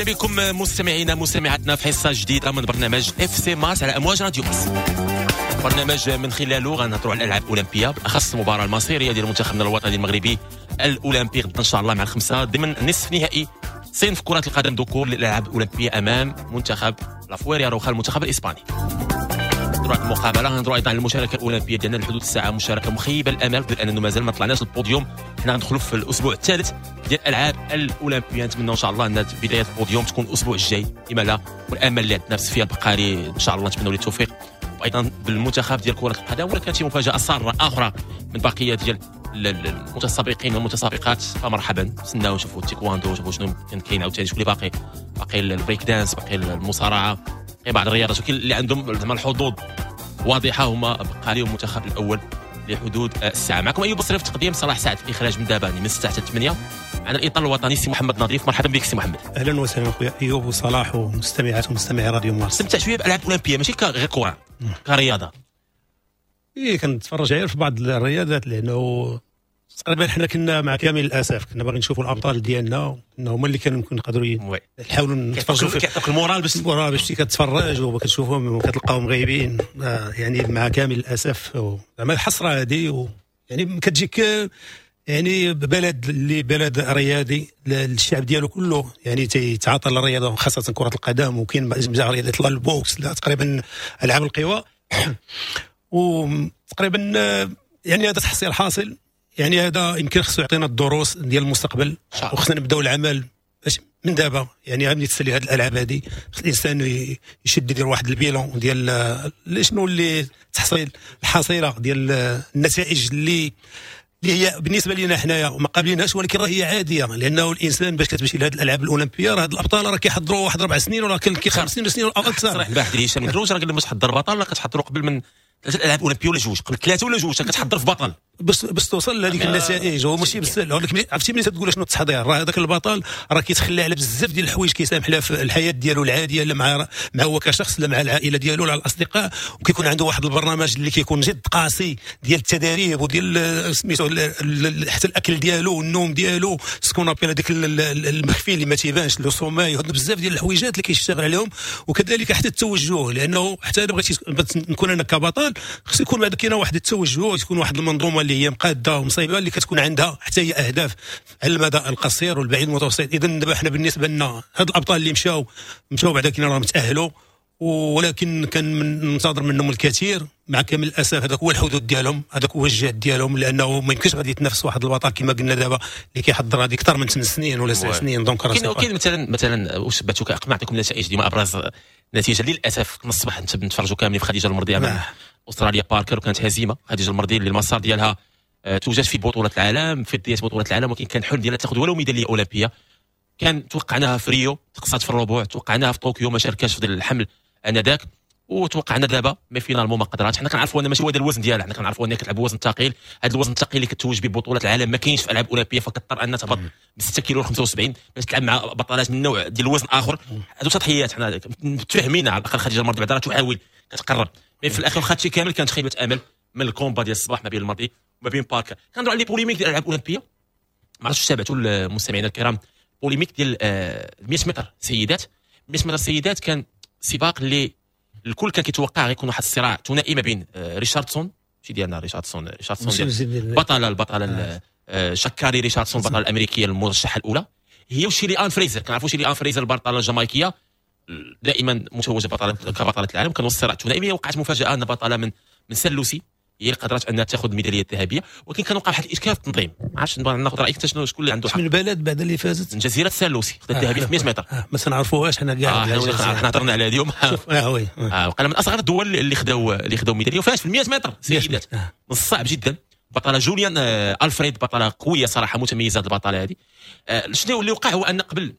اهلا بكم مستمعينا مستمعاتنا في حصة جديدة من برنامج FC Mars على امواج راديو مارس. برنامج من خلاله غنهضروا على الالعاب الاولمبيه، بالاخص المباراة المصيريه ديال منتخبنا الوطني المغربي الاولمبي غدا ان شاء الله مع 5 ضمن نصف نهائي صنف كره القدم ذكور للالعاب الاولمبية امام منتخب لافويريا روخا المنتخب الاسباني. نهضروا على المقابله، غنهضروا ايضا على المشاركة الاولمبية ديالنا لحدود الساعة، مشاركة مخيبه الامال لانه مازال ما طلعناش البوديوم. حنا غندخلوا في الاسبوع الثالث ديال الالعاب الاولمبيه، نتمنى ان شاء الله ان بداية البوديوم تكون الاسبوع الجاي لما لا، والامل اللي عندنا في سفيان البقالي ان شاء الله نتمنوا له التوفيق، وايضا بالمنتخب ديال كره القدم. ولا كانت شي مفاجاة ساره اخرى من بقية ديال المتسابقين والمتسابقات فمرحبا، نتسناو نشوفوا التيكواندو، نشوفوا شنو كاين عاوتاني، شكون اللي باقي البريك دانس، باقي المصارعه، باقي بعض الرياضات، ولكن اللي عندهم زعما الحظوظ واضحة هما بقالي والمنتخب الاول لحدود الساعة. معكم ايوب بصري في التقديم، صلاح سعد في الاخراج من دابا من 6 حتى 8. معنا الاطار الوطني سي محمد نظيف، مرحبا بك سي محمد. اهلا وسهلا خويا ايوب وصلاح ومستمعات ومستمعي راديو مارس. استمتع شوية بالالعاب الاولمبية، ماشي غير كره، كرياضه. ايه كنتفرج غير في بعض الرياضات، لانه تقريبا حنا كنا مع كامل الاسف كنا باغيين نشوفوا الابطال ديالنا، كنا هما اللي كانوا ممكن نقدروا نحاولوا نتفرجوا فيهم، كيعطيك ال moral باش ال moral باش كتفرج وكتشوفهم وكتلقاهم غايبين، يعني مع كامل الاسف زعما الحسرة هذه، يعني كتجيك يعني بلد اللي بلد رياضي الشعب ديالو كله يعني تيتعاطى للرياضة خاصة كره القدم، وكاين بزاف رياضات لا ال boxe لا تقريبا العاب القوى، وتقريبا يعني هذا تحصيل حاصل، يعني هذا يمكن خصو يعطينا الدروس ديال المستقبل، وخصنا نبداو العمل باش من دابا، يعني ملي تسالي هذه الالعاب هذه خص الانسان يشد يدير واحد ال bilan ديال شنو اللي تحصيل الحصيلة ديال النتائج اللي هي بالنسبة لنا حنايا ما قابلينهاش، ولكن راه هي عادية، لانه الانسان باش كتمشي لهذه الالعاب الاولمبية راه هاد الابطال راه كيحضروا واحد 4 سنين ولا كاين 5 سنين ولا اكثر. صراحة البارح ديال هشام الكروج راه قال لهم باش تحضر بطل راه كتحضروا قبل من 3 الالعاب الاولمبية ولا جوج، قبل 3 ولا 2 كتحضر في بطل باش توصل لهذيك النتائج. هو ماشي بالسهل، ولكن عرفتي ملي تقول شنو التحضير راه هذاك البطل راه كيتخلى على بزاف ديال الحوايج، كيسامح لها في الحياة ديالو العادية، لا مع هو كشخص لا مع العائلة ديالو لا الاصدقاء، وكيكون عنده واحد البرنامج اللي كيكون جد قاسي ديال التدريب وديال سميتو حتى الاكل ديالو والنوم ديالو، ce qu'on appelle هذاك المخفي اللي ما تيبانش le sommeil، هاد بزاف ديال الحويجات اللي كيشتغل عليهم، وكذلك حتى التوجه، لانه حتى الا بغيتي نكون انا كبطل خص يكون بعد كاينه واحد التوجه، تكون واحد المنظومة اللي هي مقاده ومصيبه اللي كتكون عندها حتى هي اهداف على المدى القصير والبعيد والمتوسط. اذا دابا حنا بالنسبة لنا هاد الابطال اللي مشاو بعدا كاين راهم تاهلوا، ولكن كان ننتظر منهم الكثير. مع كامل الاسف هذاك هو الحدود ديالهم، هذاك هو الجهد ديالهم، لانه ما يمكنش غادي يتنافس واحد البطل كما قلنا دابا اللي كيحضر هذه اكثر من 8 سنين ولا 9 سنين. donc راه كاين مثلا واش بعتو قبل نعطيكم النتائج ديما ابرز نتيجة للاسف من الصباح نتفرجوا كاملين في خديجة المرضي امام استراليا باركر، وكانت هزيمة خديجة المرضي اللي المسار ديالها توجد في بطوله العالم، في بداية بطوله العالم، ولكن كان حلم ديالها تاخذ ولو ميدالية اولمبيه. كان توقعناها في ريو تقصات في الربوع، توقعناها في طوكيو ما شاركاش في الحمل انذاك، وتوقعنا دابا mais finalement ما قدراتش. حنا كنعرفوا ان ماشي هو هذا الوزن ديالها، حنا كنعرفوا انها كتلعب وزن ثقيل، هذا الوزن الثقيل اللي كتوج به بطوله العالم ما كاينش في العاب اولمبيه، فكضطر انها تهبط ب 6 كيلو 75 باش تلعب مع بطلات من نوع ديال الوزن اخر. هادو تضحيات حنا متفاهمين على الاقل. خديجة المرضي بعدا راه تحاول كتقرب، mais في الاخير واخا هادشي كامل كانت خيبه امل من ال combat ديال الصباح ما بين المرضي وما بين باركر. كنهضروا على les polémiques ديال الالعاب الاولمبية، ما عرفتش تابعتوا المستمعين الكرام polémique ديال 100 متر سيدات. 100 متر سيدات كان سباق اللي الكل كان كيتوقع غيكون واحد الصراع ثنائي ما بين ريشاردسون، ماشي ديالنا ريشاردسون البطلة شكاري ريشاردسون البطلة الامريكية المرشحه الاولى، هي وشيلي ان فريزر. كنعرفوا شيلي ان فريزر البطلة الجامايكيه دائما متوجه بطلة كبطله العالم. كان الصراع الثنائي، وقعت مفاجاة ان بطلة من سان لوسي هي اللي قدرت انها تاخذ الميداليه الذهبية، ولكن كان وقع واحد الاشكال في التنظيم. ما عرفتش ناخذ رايك انت شنو شكون اللي عنده حق. من البلد بعد اللي فازت؟ من جزيرة سان لوسي خدت الذهبية في 100 متر. ما تنعرفوهاش حنا كاع، حنا هضرنا عليها اليوم. oui وقال من اصغر الدول اللي خداو ميدالية وفاز في 100 متر سيدات. من الصعب جدا. بطلة جوليان الفريد بطلة قوية صراحة متميزة البطلة هذه. شنو اللي وقع هو ان قبل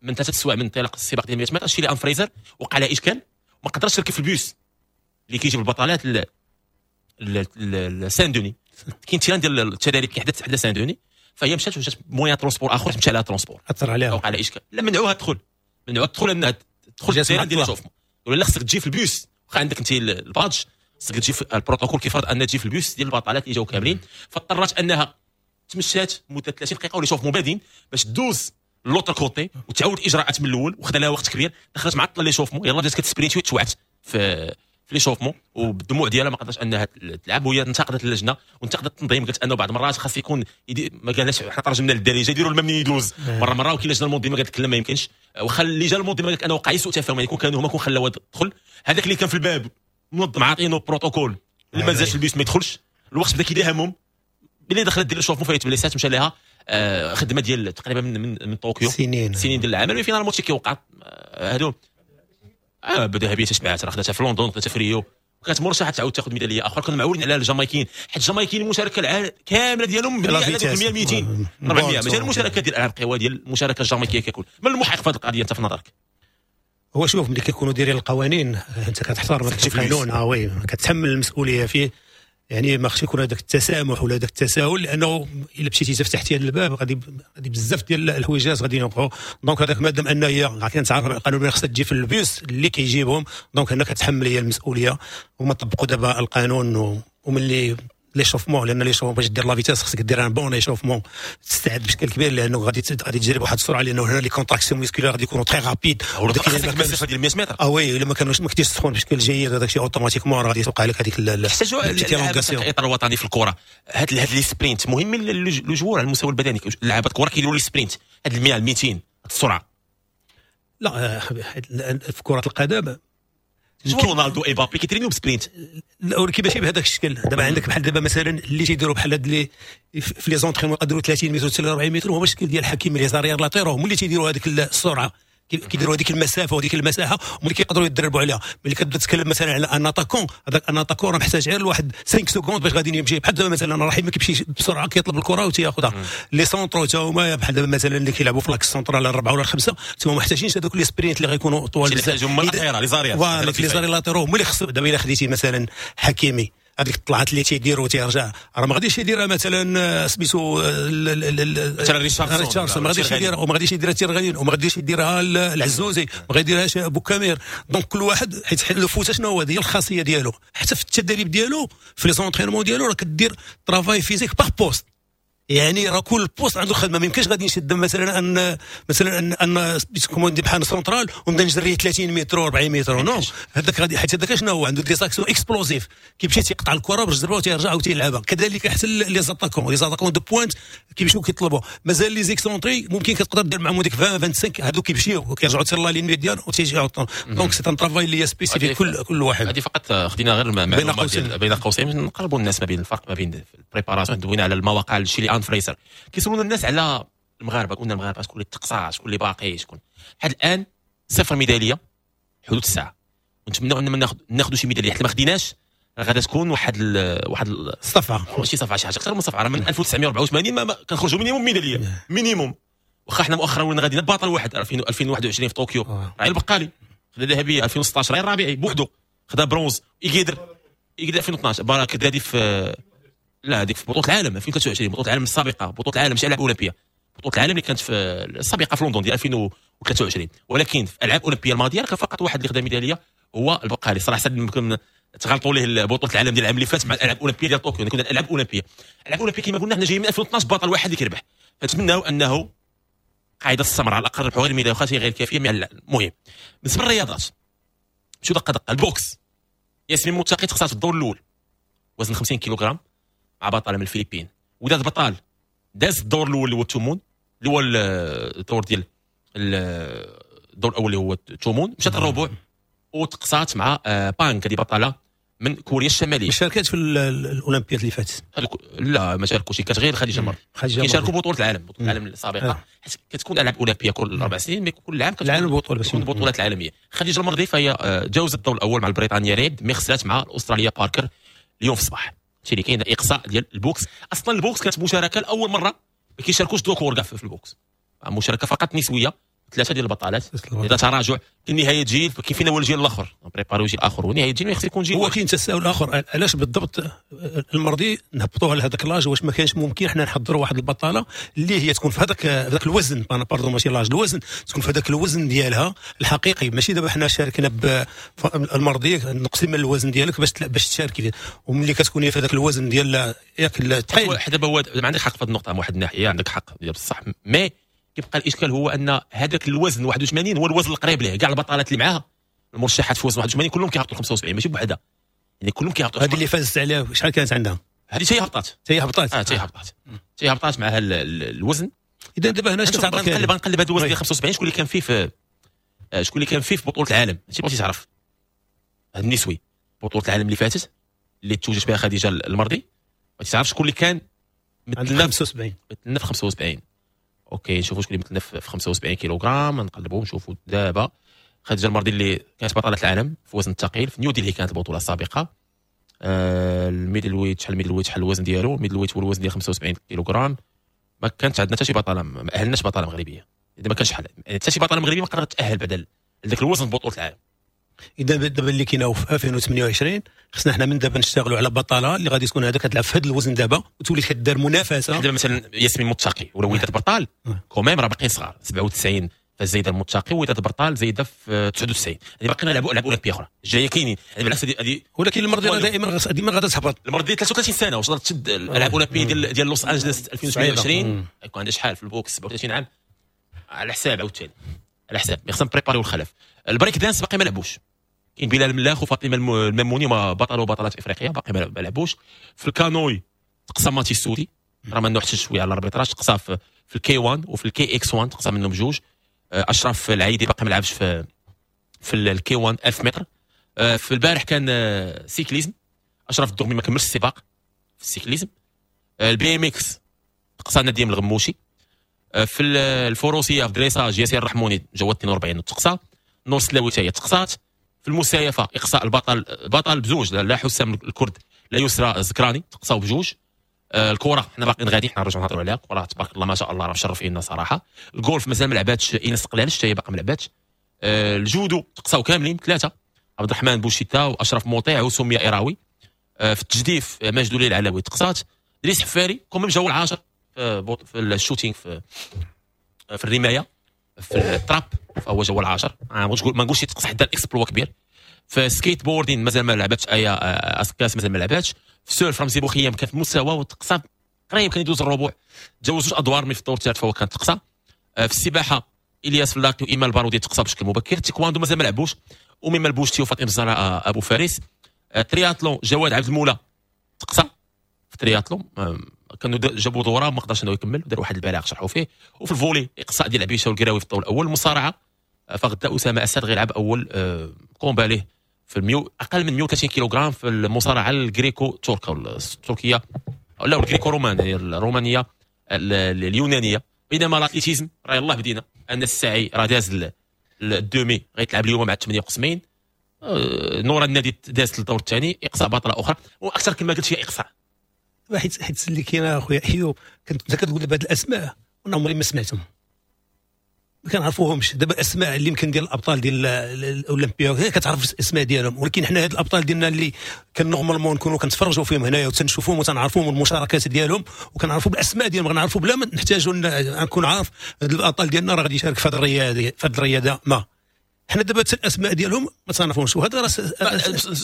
من 3 سوايع من انطلاق السباق ديال 100 متر شيلي ان فريزر وقع لها اشكال، ما قدرتش تركب في البوس اللي كيجيب البطلات سان دوني. كاين terrain ديال التدريب كيحدث حدا سان دوني، فهي مشات وجات moyen transport اخر مشى على transport اثر عليها، وقع على اشكال. لا منعوها تدخل، منعوها تدخل انها تدخل ال terrain ديال l'échauffement، ولا خصك تجي في البوس واخا عندك انت ال badge، خصك تجي في البروتوكول كيفرض ان تجي في البوس ديال البطلات اللي جاو كاملين. فاضطرت انها تمشات مده 30 دقيقة و l'échauffement بادين باش دوز l'autre côté وتعاود الاجراءات من الاول، وخدا لها وقت كبير. دخلت معطلة l'échauffement، يلاه بدات كتسبرينتي وتوعت في l'échauffement، وبالدموع ديالها ما قدرتش انها تلعب. وهي انتقدت اللجنة وانتقدت التنظيم، قالت انه بعض المرات خاص يكون ما قالناش حنا ترجمنا للدارجه، يديروا الماء منين يدوز مرة مره. وكاين اللجنة المنظمة قالت لك لا ما يمكنش، واخا اللجان المنظمة قالت انه وقع سوء تفاهم، يعني كون كانوا هما كون خلاوها تدخل. هذاك اللي كان في الباب منظم عاطينه بروتوكول، اللي ما نزلش البيس ما يدخلش. الوقت بدا كيداهمهم، ملي دخلت دير l'échauffement فايت بليسات، مشى لها خدمة ديال تقريبا من طوكيو سنين سنين ديال العمل. finalement كيوقع هادو بدا تشبعات، راه خداتها في لندن، خداتها في ريو، وكانت مرشحة تعاود تاخذ ميدالية اخرى. كنا معولين على الجامايكيين، حيت الجامايكيين المشاركة كاملة ديالهم مبنية على 100 200 400، ماشي المشاركة ديال الالعاب القوى ديال المشاركة الجامايكيه ككل. من المحق في هذه القضية انت في نظرك؟ هو شوف، ملي كيكونوا دايرين القوانين انت كتحترم هذاك القانون، oui كتحمل المسؤولية فيه، يعني ما خصش يكون هذاك التسامح ولا هذاك التساهل، لانه الا مشيتي فتحتي هذا الباب غادي بزاف ديال الحويجات غادي يوقعوا. donc هذاك مادام ان هي كانت عارفه القانون خصها تجي في البيوس اللي كيجيبهم، donc هنا كتحمل هي المسؤولية. وما طبقوا دابا القانون، وملي l'échauffement، لان l'échauffement باش دير la vitesse خصك دير un bon échauffement، تستعد بشكل كبير، لانه غادي تجري بواحد السرعة، لانه هنا les contractions musculaires غادي يكونوا très rapides، وديك المسافة ديال 100 متر. oui الا ما كانوش ما كنتيش سخون بشكل جيد هذاك الشيء automatiquement غادي توقع لك هذيك الاطار الوطني في الكره. هاد les sprints مهم les joueurs على المستوى البدني، لعابه الكره كيديروا les sprints هاد 100 200 السرعة. لا في كره القدم رونالدو ايبابي كيترينيو ب sprint، ولكن ماشي بهذاك الشكل. دابا عندك بحال دابا مثلا اللي تيديروا بحال هاد اللي في les entraînements يقدروا 30 متر حتى 40 متر، هو الشكل ديال حكيم les arrières latéraux هما اللي تيديروا هذيك السرعة، كيديروا هذيك المسافة وهذيك المساحة، هما اللي كيقدروا يدربوا عليها. ملي كتبدا تتكلم مثلا على un attaquant، هذاك un attaquant راه محتاج غير لواحد 5 secondes باش غادي يمشي. بحال دابا مثلا رحيم كيمشي بسرعة كيطلب الكره وتياخذها. les centraux تا هما بحال دابا مثلا اللي كيلعبوا في l'axe central الاربعة ولا الخمسة، تما محتاجينش هذوك les sprints اللي غيكونوا طوال بزاف. هما les arrières voilà les arrières latéraux هما اللي خصو. دابا الا خديتي مثلا حكيمي هذيك الطلعات اللي تيدير وتيرجع، راه ما غاديش يديرها مثلا سميتو مثلا ريتشاردسون، ما غاديش يديرها، وما غاديش يديرها تيرغالين، وما غاديش يديرها العزوزي، ما غاديرهاش بوكامير. donc كل واحد حيت le foot شنو هو هذه الخاصية ديالو، حتى في التدريب ديالو في les entraînements ديالو راه كدير travail physique par poste، يعني راه كل poste عنده خدمة. ما يمكنش غادي نشد مثلا ان مثلا ان comment dire بحال سنترال ونبدا نجري 30 متر 40 متر، non هذاك غادي، حيت هذاك شنو هو عنده des actions explosives، كيمشي تيقطع الكره بالجربه وتيرجع وتيلعبها. كذلك حتى les attaquants، les attaquants de pointe كيمشيو كيطلبوا. مازال les excentrés ممكن كتقدر دير معاهم ديك 20 25، هادو كيمشيو وكيرجعوا حتى la ligne médiane وتيجيو. donc c'est un travail اللي spécifique كل واحد. هذه فقط خدينا غير معلومة بين قوسين نقربوا الناس ما بين الفرق ما بين ال préparation. دوينا على المواقع الشيء اللي فريسر كيسولونا الناس على المغاربة، قلنا المغاربة شكون اللي تقصى، شكون اللي باقي، شكون لحد الان صفر ميدالية حدود الساعة، ونتمنوا ان ناخذ شي ميدالية. حتى ما خديناش غادا تكون واحد الصفعه، ماشي صفعة شي حاجة اكثر من صفعة. راه من 1984 ما كنخرجوا minimum ميدالية minimum. واخا حنا مؤخرا ولينا غاديين بطل واحد 2021 في طوكيو راهي البقالي خدا ذهبية، 2016 راهي الرابعي بوحدو خدا برونز، يقدر 2012 بارك هذه في لا هذيك في بطوله العالم 2023، بطوله العالم السابقة، بطوله العالم ماشي العاب اولمبيه، بطوله العالم اللي كانت في السابقة في لندن ديال 2023. ولكن في الالعاب الاولمبية الماضية كان فقط واحد اللي خدا ميدالية هو البقالي. صراحة يمكن تغلطوا ليه بطوله العالم ديال العام اللي فات مع الالعاب الاولمبية ديال طوكيو. كنا الالعاب الاولمبية، الالعاب الاولمبية كما قلنا حنا جايين من 2012 بطل واحد اللي كيربح. فنتمناو انه قاعدة السمراء على الاقل ربحوا غير الميداليه واخا غير كافيه. المهم بالنسبة للرياضات مشيو دقه دقه. ال boxe ياسمين متقي تخسرت في الدور الاول وزن 50 كيلوغرام مع بطلة من الفلبين. وداد بطال داز الدور الاول اللي هو الثمون، اللي هو الدور ديال الدور الاول اللي هو الثمون، مشات الربع وتقصات مع بانك، هذه بطلة من كوريا الشمالية. شاركت في الاولمبياد اللي فاتت؟ لا ما شاركوش، كانت غير خديجة المرضي. كيشاركوا بطوله العالم، بطوله العالم السابقة، حيت كتكون العاب اولمبيه كل 4 سنين، mais كل عام كتكون البطولة، البطولات العالمية. خديجة المرضي فهي جاوزت الدور الاول مع البريطانية ريد، mais خسرات مع الاسترالية باركر اليوم في الصباح. هادشي اللي كاين اقصاء ديال ال boxe. اصلا ال boxe كانت مشاركة لاول مرة ما كيشاركوش ذكور كاع في ال boxe، مشاركة فقط نسويه، 3 ديال البطالات. اذا تراجع كاين نهاية جيل، كاين فينا هو الجيل الاخر préparer جيل اخر، ونهاية جيل خص يكون جيل. هو كاين تساؤل اخر، علاش بالضبط المرضي نهبطوها لهذاك l'âge؟ واش ما كانش ممكن حنا نحضروا واحد البطالة اللي هي تكون في هذاك الوزن، pardon ماشي l'âge، الوزن، تكون في هذاك الوزن ديالها الحقيقي. ماشي دابا حنا شاركنا بالمرضي نقصي من الوزن ديالك باش تشاركي، وملي كتكوني في هذاك الوزن ديال ياك الثقيل. دابا هو ما عندك حق في هذه النقطة، من واحد الناحية عندك حق ديال بصح، mais كيبقى الاشكال هو ان هذاك الوزن 81 هو الوزن القريب ليه. كاع البطلات اللي معاها المرشحات في وزن 81 كلهم كيهبطوا 75 ماشي بوحدها، يعني كلهم كيهبطوا. هذه اللي فازت عليها شحال كانت عندها؟ هذه حتى هي هبطات، حتى هي هبطات، حتى هي هبطات، حتى هي هبطات معها الوزن. اذا دابا هنا شنو نقلب نقلب هذا الوزن ديال 75 شكون اللي كان فيه في شكون اللي كان فيه في بطوله العالم. ماشي بغيتي تعرف هذا النسوي بطوله العالم اللي فاتت اللي توجت بها خديجة المرضي، بغيتي تعرف شكون اللي كان مثلنا في 75، مثلنا في 75. OK نشوفوا شكون اللي مثلنا في 75 كيلوغرام، نقلبوا نشوفوا دابا. خديجة المرضي اللي كانت بطلة العالم في وزن الثقيل في نيو ديلي كانت البطولة السابقة. ال middleweight شحال ال middleweight شحال الوزن ديالو؟ ال middleweight هو الوزن ديال 75 كيلوغرام. ما كانت عندنا حتى شي بطلة، ما اهلناش بطلة مغربية، اذا ما كانش شحال حتى شي بطلة مغربية ما قدرت تاهل بعد لذاك الوزن بطوله العالم. اذا دابا اللي كاينه في 2028 خصنا حنا من دابا نشتغلوا على بطلة اللي غادي تكون هذا كتلعب في هذا الوزن دابا وتولي كدار منافسه. دابا مثلا ياسمين متقي ولا وداد برطال quand même راه باقيين صغار، 97 فزايده المتقي ووداد برطال زايدة في 99، يعني باقيين نلعبوا العاب اولمبيه اخرى الجاية كاينين. يعني بالعكس هذه، ولكن المرضي راه دائما ديما غادا تهبط. المرضي 33 سنة واش تقدر تشد الالعاب الاولمبية ديال لوس انجلس 2028؟ يكون عندها شحال في ال boxe 37 عام على حساب، عاوتاني على حساب خصنا نبريباريو الخلف. البريك دانس باقي ما لعبوش، كاين بلال ملاخ وفاطمة الماموني ما بطلوا بطلات افريقيا باقي ما لعبوش. في الكانوي تقسم ماتي السودي راه ما حتى شوية على ال arbitrage، تقصى في ال K 1 وفي ال KX 1 تقصى منهم بجوج. اشرف العيدي باقي ما لعبش في ال K 1 1000 متر. في البارح كان cyclisme، اشرف الدغمي ما كملش السباق في ال cyclisme. ال BMX تقصى نديم الغموشي. في الفروسية في dressage ياسر الرحموني جواد 42 وتقصى. نور سلاوي حتى هي تقصات. في المسايفه اقصاء البطل بطل بزوج، لا حسام الكرد لا يسرى الزكراني تقصاو بجوج. الكره حنا باقيين غادي حنا نرجعوا نهضروا عليها، الكره تبارك الله ما شاء الله راه مشرفينا صراحة. الجولف مازال ما لعباتش ايناس قلالش حتى هي باقا ما لعباتش. الجودو تقصاو كاملين ثلاثة، عبد الرحمن بوشيتا واشرف موطيع وسميه ايراوي. في التجديف ماجد ولي العلاوي تقصات. دريس حفاري quand même جاو العاشر في ال shooting في الرماية في ال trap فهو جا العاشر. ما نقولش تقص حتى ال exploit كبير. في skateboarding مازال ما لعباتش ايا اسكاس مازال ما لعباتش. في surf رمزي بوخيام كان في المستوى وتقصى قريب كان يدوز الربع، تجاوز جوج ادوار من في الدور الثالث فهو كان تقصى. في السباحة الياس فلاكي وايمان البارودي تقصى بشكل مبكر. التايكواندو مازال ما لعبوش، وميما البوشتي وفاطمة الزهراء ابو فارس. ترياتلون جواد عبد المولى تقصى في الترياتلون، كانوا جابوا دوره ما قدرش انه يكمل، دار واحد البلاغ شرحوا فيه. وفي ال volley اقصاء ديال عبيشه والقراوي في الدور الاول. المصارعة فغدا اسامة اسد غيلعب اول combat ليه في الميو اقل من 130 كيلوغرام في المصارعة ال gréco-turque التركية لا ال gréco-romaine الرومانية اليونانية. بينما l'athlétisme راه يلاه بدينا، ان الساعي راه داز ال demi غيتلعب اليوم مع 8 قسمين. نورا النادي دازت للدور الثاني، اقصاء بطلة اخرى. واكثر كما قلت هي اقصاء، حيت اللي كاين اخويا ايوب كنت كتقول دابا هاد الاسماء وانا عمري ما سمعتهم، ما كنعرفوهمش. دابا الاسماء اللي يمكن ديال الابطال ديال الاولمبيا كتعرف الاسماء ديالهم، ولكن حنا هاد الابطال ديالنا اللي كان normalement نكونوا كنتفرجوا فيهم هنايا وتنشوفوهم وتنعرفوهم المشاركات ديالهم وكنعرفوا بالاسماء ديالهم، غنعرفوا بلا ما نحتاجوا نكون عارف هاد الابطال ديالنا راه غادي يشارك في هاد الرياضة في هاد الرياضة. ما حنا دابا حتى الاسماء ديالهم ما تنعرفوهمش. وهذا راه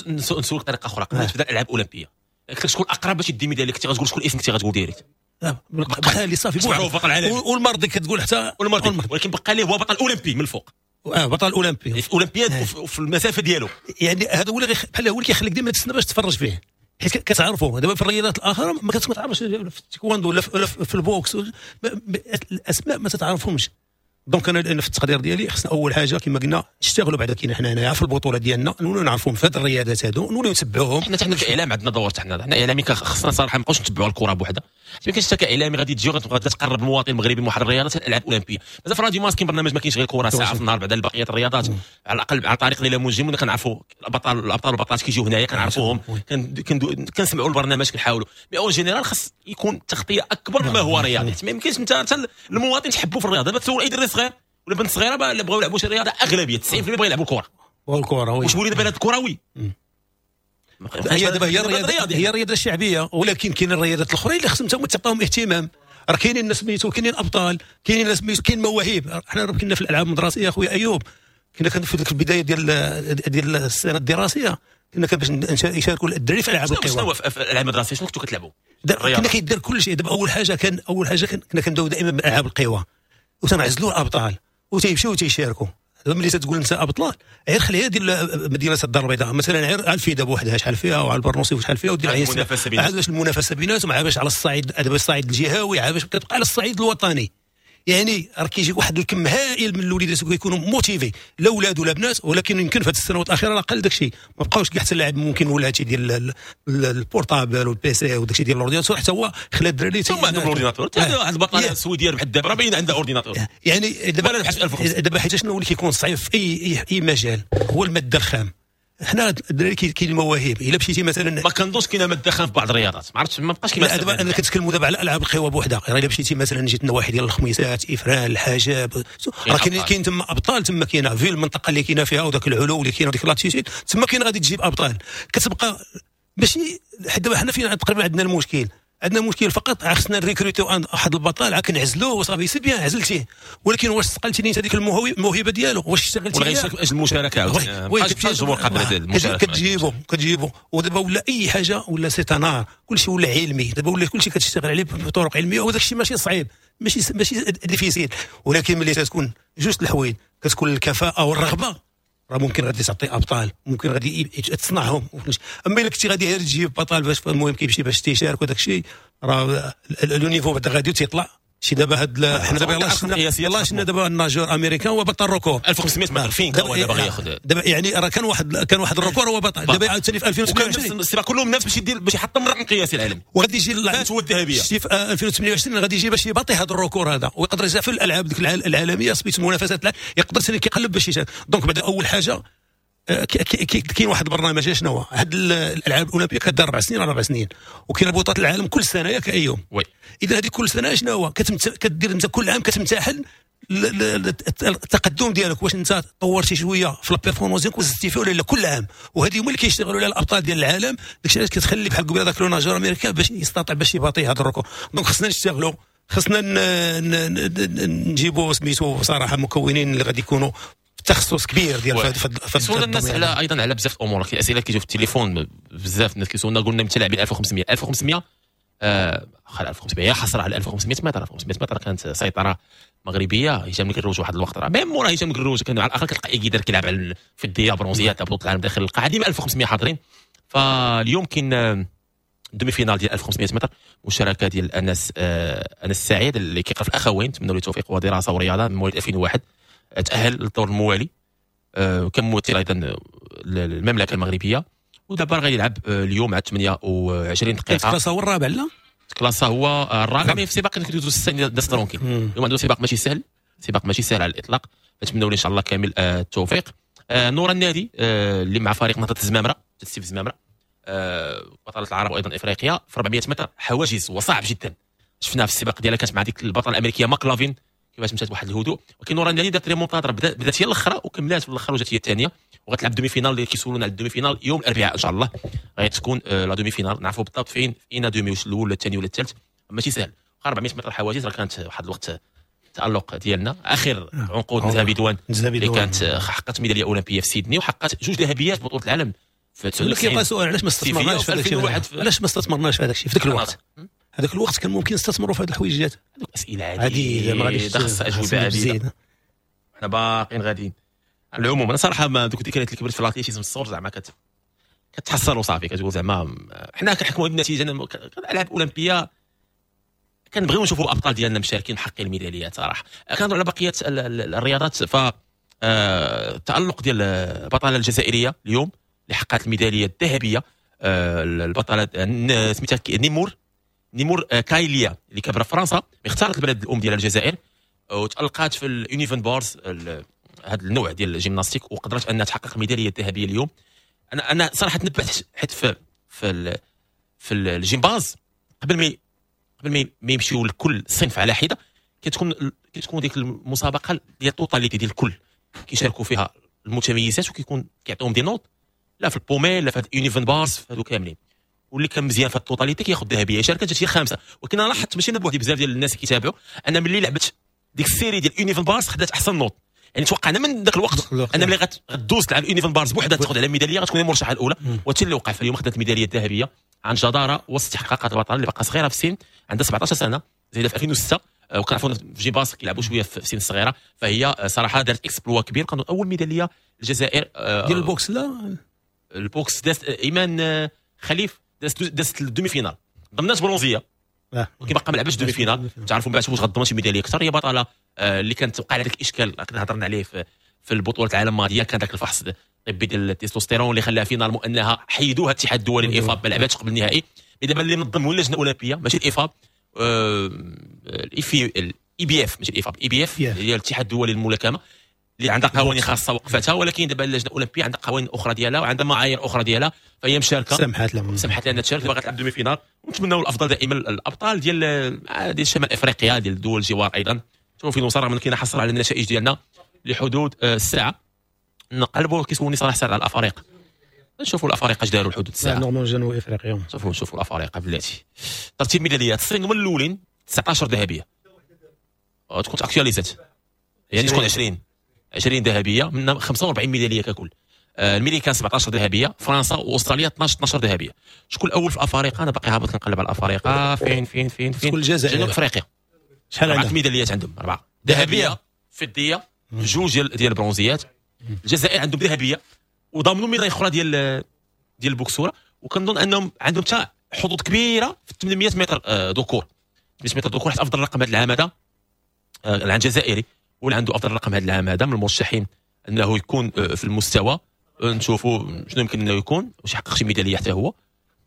نسولك بطريقة اخرى، قبل ما تبدا الالعاب الاولمبية قلت لك شكون الاقرب باش يدي ميدالية، كنتي غتقول شكون الاسم كنتي غتقول direct بقى لي صافي معروف بطل العالم والمرضي كتقول حتى والمرضي، ولكن بقى ليه هو بطل اولمبي من الفوق. بطل اولمبي في الاولمبياد وفي المسافة ديالو، يعني هذا هو اللي بحال هو اللي كيخليك ديما تستنى باش تتفرج فيه، حيت كتعرفوا دابا في الرياضات الاخرى ما كتعرفش في التايكواندو ولا في ال boxe الاسماء ما تتعرفهمش. donc انا في التقدير ديالي خصنا اول حاجة كما قلنا نشتغلوا بعدا كاين حنا هنايا في البطولة ديالنا، نولوا نعرفوهم في هاد الرياضات هادو، نولوا نتبعوهم. حنا حتى في الاعلام عندنا دور، حتى حنا اعلامي خصنا صراحة ما نبقاوش نتبعوا الكره بوحدها. ما كاينش حتى كاعلامي غادي تجي وغادي تقرب المواطن المغربي من واحد الرياضة الالعاب الاولمبية. مازال في راديو مارس كاين برنامج ما كاينش غير كره ساعة في النهار، بعدا بقية الرياضات على الاقل عن طريق ليلى منجم ولا كنعرفوا الابطال والبطلات كيجيو هنايا كنعرفوهم، كنسمعوا البرنامج كنحاولوا. mais en général خص يكون تغطيه اكبر مما هو رياضي. ما يمكنش انت المواطن تحبوا في الرياضة. دابا تسول اي دري صغير ولا بنت صغيرة اللي بغاو يلعبوا شي رياضة اغلبية 90% بغاو يلعبوا الكره. والكره واش ولينا بلد كروي؟ هي دابا هي الرياضة، هي الرياضة الشعبية، ولكن كاين الرياضات الاخرين اللي خصهم تاهما تعطيهم اهتمام. راه كاينين الناس سميتو، كاينين ابطال، كاينين الناس سميتو، كاين مواهب. حنا راه كنا في الالعاب المدرسية اخويا ايوب، كنا في ديك البداية ديال السنة الدراسية كنا باش يشاركوا الدراري في العاب القوى. شنو في الالعاب المدرسية شنو كنتو كتلعبوا؟ كنا كيدير كل شيء. دابا اول حاجة كنا كنداو دائما بالالعاب القوى. وتنعزلوا الابطال وتيمشيو وتيشاركوا. ملي تتقول انت ابطال غير خليها ديال مدينة الدار البيضاء مثلا، غير على الفيدا بوحدها شحال فيها، وعلى البرنوصي شحال فيها، ودير المنافسة بيناتهم. عاد باش المنافسة بيناتهم، عاد باش على الصعيد، دابا الصعيد الجهوي، عاد باش كتبقى على الصعيد الوطني. يعني راه كيجي واحد الكم هائل من الوليدات كيكونوا motivés، لا اولاد ولا بنات، ولكن يمكن في هذه السنوات الاخيرة راه قل داكشي، ما بقاوش كاع حتى اللاعب ممكن ولا هادشي ديال ال portable وال PC وداكشي ديال l'ordinateur، حتى هو خلا الدراري هما عندهم l'ordinateur. واحد البطلة السويدية ربحت دابا، راه باين عندها ordinateur. يعني دابا حيت شنو اللي كيكون صعيب في اي مجال هو المادة الخام. حنا الدراري كاين المواهب، الا مشيتي مثلا ما كنظنش كاينه مادة خام في بعض الرياضات، ما عرفتش ما بقاش كاين. دابا انا كنتكلموا دابا على العاب القوى بوحدها، الا مشيتي مثلا جيت النواحي ديال الخميسات، افران، الحجاب، راه كاين تما ابطال، تما كاينه في المنطقة اللي كاينه فيها وداك العلو اللي كاين وديك l'altitude، تما كاين غادي تجيب ابطال. كتبقى ماشي حتى حنا فين تقريبا عندنا المشكل، عندنا مشكل فقط خصنا نريكروتيو واحد البطل عاد كنعزلوه وصافي c'est bien عزلتيه، ولكن واش صقلتي انت هذيك الموهبة ديالو؟ واش اشتغلتي ولا غيشارك اجل المشاركة عاوتاني؟ الجمهور قبل المشاركة كتجيبو. ودابا ولا اي حاجة ولا c'est un art، كلشي ولا علمي، دابا ولا كلشي كتشتغل عليه بطرق علمية، وداك الشيء ماشي صعيب، ماشي difficile، ولكن ملي تكون جوج الحوايج، كتكون الكفاءة والرغبة، راه ممكن غادي تعطي ابطال، ممكن غادي تصنعهم. اما الا كنتي غادي غير تجيب بطل باش المهم كيمشي باش تيشارك وداك الشيء، راه le niveau بعدا غادي تيطلع. شي دابا هاد حنا دابا يلاه شفنا دابا ال nageur américain هو بطل record 1500 متر فين هو دابا غياخذ دابا، يعني راه كان واحد ال record هو بطل دابا عاوتاني في 2028 السباق كلهم نفس باش يدير باش يحطم الرقم القياسي العالمي، وغادي يجي هو الذهبية شتي في 2028 غادي يجي باش يباطي هذا ال record هذا، ويقدر يجي في الالعاب ديك العالمية سميت المنافسات، يقدر ثاني كيقلب باش يشارك. donc بعدا اول حاجة كاين واحد البرنامج، شنو هو؟ هاد الالعاب الاولمبية كدار 4 سنين على 4 سنين، وكاين بطولات العالم كل سنة ياك ايوم. oui اذا هذه كل سنة شنو هو؟ كدير انت كل عام كتمتحن التقدم ديالك، واش انت طورتي شوية في la performance ديالك وزدتي فيه ولا لا كل عام. وهذه هما اللي كيشتغلوا على الابطال ديال العالم، داكشي علاش كتخلي بحال قبيلة داك le nageur américain باش يستطيع باش يباطي هذا ال record. donc خصنا نشتغلوا، خصنا نجيبوا سميتو صراحة مكونين اللي غادي يكونوا تخصص كبير ديال سولنا الناس على ايضا على بزاف الامور، كاين اسئلة كيجيو في التليفون بزاف الناس كيسولنا، قلنا متلاعبين 1500 1500 1500 حصر على 1500 متر، 1500 متر كانت سيطرة مغربية. هشام الكروج واحد الوقت راه même مورا هشام الكروج كان على الاقل كتلقى ايكيدر كيلعب على الفضيه برونزيه تاع بطوله العالم داخل القاعة، ديما 1500 حاضرين. فاليوم كاين demi-finale ديال 1500 متر، مشاركة ديال انس انس سعيد اللي كيقرا في الاخوين، نتمنى له التوفيق ودراسة ورياضة، من مواليد 2001، تاهل للدور الموالي، كممثل ايضا المملكة المغربية، ودابا غادي يلعب اليوم على 28 دقيقة. تكلاسا هو الرابع، لا تكلاسا هو الرابع، mais في سباق كيدوزو السنة داس tranquille. اليوم عنده سباق ماشي سهل، سباق ماشي سهل على الاطلاق، نتمنوا له ان شاء الله كامل التوفيق. نورا النادي اللي مع فريق نهضة الزمامره، تسيف الزمامره، بطلة العرب وايضا افريقيا في 400 متر حواجز، وصعب جدا، شفناها في السباق ديالها كانت مع ديك البطلة الامريكية ماكلافين كيفاش مشات بواحد الهدوء، ولكن نورا النادي دارت ريمونتادا، بدات هي الاخرى وكملات في الاخر وجات هي الثانية، وغتلعب demi-finale اللي كيسولونا على ال demi-finale يوم الاربعاء ان شاء الله غتكون la demi-finale، نعرفوا بالضبط فين فينا demi، واش الاول ولا الثاني ولا الثالث، ماشي سهل. 400 متر حواجز راه كانت واحد الوقت التالق ديالنا، اخر عنقود نزهه بيدوان اللي كانت حققت ميدالية اولمبيه في سيدني، وحققت 2 ذهبيات في بطوله العالم في 99. كيبقى سؤال، علاش ما استثمرناش في هذاك الشيء؟ علاش ما استثمرناش في هذاك الشيء في ذاك الوقت؟ هذاك الوقت كان ممكن نستثمروا في هذه الحويجات، هذوك اسئلة عديدة ما غاديش خاصها اجوبه عديدة، حنا باقيين غاديين. على العموم انا صراحة ما دوك الذكريات اللي كبرت في l'athlétisme الصغر زعما كتحصل وصافي، كتقول زعما حنا كنحكموا بالنتيجة. الالعاب الاولمبية كنبغيو نشوفوا الابطال ديالنا مشاركين محققين الميداليات صراحة. كنهضروا على بقية الرياضات، ف التالق ديال البطلة الجزائرية اليوم اللي حققت الميداليه الذهبية، البطلة سميتها نيمور كايليا اللي كبر في فرنسا، اختارت البلد الام ديالها الجزائر، وتالقات في ال uneven bars هذا النوع ديال الجيمناستيك، وقدرت انها تحقق الميداليه الذهبية اليوم. انا صراحة تنبهت حيت في الجيمباز قبل ما يمشيو لكل صنف على حده، كتكون ديك المسابقة ديال ال totalité ديال الكل كيشاركوا فيها المتميزات، وكيكون كيعطيهم des notes لا في ال paumelle لا في ال uneven bars في هادو كاملين، واللي كان مزيان في ال totalité كياخذ ذهبية. شاركت جات هي خامسة، ولكن انا لاحظت ماشي انا بوحدي، بزاف ديال الناس كيتابعوا، انا ملي لعبت ديك ال série ديال uneven bars خدات احسن note، يعني توقعنا من ذاك الوقت انا ملي غدوز تلعب uneven bars بوحدها تاخذ على الميداليه غتكون المرشحه الاولى، وهادشي اللي وقع. فاليوم خدات الميداليه الذهبية عن جداره واستحقاقات البطلة اللي باقا صغيرة في السن، عندها 17 سنة. زايدة في 2006، وكنعرفوا في جيباس كيلعبوا شوية في سن صغيره، فهي صراحة دارت exploit كبير. كانوا اول ميدالية الجزائر ديال ال boxe. لا، ال boxe دازت ايمان خليف، دازت ال demi-finale، ضمنات برونزيه، ولكن باقا ما لعبتش demi-finale. تعرفوا من بعد واش غتضمن شي ميدالية اكثر. هي بطلة اللي كانت وقع على ذاك الاشكال كنا هضرنا عليه في البطولة العالم الماضيه، كان ذاك الفحص الطبي ديال التستوستيرون اللي خلاها finalement انها حيدوها الاتحاد الدولي ال IFAB، ما لعباتش قبل النهائي. دابا اللي نظم هو اللجنة الاولمبية ماشي ال IFAB، ال IBF ماشي ال IFAB، IBF هي الاتحاد الدولي للملاكمه اللي عندها قوانين خاصة وقفتها، ولكن دابا اللجنة الاولمبية عندها قوانين اخرى ديالها وعندها معايير اخرى ديالها، فهي مشاركه، سمحت لهم سمحت لها تشارك، باغا تلعب demi-finale. ونتمناو الافضل دائما الابطال ديال شمال افريقيا، ديال الدول الجوار ايضا. شوفوا فين وصل، رغم كاين حصر على النتائج ديالنا لحدود الساعه. نقلبوا كيسولني صلاح سعد على الافارقه، نشوفوا الافارقة اش داروا لحدود الساعه. normalement جنوب افريقيا. شوفوا الافارقة بلاتي، ترتيب ميداليات، الصين هما الاولين 19 ذهبيه، تكون actualisات يعني تكون 20 ذهبية من 45 ميدالية ككل. الميريكان 17 ذهبيه، فرنسا واستراليا 12 ذهبية. شكون الاول في الافارقة؟ انا باقي هابط نقلب على الافارقة. فين فين فين فين؟ شكون؟ الجزائر. جنوب افريقيا. شحال عندهم عندهم؟ ميداليات؟ عندهم اربعة ذهبيه، فضيه، جوج ديال البرونزيات. الجزائر عندهم ذهبية وضامنوا ميدالية اخرى ديال البوكسوره، وكنظن انهم عندهم حتى حظوظ كبيرة في 800 متر ذكور، 800 متر ذكور، حيت افضل رقم هذا العام هذا العام الجزائري هو اللي عنده افضل رقم هذا العام هذا، من المرشحين انه يكون في المستوى. نشوفوا شنو يمكن انه يكون، واش يحقق شي ميدالية حتى هو.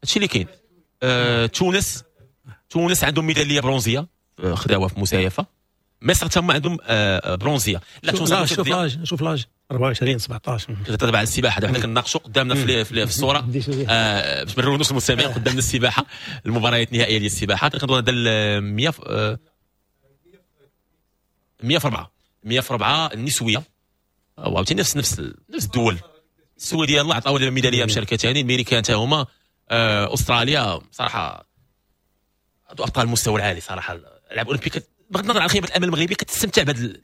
هادشي اللي كاين. تونس عندهم ميدالية برونزيه، خداوها في مسايفه. مصر تما عندهم برونزيه. لا، تونس لا، شوف l'âge، شوف l'âge، 24، 17. كتهضر على السباحه، دابا حنا كنناقشوا قدامنا في الصوره، باش ما نرونوش المستمعين، قدامنا السباحه، المباريات النهائية ديال السباحه. كنظن هذا 100 100 في 4، 100 في 4 النسويه، وعاوتاني نفس الدول. السويدية الله عطاو لهم ميدالية مشاركة ثاني، الميريكان حتى هما، استراليا. صراحة ابطال المستوى العالي صراحه. الالعاب الاولمبية بغض النظر عن خيبه الامل المغربي كتستمتع بهذا هاد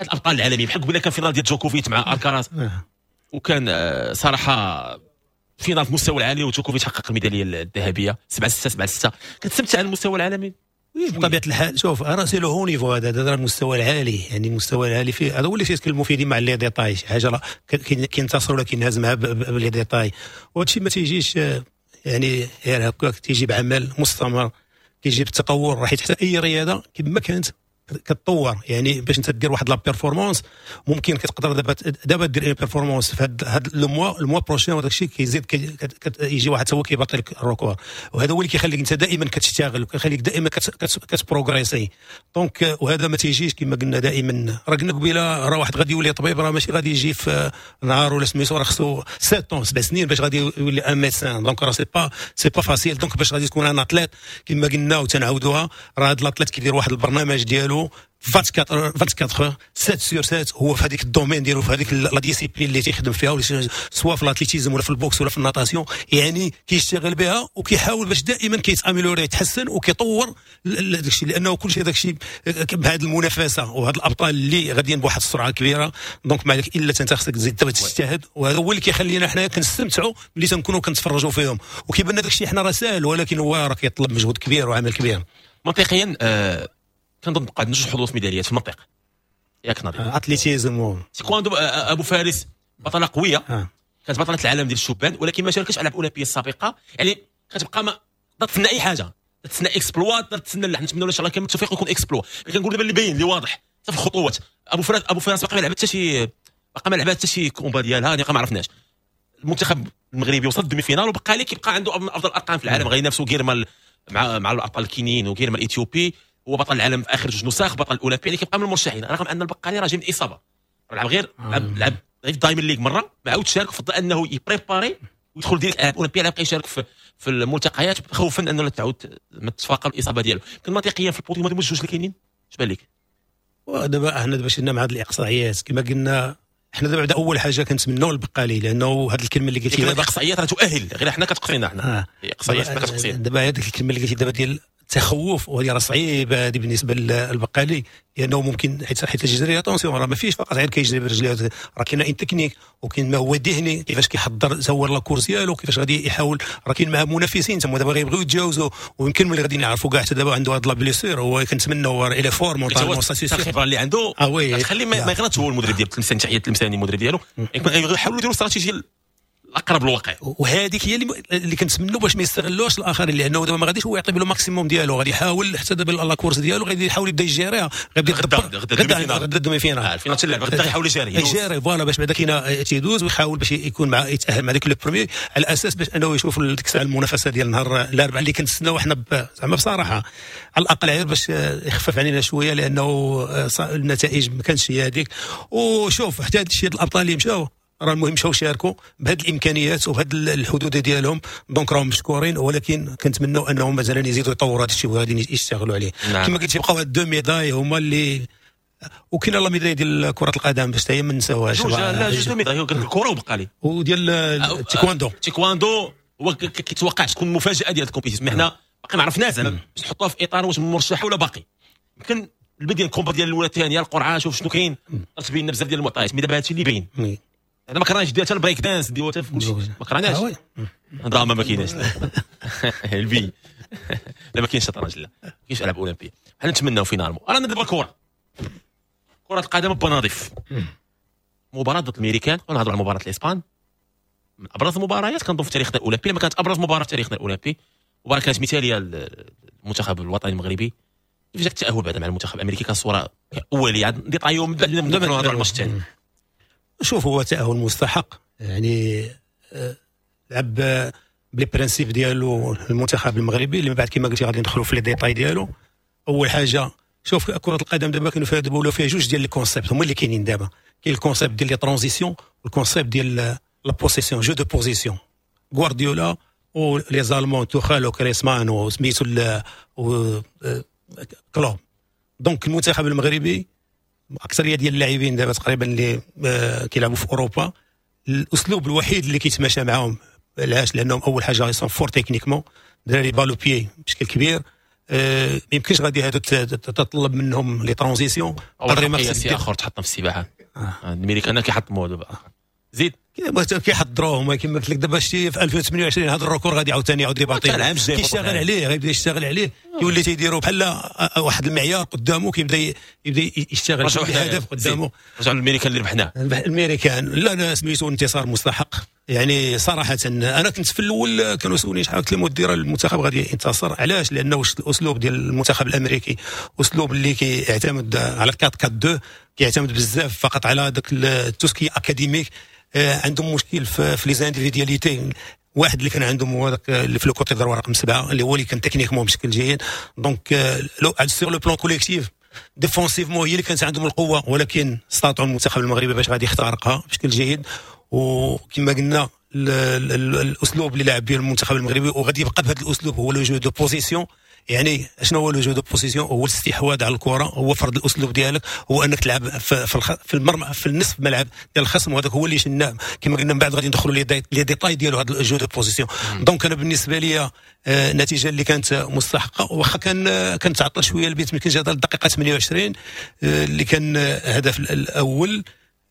الابطال العالميين، بحال قبيلة كان finale ديال جوكوفيتش مع الكاراز، وكان صراحة finale في المستوى العالي، وجوكوفيتش حقق الميداليه الذهبية 7-6 7-6. كتستمتع على المستوى العالمي. بطبيعة الحال، شوف راه c'est le haut niveau، هذا المستوى العالي، يعني المستوى العالي فيه هذا هو اللي تيتكلموا فيه ديما على les détails، شي حاجة كينتصروا ولا كينهزمها ب les détails. وهذا الشيء ما تيجيش يعني غير هكاك، تيجي بعمل مستمر، كيجي بالتطور، حيت حتى اي رياضة كما كانت كتطور. يعني باش انت دير واحد la performance ممكن كتقدر دابا دير une performance في هاد le mois prochain، وداك الشيء كيزيد يجي واحد هو كيبطل لك ال record، وهذا هو اللي كيخليك انت دائما كتشتغل وكيخليك دائما كت progresser. donc وهذا ما تيجيش كما قلنا دائما، راه قلنا قبيلة راه واحد غادي يولي طبيب راه ماشي غادي يجي في نهار ولا سميتو، راه خصو 7، 7 سنين باش غادي يولي un médecin. donc راه c'est pas facile. donc باش غادي تكون un athlète كما قلنا وتنعاودوها، راه هذا l'athlète كيدير واحد البرنامج ديالو 24 24 7 sur 7، هو في هذيك ال domaine ديالو، في هذيك la discipline اللي تيخدم فيها، سواء في l'athlétisme ولا في ال boxe ولا في ال natation، يعني كيشتغل بها وكيحاول باش دائما كيت améliorer، يتحسن وكيطور داك الشيء، لانه كل شيء داك الشيء بهذه المنافسة وهاد الابطال اللي غاديين بواحد السرعة كبيره. donc ما عليك الا انت خصك تزيد تجتهد، وهذا هو اللي كيخلينا حنا كنستمتعوا ملي تنكونوا كنتفرجوا فيهم، وكيبان داك الشيء حنا راه ساهل، ولكن هو راه كيطلب مجهود كبير وعمل كبير. منطقيا كنظن بقى عندنا جوج حظوظ ميداليات في المنطق، ياك نظير؟ athlétisme. تيكواندو، ابو فارس بطلة قويه. كانت بطلة العالم ديال الشبان، ولكن ما شاركتش في الالعاب الاولمبية السابقه، يعني كتبقى ما تسنى اي حاجه، تسنى exploit، تسنى. لا، نتمنى ان شاء الله كامل التوفيق يكون exploit. كنقول دابا اللي باين اللي واضح حتى في الخطوات، ابو فراس باقي ما لعبت حتى شي combat ديالها، يعني ما عرفناش. المنتخب المغربي وصل ال demi-finale وبقى لي كيبقى عنده من افضل الارقام في العالم، غينافسوا غيرما مع الابطال الكينيين وغيرما الاثيوبي، هو بطل العالم في اخر جوج نسخ، بطل الاولمبي، يعني كيبقى من المرشحين، رغم ان البقالي راه جاي من اصابه، لعب غير لعب غير في Diamond League مره، ما عاودش شارك، فضل انه ي préparer ويدخل direct الالعاب الاولمبيه، يبقى يشارك في الملتقيات خوفا انه تعاود ما تتفاقم الاصابة ديالو. كان منطقيا في البوديوم هذو الجوج اللي كاينين، اش بان لك؟ دابا احنا دابا شفنا مع هذه الاقصائيات كما قلنا حنا دابا، بعدا اول حاجة كنتمناو البقالي، لانه هذه الكلمة اللي قلتي دابا الاقصائيات راه تؤهل، غير حنا كتقصينا حنا. اقصائيات كتقصينا. دابا هذيك الكلمة اللي قلتي دابا ديال تخوف، وهذه راه صعيبة هذه بالنسبة للبقالي، لانه ممكن حيت الجري attention راه ما فيش فقط غير كيجري برجليه، راه كاين une technique وكاين ما هو ذهني، كيفاش كيحضر هو la course ديالو، كيفاش غادي يحاول، راه كاين معاه منافسين تما دابا غيبغيو يتجاوزوا، ويمكن ملي غادي نعرفوا كاع حتى دابا عنده هاد la blessure، هو كنتمنى هو il est fort mentalement، الخبرة اللي عنده تخلي ما يغلطش هو المدرب ديال تلمسان، تحية تلمساني المدرب ديالو، يحاولوا يديروا استراتيجية الاقرب للواقع، وهذيك هي اللي كنتمنوا باش ما يستغلوش الاخرين، لانه دابا ما غاديش هو يعطي le maximum ديالو، غادي يحاول حتى دابا la course ديالو غادي يحاول يبدا يجيريها، غادي غدا غدا demi-finale ال finale تلعب غدا، يحاول يجيري voilà باش بعدا كاين تيدوز، ويحاول باش يكون مع يتاهل مع ديك le premier، على اساس باش انه يشوف ديك الساعة المنافسة ديال نهار الاربعاء اللي كنتسناو حنا زعما بصراحة على الاقل غير باش يخفف علينا شوية، لانه النتائج ما كانتش هي هذيك. وشوف حتى هذا الشيء الابطال اللي مشاو راه المهم مشاو شاركوا بهذه الامكانيات وبهذه الحدود ديالهم، donc راهم مشكورين، ولكن كنتمنوا انهم مثلا يزيدوا يطوروا هذا الشيء وغادي يشتغلوا عليه. كما قلت يبقاو هاد deux médailles هما اللي، وكاين la médaille ديال كره القدم باش حتى هي ما نساوهاش. لا جوج médailles، الكره وبقى لي وديال التايكواندو. التايكواندو هو كيتوقع تكون مفاجاة ديال ال compétition، mais حنا باقي ما عرفناش زعما باش نحطوها في اطار واش مرشحة ولا باقي. يمكن البداية ال combat ديال الاولى الثانية القرعة، شوف شنو كاين، تبين بزاف ديال المعطيات، mais دابا هادشي اللي باين. انا ما كرهناش ديال حتى البريك دانس ديال حتى ما كرهناش. دراما ما كايناش البي لا ما كاينش شطرنج، لا ما كاينش العاب اولمبيه. حنا نتمناو finalement. رانا دابا الكره، كره القدم بنظيف، مباراة ضد الامريكان، ونهضروا على مباراة الاسبان، من ابرز المباريات كنظن في تاريخنا الاولمبي، لما كانت ابرز مباراة في تاريخنا الاولمبي، مباراة كانت مثاليه للمنتخب الوطني المغربي. كيف جاك التاهل بعد مع المنتخب الامريكي كصوره اوليه détaillée من بعد نهضروا على الماتش الثاني؟ شوف هو تاهل مستحق، يعني لعب ب les principes ديالو المنتخب المغربي، اللي من بعد كما قلتي غادي ندخلوا في les détails ديالو. اول حاجة شوف كره القدم دابا كانوا فيها دابا ولاو فيها جوج ديال les concepts هما اللي كاينين دابا، كاين ال concept ديال les transitions وال concept ديال la possession، jeu de possession. غوارديولا و les Allemands توخال وكريسمان وسميتو كلوب. donc المنتخب المغربي اكثرية ديال اللاعبين دابا تقريبا اللي كيلعبوا في اوروبا، الاسلوب الوحيد اللي كيتماشى معاهم، علاش؟ لانهم اول حاجة sont forts techniquement، دراري balle au pied بشكل كبير، ما يمكنش غادي هادو تطلب منهم les transitions. قدر ما اخر تحطم في السباحة الامريكان كيحطموا دابا زيد كيحضروهم كما قلت لك دابا شتي في 2028 هذا ال record غادي عاوتاني يعاود يباطي، كيشتغل عليه، غيبدا يشتغل عليه، كيولي تيديروا بحال واحد المعيار قدامه، كيبدا يبدا يشتغل هدف قدامه. رجعوا للامريكان اللي ربحناه الامريكان، لا سميتو انتصار مستحق. يعني صراحة انا كنت في الاول كانوا سولني شحال، قلت لهم ودي راه المنتخب غادي ينتصر. علاش؟ لانه الاسلوب ديال المنتخب الامريكي اسلوب اللي كيعتمد على 4 4 2، كيعتمد بزاف فقط على داك tout ce qui est académique. عندهم مشكل في les individualités، واحد اللي كان عندهم هو داك اللي في le côté droit رقم 7 اللي هو اللي كان techniquement بشكل جيد. donc sur le plan collectif défensivement هي اللي كانت عندهم القوة، ولكن استطاعوا المنتخب المغربي باش غادي يخترقها بشكل جيد. وكما قلنا الاسلوب اللي لعب به المنتخب المغربي وغادي يبقى بهذا الاسلوب هو le jeu de possession. يعني شنو هو le jeu de possession؟ هو الاستحواذ على الكره، هو فرض الاسلوب ديالك، هو انك تلعب في المرمى في النصف ملعب ديال الخصم، وهذاك هو اللي شناه. كما قلنا من بعد غادي ندخلوا les détails ديالو هذا ال jeu de possession. donc انا بالنسبة لي النتيجة اللي كانت مستحقه، واخا كان تعطل شوية البيت، يمكن جا الدقيقة 28 اللي كان الهدف الاول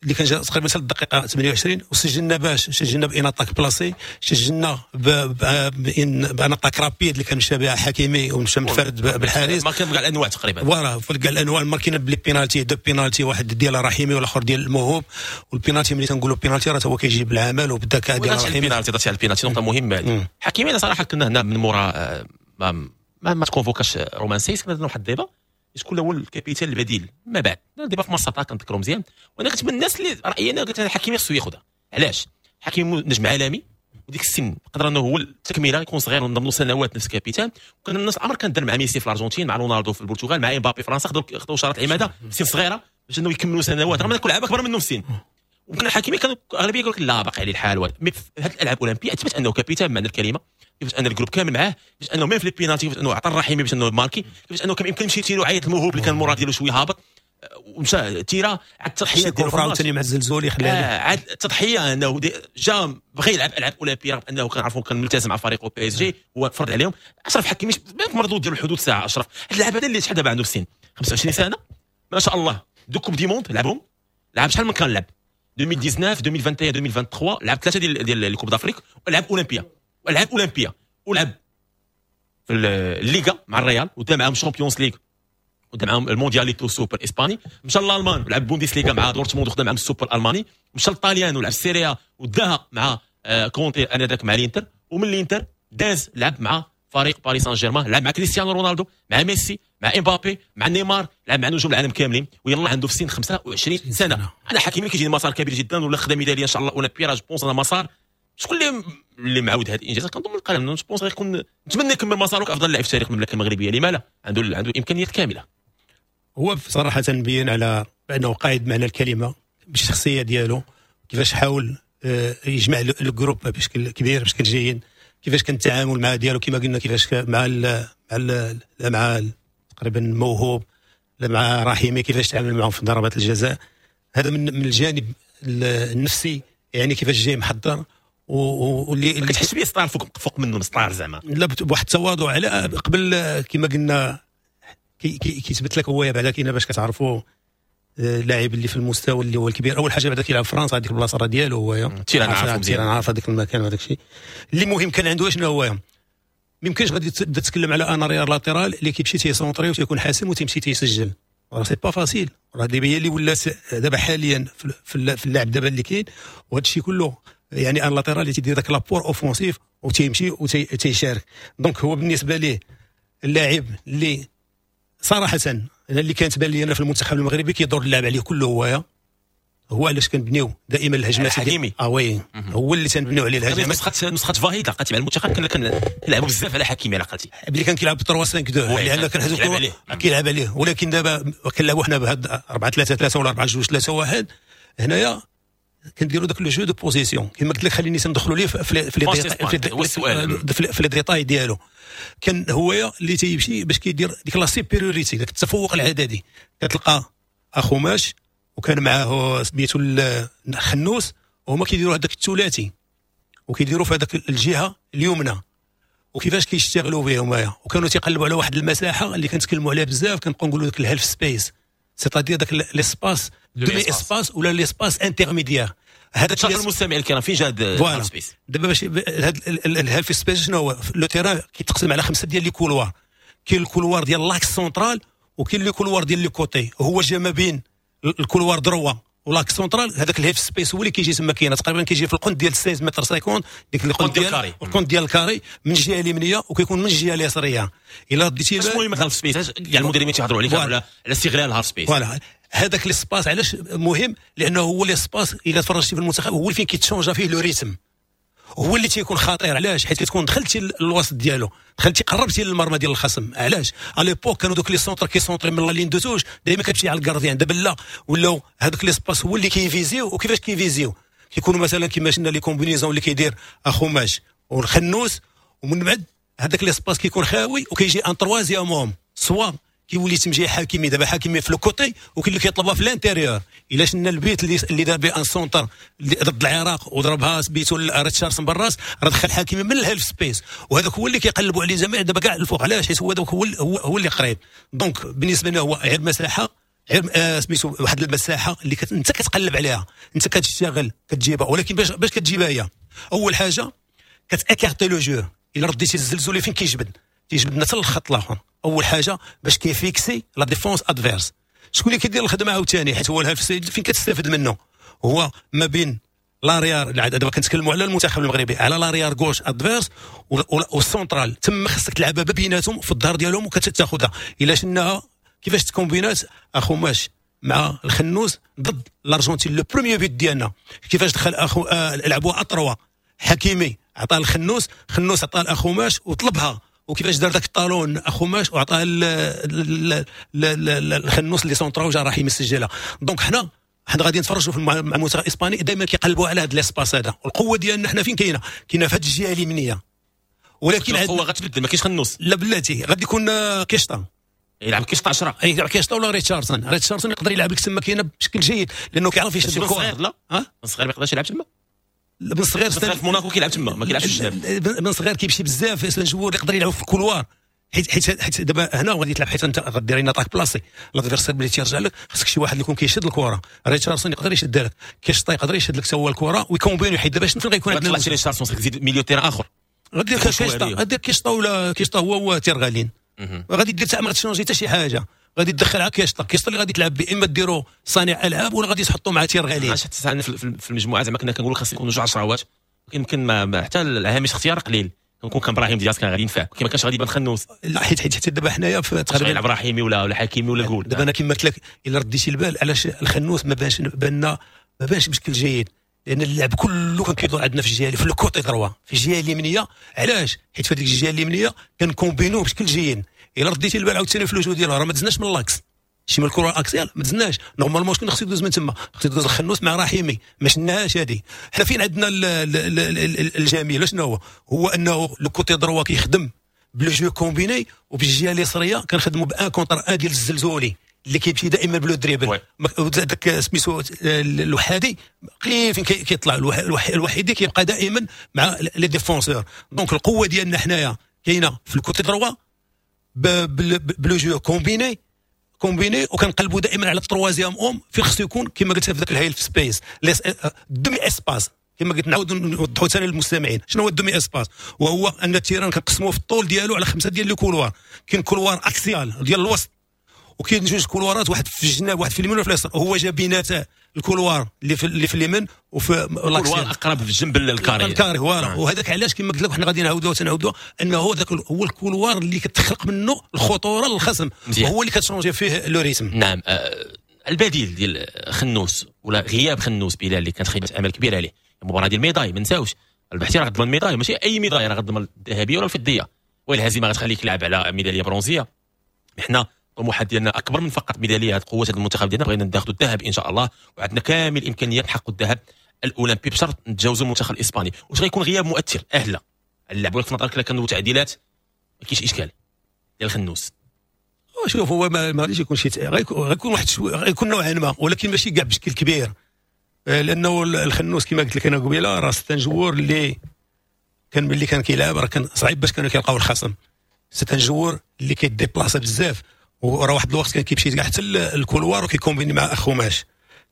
اللي كان جا تقريبا حتى الدقيقة 28، وسجلنا باش سجلنا ب une attaque placée، سجلنا ب une attaque rapide اللي كان مشى بها حكيمي ومشى منفرد بالحارس. ما كان كاع الانواع تقريبا voilà في كاع الانواع. ماركينا ب les pénaltys، deux pénaltys، واحد ديال رحيمي والاخر ديال الموهوب. والبينالتي ملي تنقولوا بينالتي راه هو كيجيب العمل وبالذكاء ديال رحيمي. البينالتي درتي على البينالتي نقطة مهمة. حكيمي صراحة كنا هنا من مورا ما تكونفوكاش رومان سايس، كنا درنا واحد ال débat شكون هو ال capitaine البديل ما بعد débat في مصر كنذكرو مزيان. وانا كنت من الناس اللي رايي انا قلت حكيمي خصو ياخذها. علاش؟ حكيمي نجم عالمي وديك السن قدر انه هو التكملة يكون صغير ونضمن له سنوات نفس capitaine. وكان الناس الامر كان دار مع ميسي في الارجنتين، مع رونالدو في البرتغال، مع امبابي في فرنسا، خدوا شارة العماده في سن صغيرة باش انه يكملوا سنوات رغم ان كل لعابه اكبر منهم في السن. وكان حكيمي كانوا اغلبية يقول لك لا باقي عليه الحال، mais في هذه الالعاب الاولمبية اثبت انه capitaine بمعنى الكلمة، كيفاش ان ال groupe كامل معاه، كيفاش انه même في les pénaltys، كيفاش انه عطى الرحيمي باش انه ماركي، كيفاش انه كان يمكن يمشي تيرو عيط الموهوب اللي كان المورال ديالو شوية هابط. ومشى تيرا على التضحية ديالو عاوتاني مع الزلزولي خلاه عاد التضحية انه جا بغى يلعب العاب اولمبيه رغم انه كنعرفوا كان ملتزم مع فريقه PSG، هو فرض عليهم. اشرف حكيمي مردود ديال الحدود ساعة. اشرف هذا اللاعب هذا اللي شحال دابا عنده في السن 25 سنة ما شاء الله، deux coupes du monde لعبهم، لعب شحال من كان لعب 2019 2021 2023، لعب ثلاثة ديال les coupes d'Afrique، ولعب اولمبيا ولعب اولمبيا ولعب في الليغا مع الريال ودا معاهم Champions League ودا معاهم الموندياليتو سوبر اسباني. مشى للالمان ولعب بوندسليغا مع دورتموند وخدا معاهم السوبر الالماني. مشى للطاليان ولعب ال Serie A وداها مع كونتي انذاك مع الانتر، ومن الانتر داز لعب مع فريق باريس سان جيرمان، لعب مع كريستيانو رونالدو، مع ميسي، مع امبابي، مع نيمار، لعب مع نجوم العالم كاملين، ويلا عنده في سن 25 سنة. انا حكيمي كيجيني مسار كبير جدا، ولا خدا ميدالية ان شاء الله اولمبيه je pense انا مسار شكون اللي معاود هذه الانجازات كنظن القلم je pense غيكون، نتمنى يكمل مساره كافضل لاعب في تاريخ المملكة المغربية. لما لا، عنده الامكانيات كاملة. هو صراحة بين على بانه قائد معنى الكلمة بالشخصية ديالو، كيفاش حاول يجمع ال groupe بشكل كبير بشكل جيد، كيفاش كان التعامل مع ديالو كما قلنا، كيفاش مع ال مع ال مع تقريبا موهوب، مع رحيمي، كيفاش تعامل معهم في ضربات الجزاء. هذا من الجانب النفسي، يعني كيفاش جاي محضر واللي كتحس بيه star فوق منه star زعما، لا بواحد التواضع على قبل كما قلنا كيثبت لك هو بعدا كاين باش كتعرفوا اللاعب اللي في المستوى اللي هو الكبير. اول حاجة بعدا كيلعب فرنسا هذيك البلاصة راه ديالو هو، terrain عارف هذاك المكان وهذاك الشيء اللي مهم كان عنده. شنو هو ما يمكنش غادي تبدا تتكلم على un arrière latéral اللي كيمشي تيسونطري وتيكون حاسم وتيمشي تيسجل، راه c'est pas facile. راه دابا هي اللي ولات دابا حاليا في اللعب دابا اللي كاين، وهذا الشيء كله يعني un latéral اللي تيدير داك l'apport offensif وتيمشي وتيشارك. donc هو بالنسبة ليه اللاعب اللي صراحة انا اللي كانت بان لي انا في المنتخب المغربي كيدور اللعب عليه كله هو علاش كنبنيو دائما الهجمات حكيمي oui هو اللي تنبنيو عليه الهجمات. نسخه فاهيد عقلتي مع المنتخب كنا كنلعبوا بزاف على حكيمي، على عقلتي ملي كان كيلعب 3 5 2 لان كان كيلعب عليه، ولكن دابا كنلعبوا حنا بهاد 4 3 3 ولا 4 2 3 1. هنايا كنديروا داك le jeu de position كما قلت لك، خليني تندخلوا ليه في في les détails ديالو. كان هو اللي تيمشي باش كيدير ديك la supériorité، داك التفوق العددي. كتلقى اخوماش وكان معاه سميتو الخنوس، وهما كيديروا هذاك الثلاثي وكيديروا في هذاك الجهة اليمنى، وكيفاش كيشتغلوا بهم هما، وكانوا تيقلبوا على واحد المساحة اللي كنتكلموا عليها بزاف، كنبقاو نقولوا داك ال half space، c'est-à-dire داك l'espace demi-espace ولا l'espace intermédiaire. هذا شرح المستمع الكرام فين جا هذا ال half space دابا باش هذا ال half space شنو هو؟ le terrain كيتقسم على 5 ديال les couloirs، كاين ال couloir ديال l'axe central وكاين le couloir ديال les côtés، هو جا ما بين ال couloir droit و l'axe central. هذاك ال half space هو اللي كيجي تما، كاين تقريبا كيجي في القنت ديال 16 متر 50، ديك القنت ديال ال carré، القنت ديال ال carré من الجهة اليمنية وكيكون من الجهة اليسريه. الا رديتي شنو المهم ال half space يعني المدربين تيهضروا عليك على استغلال ال half space. voilà هذاك l'espace علاش مهم؟ لانه هو l'espace الا تفرجتي في المنتخب هو اللي فين كيتشونجا فيه le rythme، هو اللي تيكون خطير. علاش؟ حيت كتكون دخلتي للوسط ديالو، دخلتي قربتي للمرمى ديال الخصم. علاش؟ à l'époque كانوا دوك les centres كيسونطري من la ligne de touche دائما كتمشي على ال gardien. دابا لا، ولاو هذوك l'espace هو اللي كيفيزيو. وكيفاش كيفيزيو؟ كيكونوا مثلا كيما شفنا les combinaisons اللي كيدير اخوماش والخنوس، ومن بعد هذاك l'espace كيكون خاوي وكيجي un troisième homme، soit كيولي تمشي حكيمي. دابا حكيمي في le côté وكاين اللي كيطلبها في l'intérieur. الا شفنا البيت اللي دار به un centre ضد العراق وضربها سميتو ريتشاردسون بالراس، راه دخل حكيمي من ال half space، وهذاك هو اللي كيقلبوا عليه جميع دابا كاع الفوق. علاش؟ حيت هو داك هو اللي قريب. donc بالنسبة لنا هو غير مساحة، غير سميتو واحد المساحة اللي انت كتقلب عليها، انت كتشتغل كتجيبها. ولكن باش كتجيبها هي اول حاجة كت écarter le jeu. الا رديتي الزلزولي فين كيجبد؟ تيجبدنا حتى الخط الاخر. اول حاجة باش كيفيكسي la défense adverse. شكون اللي كيدير الخدمة عاوتاني؟ حيت هو ال half فين كتستافد منه؟ هو ما بين l'arrière، دابا كنتكلموا على المنتخب المغربي، على l'arrière gauche adverse والسونترال. تما خصك تلعبها بيناتهم في الظهر ديالهم وكتاخذها. الا شفناها كيفاش تكومبينات اخوماش مع الخنوس ضد الارجنتين le premier but ديالنا، كيفاش دخل اخو لعبوها à trois، حكيمي عطاه الخنوس، خنوس عطاه الاخوماش وطلبها، وكيفاش دار داك ال talon اخوماش وعطاه الخنوس اللي سونطرا وجا راح يسجلها. donc حنا غادي نتفرجوا مع المنتخب الاسباني دائما كيقلبوا على هذا l'espace هذا. والقوه ديالنا حنا فين كاينه؟ كاينه في هذه الجهة اليمنية. ولكن القوة غتبدل، ما كاينش خنوس، لا بلاتي غادي يكون كيشطا. يلعب كيشطا 10، يلعب كيشطا ولا ريتشاردسون. ريتشاردسون يقدر يلعب لك تما كاينه بشكل جيد لانه كيعرف يشد الكره. لا بن صغير ما يقدرش يلعب تما. بن صغير في موناكو كيلعب تما، ما كيلعبش في الجناب. بن صغير كيمشي بزاف، c'est un joueur يقدر يلعب في ال couloir، حيت دابا هنا غادي تلعب، حيت انت غدير une attaque placée، l'adversaire ملي تيرجع لك خصك شي واحد اللي يكون كيشد الكره. ريتشاردسون يقدر يشد لك، كيشطا يقدر يشد لك هو الكره ويكومبيني، حيت دابا شنو فين غيكون عندنا ريتشاردسون خصك تزيد milieu terrain اخر، غادير كيشطا، غادير كيشطا ولا كيشطا هو تيرغالين، غادي دير ما غاتشونجي حتى شي حاجة، غادي تدخل على كيشطا، كيشطا اللي غادي تلعب به اما ديرو صانع العاب ولا غادي تحطو مع تيرغالين. علاش حتى في المجموعة زعما كنا كنقولوا خاص يكونوا جوج عشراوات، يمكن ما حتى الهامش اختيار قليل. كون كان ابراهيم دياز كان غادي ينفع، كي ما كانش غادي يبان خنوس. لا حيت حتى دابا حنايا في تقريبا يلعب ابراهيمي ولا حكيمي ولا قول. دابا انا كما قلت لك الا رديتي البال علاش الخنوس ما بانش بان ما بانش بشكل جيد، لان اللعب كله كان كيدور عندنا في الجهة في ال côté droit في الجهة اليمنية. علاش؟ حيت في هذيك الجهة اليمنية كنكومبينو بشكل جيد. الا رديتي البال عاوتاني في le jeu ديالها راه ما دزناش من l'axe، شي من الكره axiale ما دزناش. normalement شكون خصو يدوز من تما؟ خصو يدوز الخنوس مع رحيمي، ما شناهاش هذه. حنا فين عندنا الجميل شنو هو؟ هو انه le côté droit كيخدم ب le jeu combiné، وبالجهه اليسريه كنخدموا ب un contre un ديال الزلزولي اللي كيمشي دائما ب le dribble. داك سميتو الوحادي قليل فين كيطلع، الوحيدي كيبقى دائما مع les défenseurs. donc القوة ديالنا حنايا كاينه في ال côté droit ب le jeu combiné، وكنقلبوا دائما على ال troisième homme فين خصو يكون كما قلت في ذاك ال half space demi-espace. كما قلت نعاود نوضحوا ثاني للمستمعين شنو هو ال demi-espace، وهو ان ال terrain كنقسموه في الطول ديالو على 5 ديال les couloirs. كاين couloir axial ديال الوسط، وكاين جوج كولوارات، واحد في الجناب واحد في اليمين وفي اليسار. هو جا بينات ال couloir اللي في اليمين وفي ال couloir اقرب في جنب ال carré ال carré voilà. وهذاك علاش كما قلت لك حنا غادي نعاودوها تنعاودوها انه هذاك هو ال couloir اللي كتخلق منه الخطورة للخصم، هو اللي كتشونجي فيه le rythme. نعم. البديل ديال خنوس ولا غياب خنوس بلال اللي كانت خيبه امل كبيرة عليه المباراة ديال ال médaille، ما نساوش ربحتي راه غتضمن médaille، ماشي اي médaille، راه غتضمن الذهبية ولا الفضيه، والهزيمة غتخليك تلعب على ميدالية برونزيه. حنا الطموحات ديالنا اكبر من فقط ميدالية، قوة هذا المنتخب ديالنا بغينا ناخذ الذهب ان شاء الله، وعندنا كامل الامكانيات نحققوا الذهب الاولمبي بشرط نتجاوزوا المنتخب الاسباني. واش غيكون غياب مؤثر؟ اهلا اللعب، ولكن في نظرك الا كانوا تعديلات ما كاينش اشكال ديال الخنوس؟ شوف هو ما غاديش يكون شي، غيكون واحد غيكون نوعا ما، ولكن ماشي كاع بشكل كبير، لانه الخنوس كما قلت لك انا قبيلة راه c'est un joueur اللي كان ملي كان كيلعب راه كان صعيب باش كانوا كيلقاو الخصم. c'est un joueur اللي كيديبلاصا بزاف، وراه واحد الوقت كان كيمشي كاع حتى ال couloir وكيكومبيني مع اخوماش.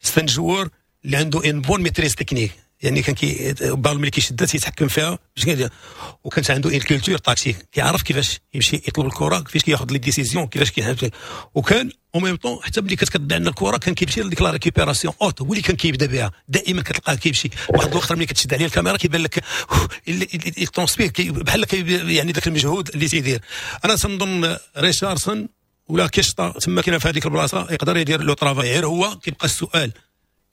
c'est un joueur اللي عنده une bonne maîtrise technique، يعني كان كي بال ملي كيشدها تيتحكم فيها باش كيدير، وكانت عنده une culture tactique، كيعرف كيفاش يمشي يطلب الكره، كيفاش كياخذ les décisions، كيفاش كيحب. وكان au même temps حتى ملي كتضيع عندنا الكره كان كيمشي لديك la récupération haute، هو اللي كان كيبدا بها دائما، كتلقاه كيمشي واحد الوقت ملي كتشد عليه الكاميرا كيبان لك il transpire بحال يعني ذاك المجهود اللي تيدير. انا تنظن ريشاردسون ولا كيشطا تما كاين في هذيك البلاصة يقدر يدير le travail. غير هو كيبقى السؤال،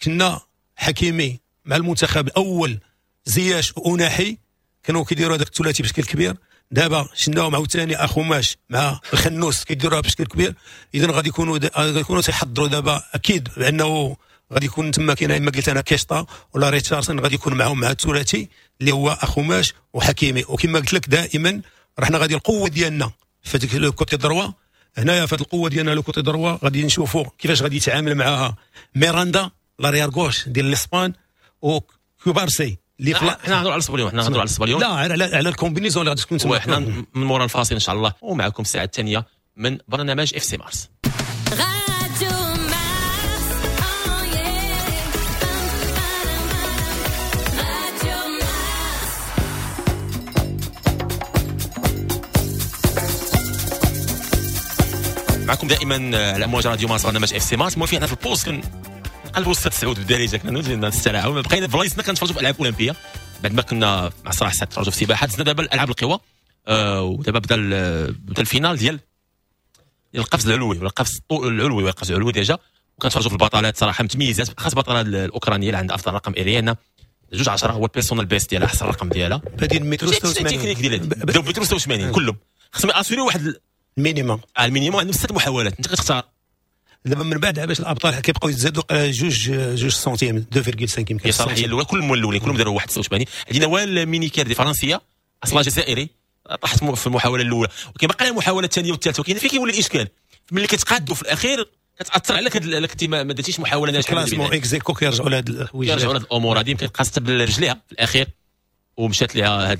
كنا حكيمي مع المنتخب الاول، زياش وناحي كانوا كيديروا هذاك الثلاثي بشكل كبير، دابا شناهم عاوتاني اخوماش مع الخنوس كيديروها بشكل كبير. اذا غادي يكونوا تيحضروا دابا اكيد بانه غادي يكون تما كاين اما قلت انا كيشطا ولا ريتشاردسون غادي يكون معاهم مع الثلاثي اللي هو اخوماش وحكيمي. وكما قلت لك دائما رحنا غادي القوة ديالنا في هذيك le côté droit، هنايا في القوة ديالنا le côté droit غادي نشوفوا كيفاش غادي يتعامل معاها ميراندا l'arrière gauche ديال الاسبان وكوبارسي اللي حنا نهضروا على الصبليون، حنا نهضروا على الصبليون، لا على ال combinaison اللي غادي تكون تما. وحنا من مورا الفاصل ان شاء الله، ومعكم الساعة الثانية من برنامج اف سي مارس. معكم دائما على امواج راديو مارس برنامج اف سي مارس. المهم حنا في ال pause كنقلبوا 6 9 بالدارجة، كنا نسترعوا بقينا في بلايصنا كنتفرجوا في العاب اولمبيه بعد ما كنا مع صراحة ساعة تفرجوا في السباحة. دزنا دابا الالعاب القوى، ودابا بدا ال finale ديال القفز العلوي ولا القفز العلوي ولا القفز العلوي déjà، وكنتفرجوا في البطلات صراحة متميزات، خاص بطلة الاوكرانية اللي عندها افضل رقم اريانا 2.10 هو ال personal best ديالها، احسن رقم ديالها بادين متر 86 تكنيك ديالها بداو متر 86 كلهم خصهم اسيري واحد ال minimum. ال minimum عندهم 6 محاولات انت كتختار. دابا من بعد باش الابطال كيبقاو يتزادوا جوج سنتيم 2.5 يمكن. هي صراحة هي الاولى كلهم الاولين كلهم داروا 1.86. عندنا نوال مينيكير دي فرنسية اصلها جزائري طاحت في المحاولة الاولى، وكيبقى لها المحاولة الثانية والثالثة، وكاين فين كيولي الاشكال ملي كتقادوا في الاخير كتاثر عليك، كنتي ما درتيش محاولة ناجحه. classement ex aequo كيرجعوا لهاد الحوايج، كيرجعوا لهاد الامور هذه. يمكن قاست برجليها في الاخير ومشات لها هذه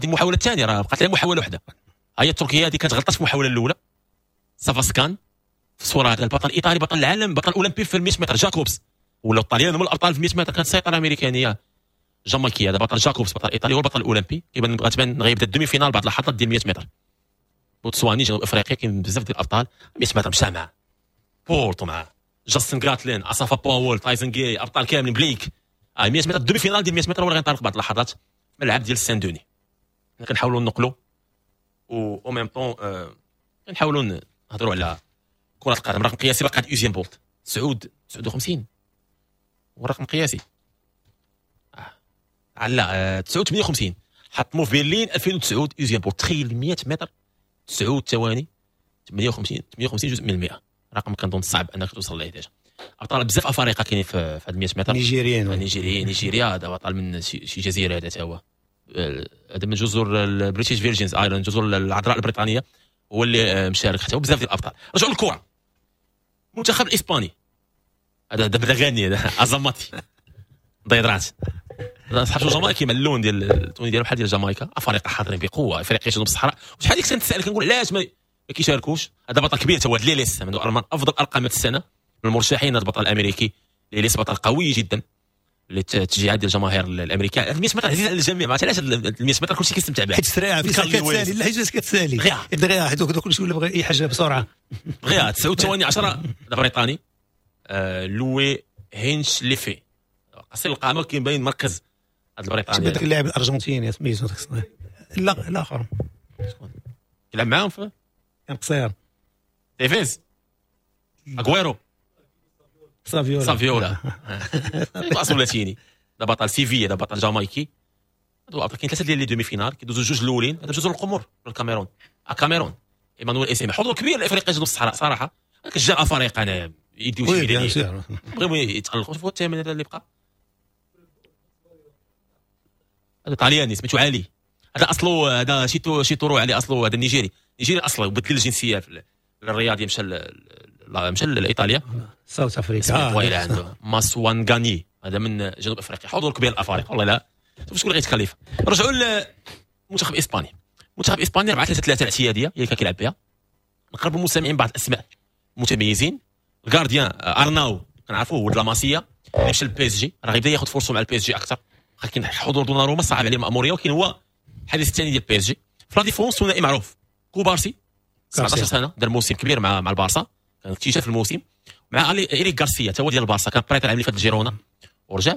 المحاولة الثانيه، راه بقات لها محاولة واحده. هي التركية هذه كانت غلطت في المحاولة الاولى. سافاسكان في الصوره، هذا البطل الايطالي، بطل العالم، بطل اولمبي في 100 متر جاكوبس، ولا الطليان هما الابطال في 100 متر، كانت سيطرة امريكانيه جامايكيه. هذا بطل جاكوبس، بطل ايطالي، هو البطل الاولمبي، كيبان غتبان غيبدا ال demi-finale بعد اللحظات ديال 100 متر. بوتسواني، جنوب افريقيا، كاين بزاف ديال الابطال. 100 متر مشى مع بولت، مع جاستن غاتلين، اسافا باول، تايسون جاي، ابطال كاملين، بليك. 100 متر، ال demi-finale ديال 100 متر هو اللي غينطلق بعد اللحظات في الملعب ديال سان دوني. كنحاولوا نقلوا و au même temps كنحاولوا نهضروا على كرة القدم. رقم قياسي باقي عند اوزين بولت 59 والرقم قياسي على 9 58 حطموا في برلين 2009 اوزين بولت. تخيل 100 متر 9 ثواني 58 58 جزء من المئة، رقم كنظن صعب انك توصل ليه. déjà ابطال بزاف افارقه كاينين في هاد 100 متر. نيجيريين. نيجيريين، نيجيريا. هذا بطل من شي جزيره، هذا هو هذا من جزر ال British Virgins Islands، جزر العذراء البريطانيه، هو اللي مشارك حتى هو. بزاف ديال الابطال. رجعوا للكره، المنتخب الاسباني هذا بدا غاني، هذا ازاماتي ضيدرات، صحاب جامايكي مع اللون ديال ال tenue ديالو بحال ديال جامايكا. افارقه حاضرين بقوه، افريقيا جنوب الصحراء. وشحال ديك كنتسائل كنقول علاش ما كيشاركوش؟ هذا بطل كبير هو ليليس، من افضل ارقام السنه، من المرشحين. هذا البطل الامريكي ليليس بطل قوي جدا للتشجيعات ديال الجماهير الامريكيه. 100 متر عزيز على الجميع، ما عرفتش علاش 100 متر كلشي كيستمتع بها. حيت سريعه، كتسالي، لا حيت كتسالي دغيا، حيت كلشي ولا بغى اي حاجة بسرعه. دغيا. 9 ثواني 10. هذا بريطاني لوي هينش ليفي، قصير القامة كيبين مركز هذا البريطاني. هذاك اللاعب الارجنتيني سميتو، لا الاخر. يلعب معاهم في كان قصير. تيفيز، اغويرو. سافيولا. سافيولا اصل لاتيني. هذا بطل سيفيا، هذا بطل جامايكي. هادو كاين ثلاثة ديال les demi-finales، كيدوزو جوج الاولين. هذا جزر القمر، الكاميرون، الكاميرون، ايمانويل اسيمي. حضور كبير لافريقيا جنوب الصحراء صراحه. كتجا افارقه انا يديو شي ميداليه، بغيو يتالقوا. شوفوا الثامن هذا اللي بقى، هذا طالياني سميتو علي، هذا اصله هذا شيتورو علي، اصله هذا النيجيري، نيجيري اصله، بدل الجنسية في الرياضي، مشى لايطاليا. South Africa. طويل عنده ماسوانغاني، هذا من جنوب افريقيا. حضور كبير الافارقة والله. لا شوف شكون اللي غيتكلف. رجعوا للمنتخب الاسباني. المنتخب الاسباني 4-3-3 الاعتيادية هي اللي كان كيلعب بها. نقربوا المستمعين بعض الاسماء المتميزين. ال gardien ارناو كنعرفوه، ولد لاماسيا اللي مشى لل PSG، راه غيبدا ياخذ فرصة مع ال PSG اكثر. كاين حضور دوناروما صعب عليه الماموريه، ولكن هو الحارس الثاني ديال PSG. في la défense ثنائي معروف، كوبارسي 17 سنه، دار موسم كبير مع البارسا، كان اكتشاف الموسم، مع إيريك غارسيا تا هو ديال البارسا، كان prêté العام اللي فات لجيرونا ورجع.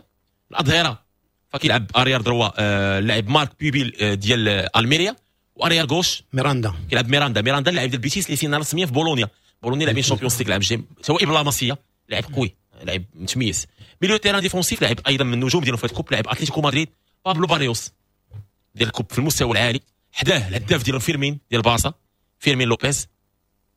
الاظهرة فكيلعب arrière droit اللاعب مارك بيبيل ديال الميريا، و arrière gauche ميراندا. كيلعب ميراندا. ميراندا اللاعب ديال بيتيس اللي سينا رسميا في بولونيا. بولونيا لاعبين Champions League العام الجاي، سواء بلاماسيا، لاعب قوي، لاعب متميز. milieu terrain défensif لاعب ايضا من النجوم ديالهم في ال coupe، لاعب اتلتيكو مدريد بابلو باريوس ديال ال coupe في المستوى العالي. حداه الهداف ديالهم فيرمين ديال البارسا، فيرمين لوبيز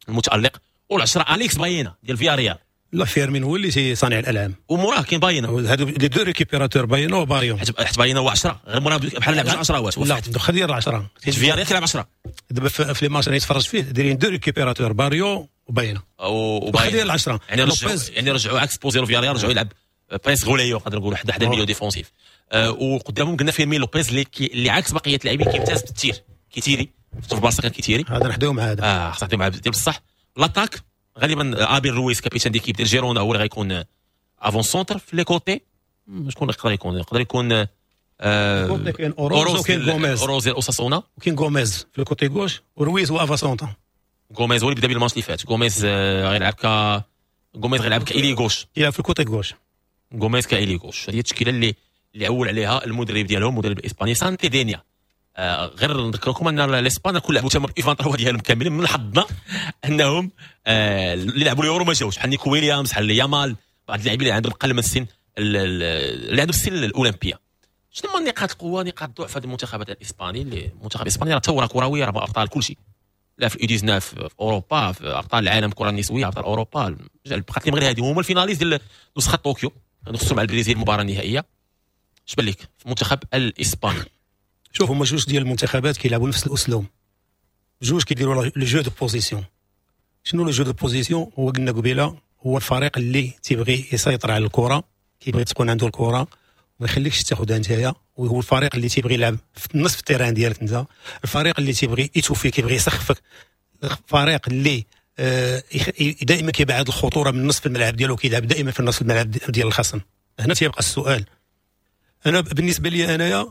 المتالق، والعشرة اليكس باينا ديال فياريال. لا، فيرمين هو اللي صانع الالعاب. وموراه كاين باينا. هادو les deux récupérateurs، باينا وباريو. حيت باينا هو 10، غير موراه بحال لعب 10. لا، دخل ديال 10. فياريال كيلعب 10. دابا في les matchs اللي تفرج فيه دايرين deux récupérateurs، باريو وباينا. وباينا ديال 10. يعني رجعوا عكس بوزيرو، فياريال رجعوا يلعب presque relayeur، نقدر نقولوا حدا milieu défensif. وقدامهم قلنا فيرمين لوبيز اللي عكس بقية اللاعبين كيمتاز بال tir، كيتيري في البارسا كان كيتيري. هذا نحداو مع هذا. اه، خصنا مع ديال بصح. l'attaque غالبا ابيل رويس، capitaine d'équipe ديال جيرونا، هو اللي غيكون avant-centre. في les côtés شكون يقدر يكون؟ يقدر يكون كاين اوروز وكاين غوميز. اوروز ديال اوساسونا. وكاين غوميز في ال côté gauche، ورويز هو avant-centre. غوميز هو اللي بدا بالماتش اللي فات. غوميز غيلعب ك غوميز غيلعب ك ailier gauche. يلعب في ال côté gauche. غوميز ك ailier gauche. هذه التشكيلة اللي عول عليها المدرب ديالهم، المدرب الاسباني سانتي دينيا. غير نذكركم ان الاسبان كل لعبوا تما U23 ديالهم كاملين، من حظنا انهم اللي لعبوا اليورو ما جاوش، بحال نيكو ويليامز، بحال يامال، بعض اللاعبين اللي عندهم اقل من السن، اللي عندهم السن الاولمبيه. شنو هما نقاط القوه، نقاط الضعف هذا المنتخب الاسباني؟ اللي المنتخب الاسباني راه ثورة كرويه، راه ابطال كل شيء، لا في ال U19 في اوروبا، في ابطال العالم الكره النسويه، ابطال اوروبا. بقات لهم غير هذه. هما ال finalistes ديال نسخه طوكيو، نخسروا مع البرازيل المباراة النهائيه. اش بان لك في المنتخب الاسباني؟ شوف، هما جوج ديال المنتخبات كيلعبوا نفس الاسلوب، جوج كيديروا le jeu de position. شنو le jeu de position؟ هو قلنا قبيلة هو الفريق اللي تيبغي يسيطر على الكره، كيبغي تكون عنده الكره وما يخليكش تاخذها نتايا، وهو الفريق اللي تيبغي يلعب في نصف ال terrain ديالك انت، الفريق اللي تيبغي étouffer، كيبغي يسخفك، الفريق اللي دائما كيبعد الخطورة من نصف الملعب ديالو، كيلعب دائما في نصف الملعب ديال الخصم. هنا تيبقى السؤال، انا بالنسبة لي انايا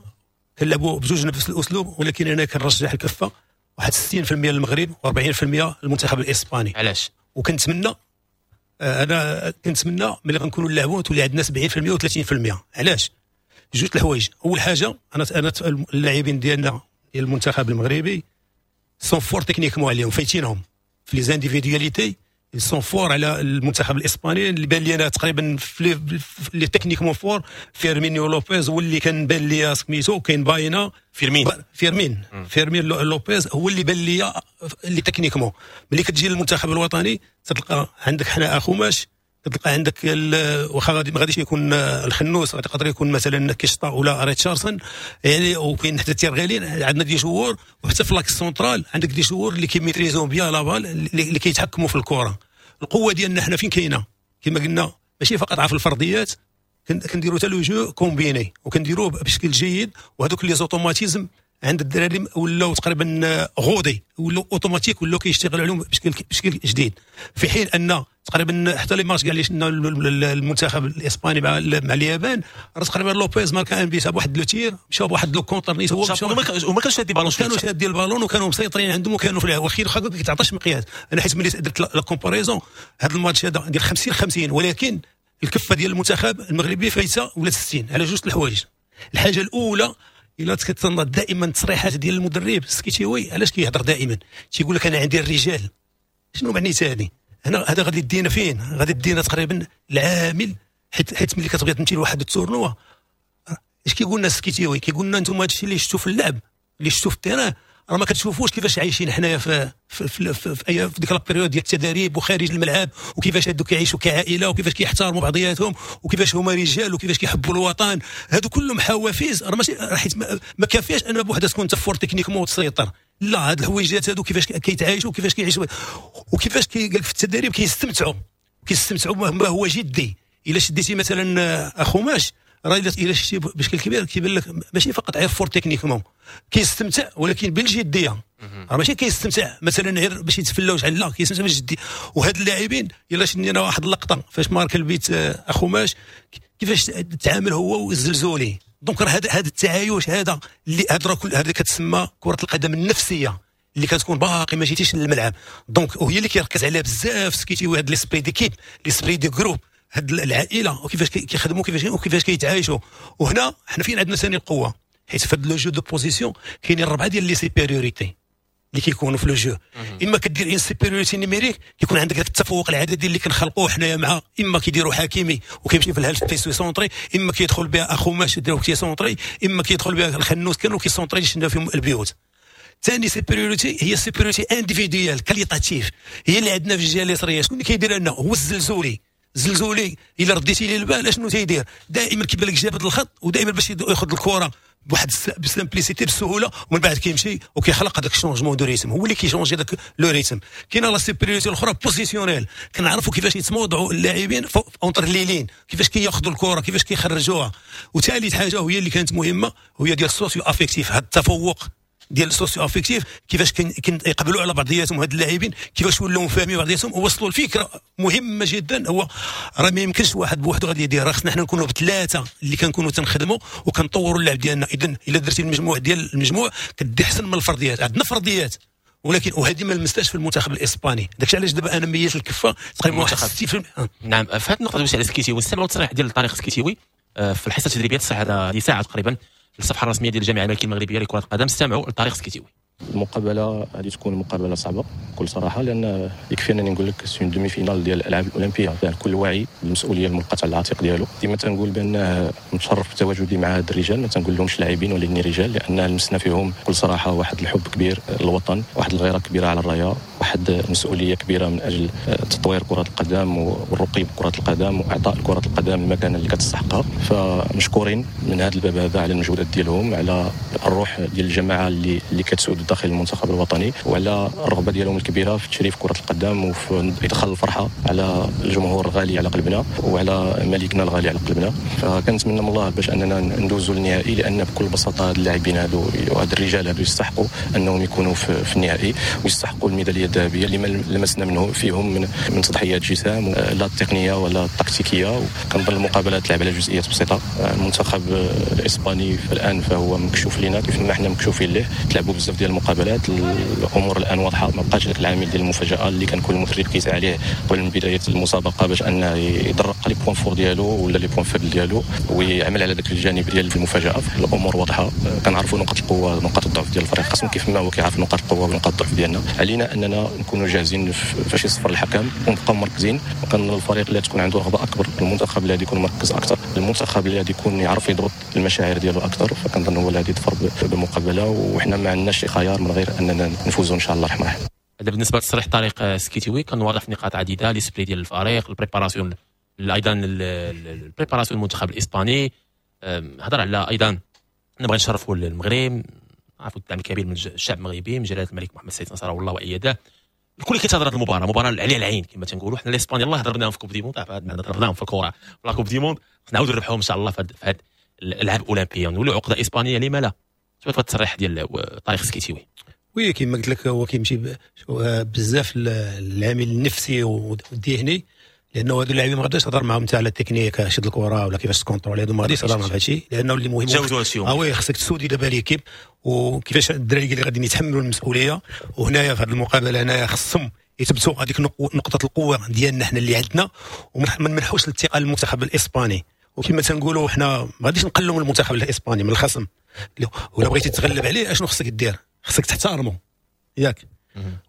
كنلعبوا بجوج نفس الاسلوب، ولكن انا كنرجح الكفة واحد 60% للمغرب و40% للمنتخب الاسباني. علاش؟ وكنتمنى انا كنتمنى ملي غنكونوا نلعبوا تولي عندنا 70% و30%. علاش؟ جوج الحوايج. اول حاجة انا اللاعبين ديالنا ديال المنتخب المغربي sont forts techniquement عليهم، فايتينهم في les individualités، sont forts على المنتخب الاسباني اللي بان لي انا تقريبا في les techniquement forts فيرمينيو لوبيز هو اللي كان بان لي سميتو، كاين باينا فيرمين لوبيز هو اللي بان لي اللي techniquement. ملي كتجي للمنتخب الوطني تلقى عندك حنا اخوماش، تلقى عندك واخا غادي ما غاديش يكون الخنوس، غادي يقدر يكون مثلا كيشطا ولا ريتشاردسون يعني، وكاين حتى تيرغالين، عندنا des joueurs، وحتى في l'axe central عندك des joueurs اللي كي maîtriser و bien la balle، اللي كيتحكموا في الكره. القوة ديالنا حنا فين كاينه؟ كما قلنا ماشي فقط في الفرديات، كنديروا حتى le jeu combiné وكنديروه بشكل جيد، وهذوك les automatismes عند الدراري ولاو تقريبا rodés، ولاو اوتوماتيك، ولاو كيشتغلوا عليهم بشكل جديد. في حين ان تقريبا حتى les matchs كاع اللي شفنا المنتخب الاسباني مع اليابان، راه تقريبا لوبيز ماركا un but بواحد le tir، مشاو بواحد le contre نيت، هو وما كانش شادي بالون، كانوا شادين البالون وكانوا مسيطرين عندهم وكانوا في الاخير واخا ما كيتعطاش مقياس. انا حيت ملي درت la comparaison هذا الماتش هذا ديال 50-50، ولكن الكفة ديال المنتخب المغربي فايته ولا 60 على جوج الحوايج. الحاجة الاولى الا كتنظر دائما التصريحات ديال المدرب السكيتيوي، علاش كيهضر دائما؟ تيقول لك انا عندي الرجال. شنو معنيتها هذه؟ هنا هذا غادي يدينا فين؟ غادي يدينا تقريبا العامل، حيت ملي كتبغي تمشي لواحد ال tournoi اش كيقول لنا السكيتيوي؟ كيقول لنا انتم هادشي اللي شفتوا في اللعب، اللي شفتوا في ال terrain، راه ما كتشوفوش كيفاش عايشين حنايا في في في, في, في, في ديك la période ديال التدريب وخارج الملعب، وكيفاش هادو كيعيشوا كعائله، وكيفاش كيحترموا بعضياتهم، وكيفاش هما رجال، وكيفاش كيحبوا الوطن. هادو كلهم حوافز، راه ماشي حيت ما كافياش ان بوحدها تكون انت fort techniquement وتسيطر، لا هاد الحويجات هادو كيفاش كيتعايشوا، وكيفاش كيعيشوا، وكيفاش قال في التدريب كيستمتعوا ما هو جدي. الا شديتي مثلا اخوماش راه الا شتي بشكل كبير كيبان لك ماشي فقط غير fort techniquement كيستمتع، ولكن بالجديه. راه ماشي كيستمتع مثلا غير باش يتفلاوش على، لا كيستمتع بالجديه. وهاد اللاعبين الا شدينا واحد اللقطة فاش مارك البيت اخوماش كيفاش تعامل هو والزلزولي، donc راه هذا التعايش هذا اللي هذا كل هذا كتسمى كره القدم النفسية اللي كتكون باقي ما جيتيش للملعب. donc وهي اللي كيركز عليها بزاف سكيتيوي، هاد l'esprit d'équipe، l'esprit de groupe، هاد العائلة وكيفاش كيخدموا وكيفاش كيتعايشوا. وهنا حنا فين عندنا ثاني القوة، حيت في هاد le jeu de position كاينين ربعه ديال les supériorités اللي كيكونوا في le jeu. اما كدير une supériorité numérique، كيكون عندك داك التفوق العددي اللي كنخلقوه حنايا، مع اما كيديروا حكيمي وكيمشي في ال half space centrer، اما كيدخل بها اخوماش يديروا كي centrer، اما كيدخل بها الخنوس كانوا كي centrer شفنا فيهم البيوت. ثاني supériorité هي supériorité individuelle qualitative، هي اللي عندنا في الجهة اليسريه. شكون اللي كيدير لنا؟ هو الزلزولي. الزلزولي الا رديتي ليه البال اشنو تيدير؟ دائما كيبان لك جابد الخط، ودائما باش ياخذ الكره بواحد ب simplicité بسهولة، ومن بعد كيمشي وكيخلق هذاك ال changement de rythme، هو اللي كي changer داك le rythme. كاينه la supériorité الاخرى positionnelle، كنعرفوا كيفاش يتموضعوا اللاعبين entre les lignes، كيفاش كياخذوا الكره، كيفاش كيخرجوها. وثالث حاجة وهي اللي كانت مهمة، هي ديال ال socio-affectif، هذا التفوق ديال ال socio-affectif، كيفاش يقبلوا على بعضياتهم هاد اللاعبين، كيفاش ولاو فاهمين بعضياتهم ووصلوا الفكرة مهمة جدا. هو راه ما يمكنش واحد بوحده غادي يدير، راه خصنا حنا نكونوا بثلاثة اللي كنكونوا تنخدموا وكنطوروا اللعب ديالنا. اذا الا درتي المجموع ديال المجموع كدي احسن من الفرديات. عندنا فرديات، ولكن وهذه ما لمستهاش في المنتخب الاسباني. داكشي علاش دابا انا ميت الكفة تقريبا واحد 60%. نعم، في هذه النقطة دوزت على سكيتيوي، نستمعوا التصريح ديال طارق سكيتيوي في الحصة التدريبية، تصريح هذا لساعة تقريبا الصفحة الرسمية ديال الجامعة الملكية المغربية لكرة القدم. استمعوا لطارق سكيتيوي. المقابلة غادي تكون مقابله صعبة بكل صراحة، لان يكفي انني نقول لك c'est une demi-finale ديال الالعاب الاولمبية، يعني الكل واعي بالمسؤولية الملقاه على العاتق ديالو. ديما تنقول بان متشرف بتواجدي مع هاد الرجال، ما تنقول لهمش لاعبين ولكن رجال، لان لمسنا فيهم بكل صراحة واحد الحب كبير للوطن، واحد الغيرة كبيرة على الراية، واحد المسؤولية كبيرة من اجل تطوير كره القدم والرقي بكره القدم واعطاء كره القدم المكانة اللي كتستحقها. فمشكورين من هذا الباب هذا على المجهودات ديالهم، على الروح ديال الجماعة اللي كتسود داخل المنتخب الوطني، وعلى الرغبة ديالهم الكبيرة في تشريف كره القدم وفي ادخال الفرحة على الجمهور الغالي على قلبنا وعلى ملكنا الغالي على قلبنا. فكنتمنى من الله باش اننا ندوزوا للنهائي، لان بكل بساطة هاد اللاعبين هادو وهاد الرجال هادو يستحقوا انهم يكونوا في النهائي ويستحقوا الميداليه الذهبية اللي ما لمسنا منه فيهم من تضحيات جسام، لا التقنية ولا التكتيكيه. كنظن المقابلات تلعب على جزئيات بسيطة. المنتخب الاسباني الان فهو مكشوف لنا كيف ما حنا مكشوفين ليه، تلعبوا بزاف ديال المقابلات، الامور الان واضحة، ما بقاش داك العامل ديال المفاجاة اللي كان كل مدرب كيسعى عليه قبل من بداية المسابقة باش انه يدرق les points forts ديالو ولا les points faibles ديالو ويعمل على داك الجانب ديال المفاجاة. الامور واضحة، كنعرفوا نقاط القوة نقاط الضعف ديال الفريق خصم كيف ما هو كيعرف نقاط القوة ونقاط الضعف ديالنا. علينا اننا نكونوا جاهزين فاش يصفر الحكم ونبقاو مركزين. وكان الفريق اللي تكون عنده رغبة اكبر، المنتخب اللي غادي يكون مركز اكثر، المنتخب اللي غادي يكون يعرف يضبط المشاعر ديالو اكثر، فكنظن هو اللي غادي يظفر بالمقابلة، وحنا ما عندناش شي خيار من غير اننا نفوزوا ان شاء الله الرحمن الرحيم. هذا بالنسبة لتصريح طارق سكيتيوي، كان واضح في نقاط عديدة، l'esprit ديال الفريق، ال préparation، ايضا ال préparation المنتخب الاسباني. هضر على ايضا نبغي نشرفوا المغرب، عرفوا الدعم الكبير من الشعب المغربي، من جلاله الملك محمد السادس نصره الله وايده. الكل كينتظر هذه المباراه، مباراة عليها العين كما تنقولوا حنا. الاسبان يلاه ضربناهم في Coupe du Monde، ضربناهم في الكره في la Coupe du Monde، نعاودوا نربحوهم ان شاء الله في هذه الالعاب الاولمبيه، نولوا عقده اسبانية لما لا. شوف التصريح ديال طارق سكيتيوي. oui كما قلت لك هو كيمشي بزاف العامل النفسي والذهني، لانه هادو اللاعبين ما غاديش تهضر معاهم انت على التكنيك شد الكره ولا كيفاش ت contrôler، هادو ما غاديش تهضر معاهم هادشي، لانه اللي مهم تجاوزوا هادشي. oui خصك ت souder دابا l'équipe وكيفاش الدراري اللي غادي يتحملوا المسؤولية. وهنايا في هذه المقابلة هنايا خصهم يثبتوا هذيك نقطة القوة ديالنا حنا اللي عندنا، وما نمنحوش الثقة للمنتخب الاسباني. وكما تنقولوا حنا ما غاديش نقلوا من المنتخب الاسباني من الخصم، ولا بغيتي تتغلب عليه اشنو خصك دير؟ خصك تحترمه ياك،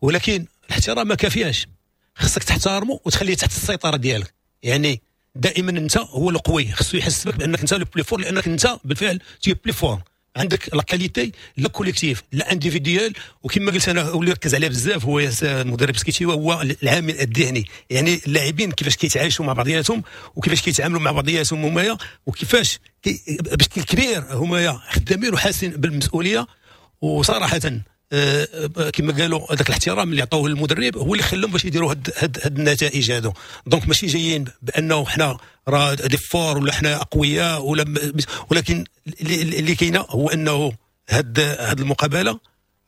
ولكن الاحترام ما كافياش، خصك تحترمه وتخليه تحت السيطرة ديالك. يعني دائما انت هو القوي، خصو يحس بك بانك انت le plus fort، لانك انت بالفعل t'es plus fort، عندك la qualité لا collective لا individuelle. وكما قلت انا واللي ركز عليه بزاف هو المدرب سكيتي هو العامل الذهني، يعني اللاعبين كيفاش كيتعايشوا مع بعضياتهم وكيفاش كيتعاملوا مع بعضياتهم همايا، وكيفاش بشكل كبير همايا خدامين وحاسين بالمسؤولية. وصراحة كما قالوا هذاك الاحترام اللي عطوه للمدرب هو اللي خلاهم باش يديروا هاد النتائج هادو. donc ماشي جايين بانه حنا راه des forts ولا حنا اقوياء ولا، ولكن اللي كاينه هو انه هاد المقابلة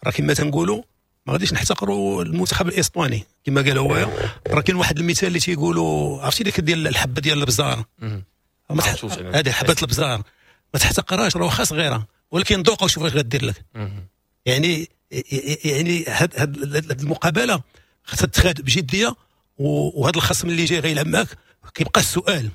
راه كما تنقولوا ما غاديش نحتقروا المنتخب الاسباني كما قال هو. راه كاين واحد المثال اللي تيقولوا، عرفتي ديك ديال الحبة ديال البزار، هذه حبه البزار ما تحتقرهاش، راه واخا صغيرة ولكن ذوقها وشوف واش غدير لك. يعني هاد المقابلة خاصها تتخاد بجديه، وهذا الخصم اللي جاي غيلعب معاك كيبقى السؤال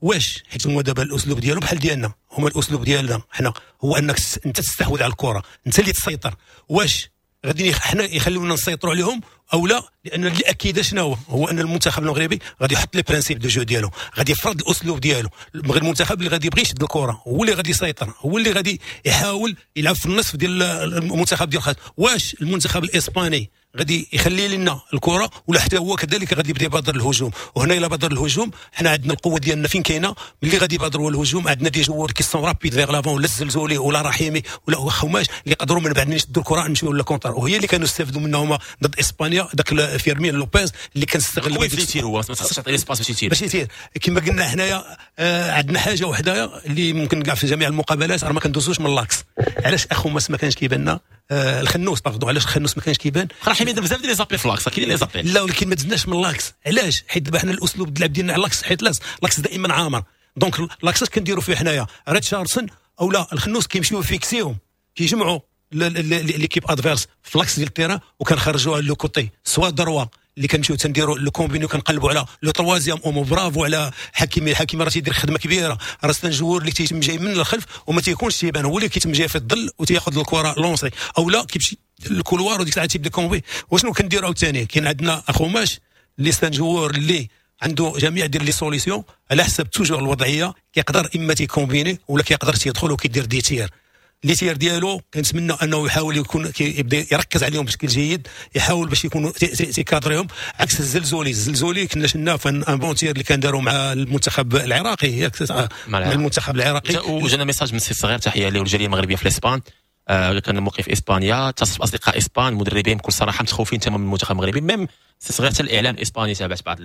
واش، حيت هما دابا الاسلوب ديالهم بحال ديالنا، هما الاسلوب ديالنا حنا هو انك انت تستحوذ على الكره، انت اللي تسيطر. واش غادي حنا يخليونا نسيطروا عليهم او لا؟ لان اللي اكيد شنو هو، هو ان المنتخب المغربي غادي يحط les principes de jeu ديالو، غادي يفرض الاسلوب ديالو. المنتخب اللي غادي يبغي يشد الكره هو اللي غادي يسيطر، هو اللي غادي يحاول يلعب في النصف ديال المنتخب ديال الخصم. واش المنتخب الاسباني غادي يخلي لنا الكره ولا حتى هو كذلك غادي يبدا يبادر الهجوم؟ وهنا الا بادر الهجوم حنا عندنا القوة ديالنا فين كاينه، ملي غادي يبادروا الهجوم عندنا des joueurs qui sont rapides vers l'avant، ولا الزلزولي ولا رحيمي ولا اخوماش اللي يقدروا من بعد يشدوا الكره نمشيو لل contre، وهي اللي كانوا استفدوا منها هما ضد اسبانيا، داك فيرمين لوبيز اللي كان استغل باش يتير، هو ما خصش تعطي l'espace باش يتير باش يتير. كما قلنا حنايا عندنا حاجة وحده اللي ممكن كاع في جميع المقابلات راه ما كندوزوش من l'axe. علاش اخوماس ما كانش كيبان؟ الخنوس pardon، علاش الخنوس ما كانش كيبان؟ رحيمي دار بزاف ديال les appels في l'axe، كاين les appels. لا ولكن ما دزناش من l'axe. علاش؟ حيت دابا حنا الاسلوب اللعب ديالنا على l'axe، حيت l'axe دائما عامر. donc l'axe اش كنديروا فيه حنايا؟ ريتشاردسون او لا الخنوس كيمشيو فيكسيهم، كيجمعوا l'équipe adverse في l'axe ديال ال terrain وكنخرجوها le côté soit droit اللي كنمشيو تنديروا le combiné وكنقلبوا على le troisième homme. bravo على حكيمي، حكيمي راه تيدير خدمة كبيرة، راه c'est un joueur اللي تيتم جاي من الخلف وما تيكونش تيبان، هو اللي كيتم جاي في الظل وتياخذ الكره lancer او لا كيمشي ال couloir وديك الساعة تيبدا combiner. وشنو كنديروا عاوتاني؟ كاين عندنا اخوماش اللي c'est un joueur اللي عنده جميع ديال les solutions على حسب toujours الوضعيه، كيقدر اما تي combiner ولا كيقدر تيدخل وكيدير des tirs. les tirs ديالو كنتمنى انه يحاول يكون يبدا يركز عليهم بشكل جيد، يحاول باش يكونوا تيكادريهم عكس الزلزولي. الزلزولي كنا شفناه في un bon tir اللي كان داروا مع المنتخب العراقي، ياك؟ مع المنتخب العراقي. وجانا message من السي الصغير، تحية له والجاليه المغربية في الاسبان. كان موقف اسبانيا، اتصل باصدقاء اسبان مدربين بكل صراحة متخوفين تماما من المنتخب المغربي، même صغير حتى الاعلام الاسباني تابعت بعض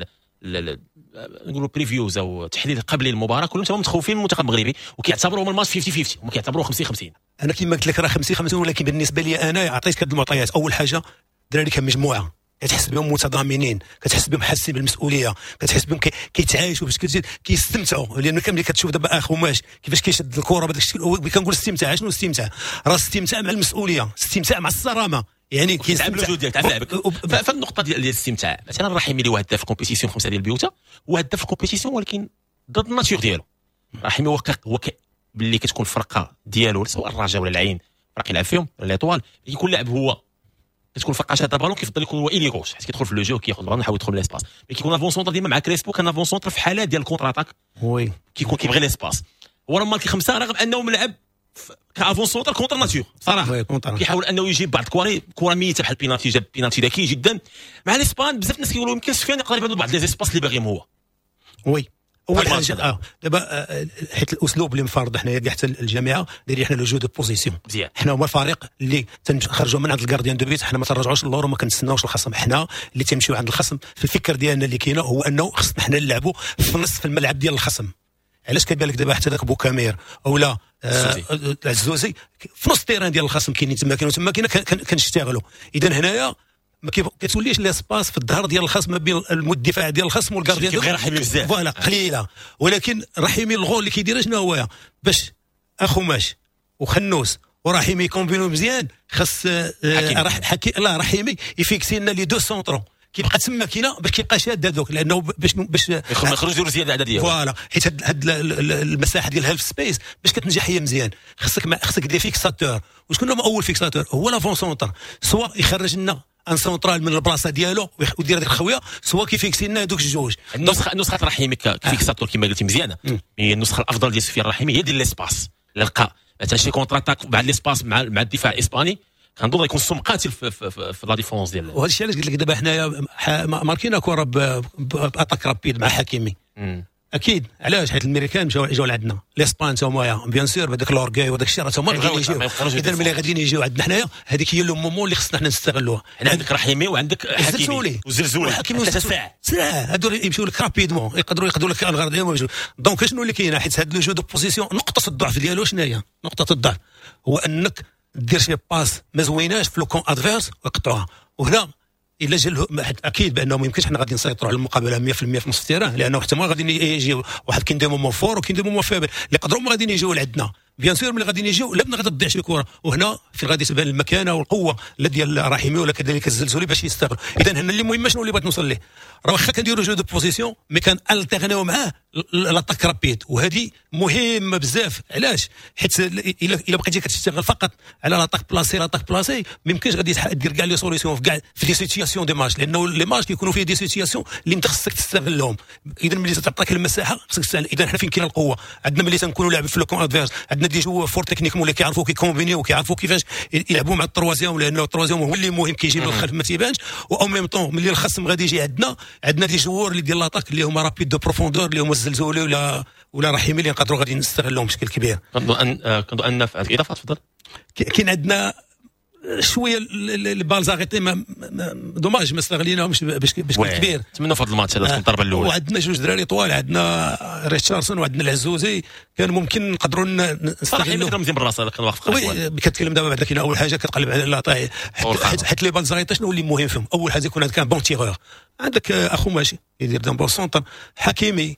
نقولوا previews او تحليل قبل المباراه، كلهم تماما متخوفين من المنتخب المغربي وكيعتبروهم الماتش 50-50، هما كيعتبروه 50-50. انا كما قلت لك راه 50-50، ولكن بالنسبة لي انا عطيتك هذه المعطيات. اول حاجة الدراري كمجموعة كتحس بهم متضامنين، كتحس بهم حاسين بالمسؤولية، كتحس بهم كيتعايشوا باش كيستمتعوا، لان ملي كتشوف دابا اخوماش كيفاش كيشد الكره بهذاك الشكل، كنقول استمتاع. شنو استمتاع؟ راه استمتاع مع المسؤولية، استمتاع مع الصرامه، يعني كيستمتع بالوجود ديالك تعرف لعبك. فالنقطه ديال الاستمتاع مثلا رحيمي اللي هو هداف ال compétition 5 ديال البيوتا، هو هداف ال compétition ولكن ضد ال nature ديالو. رحيمي هو باللي كتكون الفرقة ديالو سواء الرجاء ولا العين، فرق يلعب فيهم ولا l'Étoile، يكون لاعب هو كتكون الفرقة شاده بالون كيفضل يكون هو ailier gauche، حيت كيدخل في le jeu كياخذ البالون يحاول يدخل من l'espace. mais كيكون avant-centre ديما مع كريسبو، كان avant-centre في حالات ديال ال contre-attaque، oui كيكون كيبغي l'espace. هو راه marqué 5 رغم انه ملعب ك avant-centre contre nature صراحة، كيحاول انه يجيب بعض الكواري كره ميته بحال بينالتي، جاب بينالتي ذكي جدا مع الاسبان. بزاف الناس كيقولوا يمكن سفيان يقدر يبان بعض les espaces اللي باغيهم هو. oui اول حاجة دابا حيت الاسلوب اللي مفرض حنايا كاع حتى الجامعة دايرين حنا le jeu de position، حنا هما الفريق اللي تنخرجوا من عند ال gardien de but، حنا ما تنرجعوش للور وما كنتسناوش الخصم، حنا اللي تنمشيو عند الخصم. في الفكر ديالنا اللي كاينه هو انه خصنا حنا نلعبوا في نصف الملعب ديال الخصم. علاش كيبان لك دابا حتى ذاك بوكامير اولا العزوزي في نص ال terrain ديال الخصم كاينين تما، كاينين تما كنشتغلوا. اذا هنايا ما كتوليش l'espace في الظهر ديال الخصم ما بين الدفاع ديال الخصم وال gardien ديال رحيمي بزاف voilà قليله. ولكن رحيمي الغول اللي كيدير شنو هو باش اخوماش وخنوس ورحيمي كومبينو مزيان، خاص لا رحيمي يفيكسي لنا les deux centraux، كيبقى تما كاينه باش كيبقى شاد هذوك، لانه باش يخرج يديروا زيادة عددية voilà. حيت هاد المساحة ديال half space باش كتنجح هي مزيان خصك des fixateurs. وشكون هو اول fixateur؟ هو l'avant-centre، soit يخرج لنا un central من البلاصة ديالو ويدير هذيك الخويه، soit كيفيكسي لنا هذوك الجوج. النسخة رحيمي ك fixateur كما قلتي مزيانه، هي النسخة الافضل ديال سفيان رحيمي هي ديال l'espace. لقى مثلا شي contre-attaque مع l'espace مع الدفاع الاسباني كنظن يكون سم قاتل في la défense ديال. وهذا الشيء علاش قلت لك دابا حنايا ماركينا كره ب attaque rapide مع حكيمي. اكيد علاش؟ حيت الامريكان مشاو جاو لعندنا، الاسبان تا هما bien sûr بهذاك l'orgueil وداك الشيء راه هما غاديين يجيو. اذا ملي غاديين يجيو عندنا حنايا هذيك هي le moment اللي خصنا حنا نستغلوها. عندك رحيمي وعندك حكيمي وزلزولي وحكيمي ساعة، هادو يمشيو لك rapidement، يقدروا لك الغرض ديالهم. donc شنو اللي كاين؟ حيت هاد le jeu de position نقطة الضعف ديالو شنو هي؟ نقطة الضعف هو انك دير شي passe ما زويناش في le camp adverse ويقطعوها. وهنا الا جا اكيد بانه ما يمكنش حنا غادي نسيطروا على المقابلة 100% في نص ال terrain، لانه حتى ما غادي يجيو واحد كاين des moments forts وكاين des moments faibles اللي يقدروا ما غاديين يجيو لعندنا. bien sûr ملي غاديين يجيو لا غادي تضيع شي كره، وهنا فين غادي تبان المكانة والقوه لا ديال رحيمي ولا كذلك الزلزولي باش يستغل. اذا هنا اللي مهم شنو اللي بغيت نوصل ليه، راه واخا كنديروا jeu de position mais كان التيرنيو معاه l'attaque rapide، وهذه مهمة بزاف. علاش؟ حيت الا بقيتي كتشتغل فقط على l'attaque placée l'attaque placée ما يمكنش غادي دير كاع les solutions في كاع في des situations des matchs، لانه les matchs كيكونوا فيه des situations اللي انت خصك تستغلهم. اذا ملي تعطيك المساحة خصك تستغل. اذا حنا فين كاين القوة عندنا ملي تنكونوا لاعب في le camp adverse عندنا des joueurs forts techniquement اللي كيعرفوا كيكومبينيو وكيعرفوا كيفاش يلعبوا مع ال troisième، لانه ال troisième هو اللي مهم كيجي من الخلف ما تيبانش. و en même temps ملي الخصم غادي يجي عندنا des joueurs اللي ديال l'attaque اللي هما rapides de profondeur اللي هما الزلزولي ولا رحيمي اللي نقدروا غادي نستغلهم بشكل كبير. كنظن ان في الاضافة تفضل كاين عندنا شوية les balles arrêtées dommage ما استغليناهمش بشكل كبير. نتمنوا في هذا الماتش هذا تكون الضربة الاولى. وعندنا جوج دراري طوال، عندنا ريتشاردسون وعندنا العزوزي، كان ممكن نقدروا نستغلوا. مزيان بالراس هذا كان واقف. oui كتكلم دابا بعدا كاين اول حاجة كتقلب على l'attaque، حيت les balles arrêtées شنو اللي مهم فيهم؟ اول حاجة يكون عندك un bon tireur، عندك اخو ماشي يدير un bon centre، حكيمي،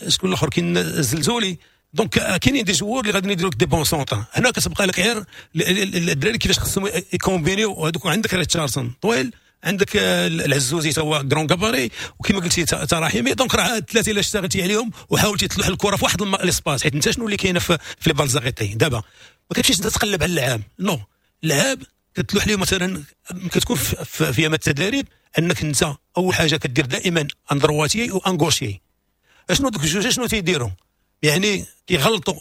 شكون الاخر كاين الزلزولي. donc كاينين des joueurs اللي غادي يديروا لك des bons centres. هنا كتبقى لك غير الدراري كيفاش خصهم يكومبينيو. وهذوك عندك ريتشاردسون طويل، عندك العزوزي تا هو grand gabarit، وكما قلتي تا رحيمي. donc راه الثلاثة الا اشتغلتي عليهم وحاولتي تلوح الكره في واحد l'espace، حيت انت شنو اللي كاينه في les balles arrêtées دابا ما كتمشيش انت تقلب على اللعاب، non اللعاب كتلوح ليه مثلا كتكون في يام التدريب انك انت اول حاجة كدير دائما un droitier و un gaucher. اشنو دوك الجوج شنو تيديروا؟ يعني كيغلطوا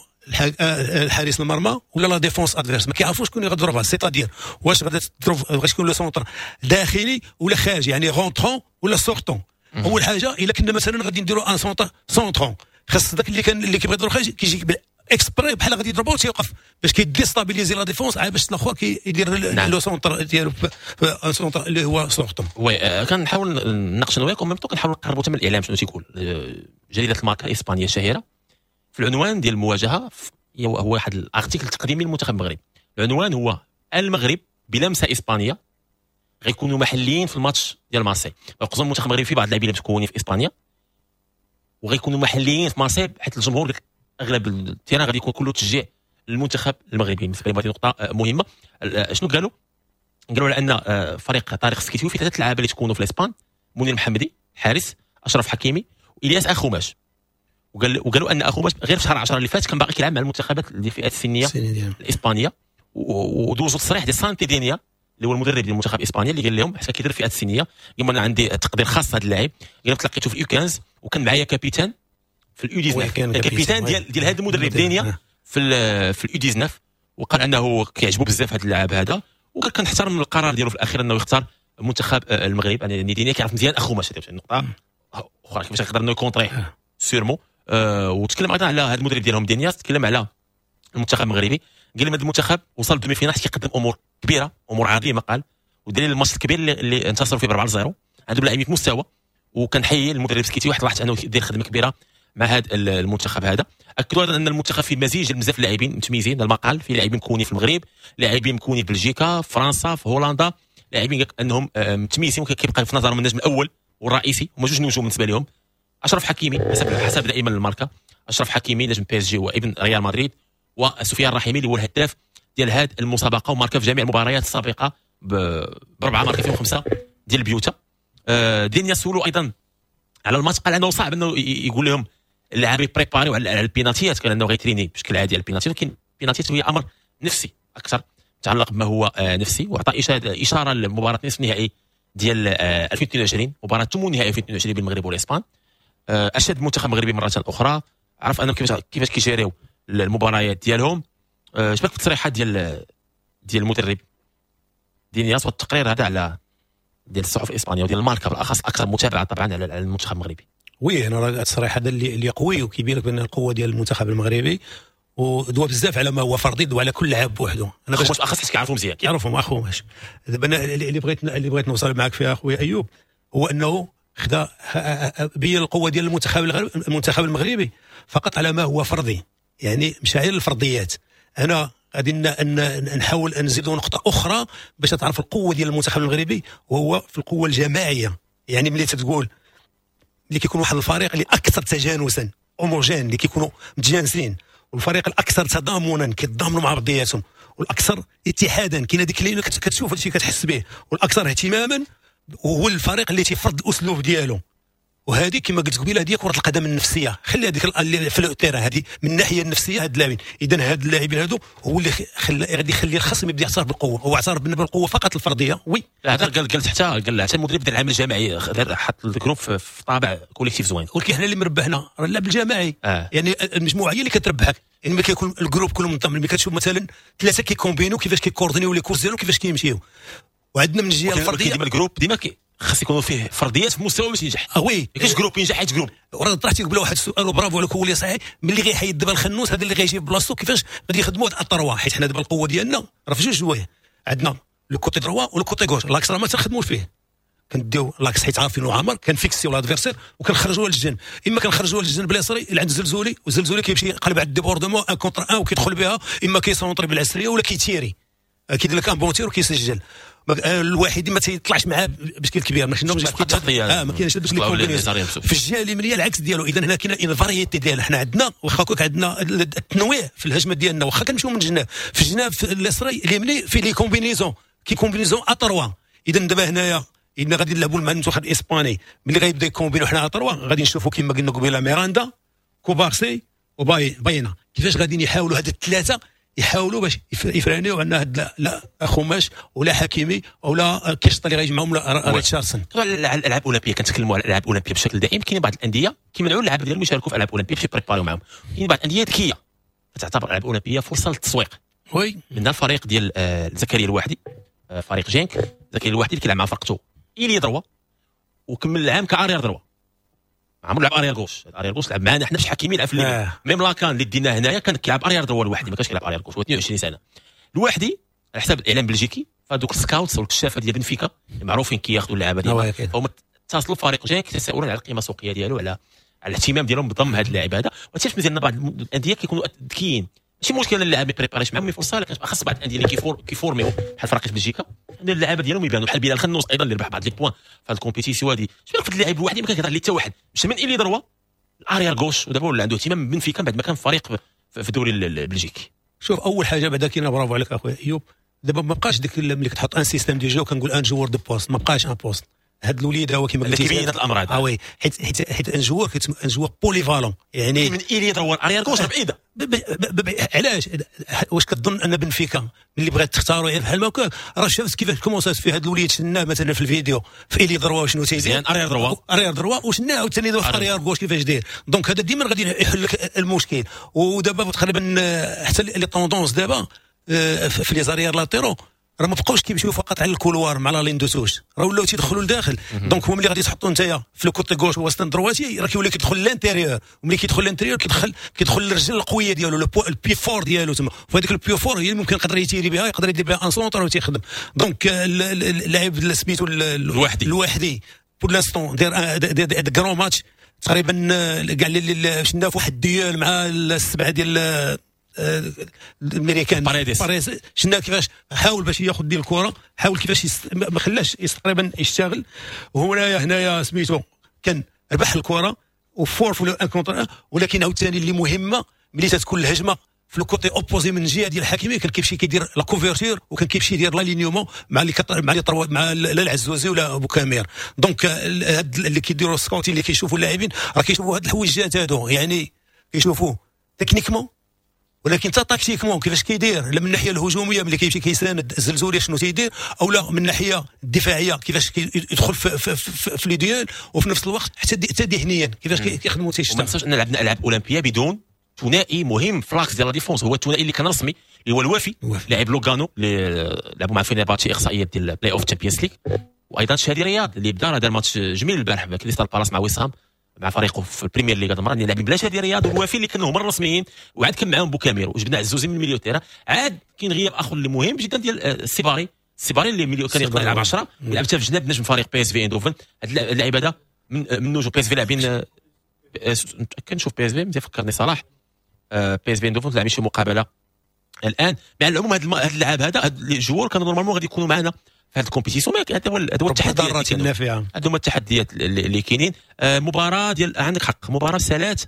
الحارس المرمى ولا la défense adverse، ما كيعرفوش شكون اللي غادي يضربها، c'est-à-dire واش غادي تضرب غادي يكون le centre داخلي ولا خارجي، يعني rentrant ولا sortant. اول حاجة الا كنا مثلا غادي نديروا un centre centrant، خاص داك اللي كان اللي كيبغي يضرب خارجي كيجيك exprès بحال غادي يضربو تيوقف باش كي déstabiliser la défense، عاد باش الاخر كيدير le centre ديالو، un centre اللي هو sortant. oui، كنحاول نناقش انا وياك و même temps كنحاول نقربوا حتى من الاعلام شنو تيقول. جريدة الماركا الاسبانية الشهيرة في العنوان ديال المواجهه، هو واحد ال article تقديمي للمنتخب المغربي، العنوان هو المغرب بلمسه اسبانية غيكونوا محليين في الماتش ديال مارسي. خصوصا المنتخب المغربي في بعض اللاعبين اللي متكونين في اسبانيا وغيكونوا محليين في مارسي، حيت الجمهور اغلب ال terrain غادي يكون كله تشجيع للمنتخب المغربي. بالنسبة لي هذه نقطة مهمه. شنو قالوا؟ قالوا على ان فريق طارق السكتيوي فيه ثلاث لعابه اللي تكونوا في الاسبان، منير محمدي حارس، اشرف حكيمي، والياس اخوماش. وقالوا ان اخوماش غير في شهر 10 اللي فات كان باقي كيلعب مع المنتخبات اللي فئات السنية الاسبانيه. ودوزوا تصريح ديال سانتي دينيا اللي هو المدرب ديال المنتخب الاسباني، اللي قال لهم حتى كيدير فئات السنيه، قال انا عندي تقدير خاص هذا اللاعب، قال تلقيته في ال U 15 وكان معايا capitaine في ال U 19، capitaine ديال هذا المدرب دينيا في ال U 19، وقال انه كيعجبو بزاف هذا اللاعب هذا، وقال كنحترم القرار ديالو في الاخير انه يختار منتخب المغرب. يعني دينيا كيعرف مزيان اخوماش، هذه النقطة اخرى كيفاش يقدر انه ي contrer sûrement. وتكلم ايضا على هذا المدرب ديالهم دينياس، تكلم على المنتخب المغربي، قال لهم هذا المنتخب وصل demi-finale كيقدم امور كبيره، امور عظيمه، قال ودليل الماتش الكبير اللي انتصروا فيه ب 4-0، عندهم لاعبين في مستوى. وكنحيي المدرب سكيتي واحد لاحظت انه دير خدمة كبيرة مع هذا المنتخب هذا. اكدوا ايضا ان المنتخب فيه مزيج بزاف اللاعبين متميزين. المقال فيه لاعبين مكونين في المغرب، لاعبين مكونين في بلجيكا، في فرنسا، في هولندا، لاعبين انهم متميزين وكيبقى في نظرهم النجم الاول والرئيسي، هما جوج نجوم بالنسبة لهم، اشرف حكيمي حسب دائما الماركه، اشرف حكيمي نجم PSG وابن ريال مدريد، وسفيان الرحيمي اللي هو الهداف ديال هذه المسابقة وماركا في جميع المباريات السابقة بربعه ماركا فيهم خمسة ديال البيوتا. دينيا سولو ايضا على الماتش، قال انه صعب انه يقول لهم اللاعبين préparer على البينالتيات، قال انه غيتريني بشكل عادي على البينالتيات، ولكن البينالتيات هي امر نفسي اكثر، متعلق بما هو نفسي. واعطى اشارة لمباراة نصف النهائي ديال 2022، مباراة ثمن نهائي 2022 بين المغرب والاسبان. اشاد المنتخب المغربي مرة اخرى، عرف انهم كيفاش كيجيريو المباريات ديالهم. اش بالك التصريحات ديال المدرب دينياس والتقرير هذا على ديال الصحف الاسبانية وديال الماركة بالاخص اكثر متابعه طبعا على المنتخب المغربي؟ oui، انا راه التصريح هذا اللي قوي وكيبين لك بان القوة ديال المنتخب المغربي، ودوا بزاف على ما هو فردي، دوا على كل لاعب بوحده. انا باش اخص كيعرفوا مزيان، كيعرفهم اخوماش. دابا انا اللي بغيت نوصل معك فيها اخويا ايوب هو انه خدا بين القوة ديال المنتخب المغربي فقط على ما هو فردي، يعني مشى غير الفرديات. انا غادي نحاول نزيدوا نقطة اخرى باش تعرف القوة ديال المنتخب المغربي، وهو في القوة الجماعيه. يعني ملي تقول ملي كيكون واحد الفريق اللي اكثر تجانسا، homogène، اللي كيكونوا متجانسين، والفريق الاكثر تضامنا، كيتضامنوا مع بعضياتهم، والاكثر اتحادا، كاين هذيك اللي كتشوف هادشي كتحس به، والاكثر اهتماما، وهو الفريق اللي تيفرض الاسلوب ديالو. وهذه كما قلت قبيلة هذه كره القدم النفسيه، خلي هذيك اللي في ال terrain، هذه من الناحية النفسيه. هاد اللاعبين، اذا هاد اللاعبين هادو هو اللي خلى غادي يخلي الخصم يبدا يعترف بالقوه. هو اعترف بالقوة فقط الفرديه، oui. هذا قال حتى قال حتى المدرب دار العمل الجماعي، حط ال groupe في طابع collectif زوين. ولكن حنا اللي مربحنا راه اللعب الجماعي. يعني المجموعة هي اللي كتربحك، يعني ملي كيكون ال groupe كله منظم، ملي كتشوف مثلا ثلاثة كيكومبينو، كيفاش كيكوردينيو les courses ديالهم، كيفاش كيمشيو. وعندنا من الجهة الفرديه، ديما ال groupe ديما خاص يكونوا فيه فرديات في مستوى باش ينجح. اه oui. ما كاينش groupe ينجح حيت groupe. وراه طرحتي قبل واحد السؤال، وبرافو عليك، هو اللي صحيح. ملي غيحيد دابا الخنوس هذا اللي غيجي بلاصتو، كيفاش غادي يخدموا هاد ال trois؟ حيت حنا دابا القوة ديالنا راه في جوج جوايه، عندنا le côté droit و le côté gauche. l'axe راه ما تنخدموش فيه، كنديو l'axe حيت عارفين عامر، كنفيكسيو l'adversaire وكنخرجوها للجنب، اما كنخرجوها للجنب اليسري اللي عند الزلزولي، والزلزولي كيمشي يقلب على ال débordement 1 contre 1 وكيدخل بها، اما كيسونطري بالعسريه ولا كيتيري، كيدير لك un bon tir وكيسجل. الواحد ما تيطلعش معاه بشكل كبير، ما ما كاينش دوك les combinaisons. في الجهة اليمنية العكس ديالو. اذا هنا كاين une variété ديال حنا عندنا، واخا هكاك عندنا التنويع في الهجمة ديالنا، واخا كنمشيو من الجناب، في الجناب في اليسري اليمني في les combinaisons كي combinaisons à trois. اذا دابا هنايا اذا غادي نلعبوا مع المنتخب الاسباني، ملي غيبدا يكومبينو حنا à trois، غادي نشوفوا كما قلنا قبيلة ميراندا، كوبارسي وباينا، كيفاش غادي يحاولوا هاد الثلاثة يحاولوا باش يفرانيو عندنا هاد لا خوماش ولا حكيمي ولا كيشطا اللي غيجمعهم ولا ريتشاردسون. على الالعاب الاولمبيه، كنتكلموا على الالعاب الاولمبية بشكل دائم. كاين بعض الاندية كيمنعوا اللعابه ديالهم يشاركوا في الالعاب الاولمبية باش يبريباريو معاهم. كاين بعض الاندية ذكية تعتبر الالعاب الاولمبية فرصة للتسويق. من الفريق ديال زكريا الواحدي، فريق جينك، زكريا الواحدي اللي كيلعب مع فرقته ailier droit وكمل العام ك arrière droit. عمرو لعب arrière gauche، arrière gauche لعب معنا حنا في حكيمي لعب في même la CAN اللي ديناه هنايا كان كيلعب arrière droit الوحدي، ما كانش كيلعب arrière gauche. هو 22 سنة الوحدي على حساب الاعلام البلجيكي، فدوك ال scouts والكشافه ديال بنفيكا معروفين كياخذوا اللعابه ديالهم، فهم اتصلوا فريق جاي كيتساءلون على القيمة السوقية ديالو، على الاهتمام ديالهم بضم هذا اللاعب هذا. وهادشي مزيان، بعض الاندية كيكونوا ذكيين، ماشي مشكل اللاعب ما بريباريش معاهم فرصه، لكن خاص بعض الاندية اللي كيفورميو بحال فريق بلجيكا ان اللعابه ديالهم يبانوا، بحال بلال خنوس ايضا اللي ربح بعض les points في هذه ال compétition هذه. شنو في اللاعب الوحيد ما كان كيهضر عليه حتى واحد، مشى من ailier droit ال arrière gauche، ودابا ولا عنده اهتمام بنفيكا بعد ما كان فريق في الدوري البلجيكي. شوف اول حاجة بعدا كاينه، برافو عليك اخويا ايوب، دابا ما بقاش ديك ملي كتحط un système de jeu كنقول un joueur de poste، ما بقاش un poste. هاد الوليد هو كيما قلتي كيبين هاد الامر هذا. oui، حيت un joueur un joueur polyvalent، يعني من ailier droit arrière gauche بعيده. علاش؟ واش كتظن ان بنفيكا ملي بغات تختاروا غير بحال ما راه شافت كيفاش comment في هاد الوليد، شفناه مثلا في الفيديو في ailier droit شنو تيدير، arrière droit arrière droit، وشناه عاوتاني في arrière gauche كيفاش داير. donc هذا ديما غادي يحل لك المشكل. ودابا تقريبا حتى les tendances دابا في les arrières latéraux راه ما بقاوش كيمشيو فقط على ال couloir مع la ligne de touche، راه ولاو تيدخلوا لداخل. donc هو ملي غادي تحطوا نتايا في le côté gauche هو c'est un droitier، راه كيولي كيدخل l'intérieur، وملي كيدخل l'intérieur كيدخل الرجل القوية ديالو، ال pied fort ديالو تما، وهذيك ال pied fort هي اللي ممكن يقدر يتيري بها، يقدر يدير بها un centre وتيخدم. donc اللاعب سميتو الوحدي، الوحدي pour l'instant داير des grands matchs تقريبا كاع اللي شفنا في واحد duel مع السبعة ديال الامريكان باريديس، شفنا كيفاش حاول باش ياخذ ديال الكره، حاول كيفاش ما خلاش تقريبا يشتغل. وهنايا هنايا سميتو كان ربح الكره و fort في un contre، ولكن عاوتاني اللي مهمة ملي تتكون الهجمة في ال côté opposé من الجهة ديال الحكيمي، كان كيمشي كيدير la couverture وكان كيمشي يدير l'alignement مع les trois مع لا العزوزي ولا بوكامير. donc هاد اللي كيديروا scouting اللي كيشوفوا اللاعبين راه كيشوفوا هاد الحويجات هادو، يعني كيشوفوا techniquement ولكن حتى tactiquement كيفاش كيدير، لا من الناحية الهجومية ملي كيمشي كيساند الزلزولي شنو تيدير، او لا من الناحية الدفاعية كيفاش كيدخل في les duels، وفي نفس الوقت حتى ذهنيا كيفاش كيخدموا تيشتغل. ما ننساوش ان لعبنا العاب اولمبيه بدون ثنائي مهم في l'axe ديال la défense، هو الثنائي اللي كان رسمي اللي هو الوافي لاعب لوغانو اللي لعبوا مع فينيرباتشي اقصائيه ديال play-off Champions League، وايضا شادي رياض اللي بدا دار ماتش جميل البارح كريستال بالاس مع وسام مع فريقه في البريمير ليغ هذه المرة، اللي لاعبين بلا شادي رياض والوافي اللي كانوا هما الرسميين، وعاد كان معاهم بوكامير وجبنا عزوزي من ال milieu terrain. عاد كاين غياب اخر اللي مهم جدا ديال السيباري، السيباري اللي milieu كان يقدر يلعب 10 يلعب حتى في جناب نجم فريق بي اس في اندوفن. هذا اللاعب هذا من نجوم بي اس في لاعبين، كنشوف بي اس في مزيان فكرني صلاح، بي اس في اندوفن لاعبين شي مقابله الان. مع العموم هذا اللاعب هذا هاد les joueurs كانوا normalement غادي يكونوا معنا في هذه ال compétition، هذا هو التحديات النافعة، هذو هما التحديات اللي كاينين. مباراة ديال عندك حق، مباراة سالات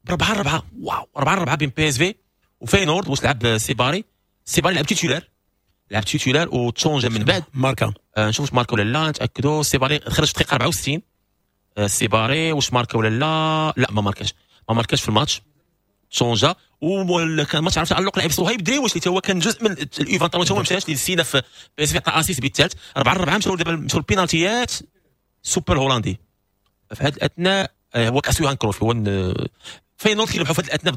ب 4-4، واو 4-4 بين بي اس في وفينورد. واش لعب سيباري؟ سيباري لعب titulaire، لعب titulaire وتشونجا من بعد ماركا. نشوف واش ماركا ولا لا، نتاكدوا. سيباري خرج في الدقيقة 64. سيباري واش ماركا ولا لا؟ لا ما ماركاش، ما ماركاش في الماتش، تشونجا. وكان ماتش عرفت تعلق لاعب صهيب دريوش اللي هو كان جزء من ال U23 هو ما مشاش اللي سينا في بي اس في، عطى assist بالثالث 4-4. مشاو دابا مشاو البينالتيات سوبر هولندي في هذه الاثناء، هو كاس يوهان كروف، هو فينورد كيربحوا في هذه الاثناء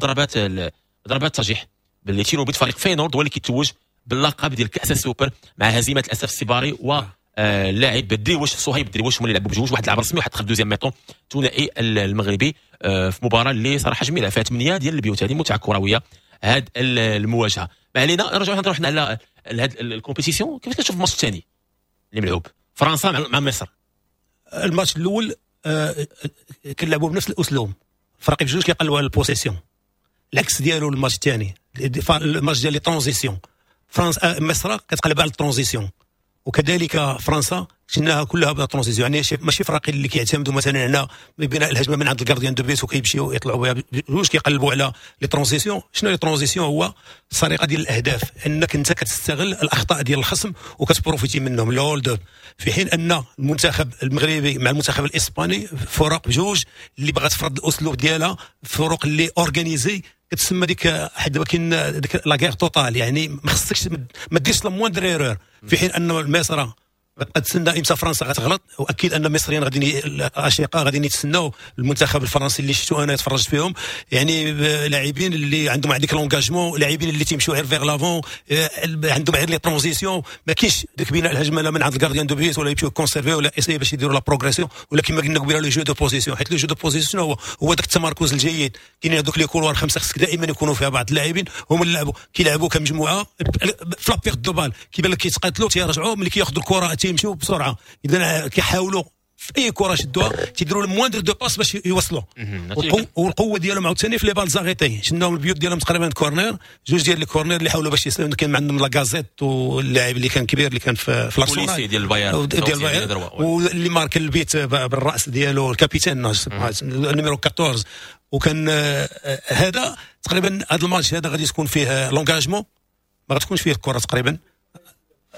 بضربات ترجيح باللي tirs au but. فريق فينورد هو اللي كيتوج باللقب ديال كاس السوبر مع هزيمة الاسف السيباري و اللاعب دريوش صهيب دريوش، هما اللي لعبوا بجوج، واحد لعب رسمي وواحد دخل deuxième mi-temps. ثنائي المغربي في مباراة اللي صراحة جميلة فيها 8 ديال البيوت، هذه متعه كروية هذه المواجهة. ما علينا، نرجعوا نهضروا حنا على هذه ال compétition. كيفاش كتشوف الماتش الثاني اللي ملعوب فرنسا مع مصر؟ الماتش الاول كنلعبوا بنفس الاسلوب، فريق بجوج كيقلبوا على ال possession، العكس ديالو الماتش الثاني، الماتش ديال les transitions. فرنسا مصر كتقلب على ال transition، وكذلك فرنسا شفناها كلها ب transition، يعني ماشي فرق اللي كيعتمدوا مثلا على بناء الهجمة من عند ال gardien de but وكيمشيو يطلعوا بها، بجوج كيقلبوا على les transitions. شنو les transitions؟ هو السرقة ديال الاهداف، انك انت كتستغل الاخطاء ديال الخصم وكت profiter منهم le hold-up. في حين ان المنتخب المغربي مع المنتخب الاسباني فرق بجوج اللي بغات تفرض الاسلوب ديالها، فرق اللي organisées كتسمى ديك حيت دابا كاين ديك la guerre totale، يعني ما خصكش ما ديرش la moindre erreur. في حين ان مصر غتبقى تسنى امتى فرنسا غتغلط، واكيد ان المصريين غادي الاشقاء غادي يتسناو المنتخب الفرنسي اللي شفتو انا تفرجت فيهم، يعني لاعبين اللي عندهم هذيك l'engagement، لاعبين اللي تيمشيو غير vers l'avant، عندهم غير les transitions، ما كاينش ديك بناء الهجمة لا من عند ال gardien de but ولا يمشيو conserver ولا essayer باش يديروا la progression، ولا كما قلنا قبيلة le jeu de position، حيت le jeu de position هو داك التمركز الجيد. كاينين هذوك les couloirs خمسة خصك دائما يكونوا فيها بعض اللاعبين هما اللي لعبوا كيلعبوا كمجموعة في la perte de balle، كيبان لك كيتقاتلوا تيرجعوا، ملي كياخذوا الكره تيمشيو بسرعة. اذا كيحاولوا في اي كره شدوها تيديروا ال moindre deux passes باش يوصلوا. والقوه ديالهم عاوتاني في les balles arrêtées، شناهم البيوت ديالهم تقريبا corner، جوج ديال les corners اللي حاولوا باش يسلموا. كان عندهم لاكازيت واللاعب اللي كان كبير اللي كان في الارسنال ديال البايرن ديال البايرن، واللي مارك البيت بالراس ديالو ال capitaine numéro 14. وكان هذا تقريبا هذا الماتش هذا غادي تكون فيه l'engagement، ما غتكونش فيه الكره تقريبا.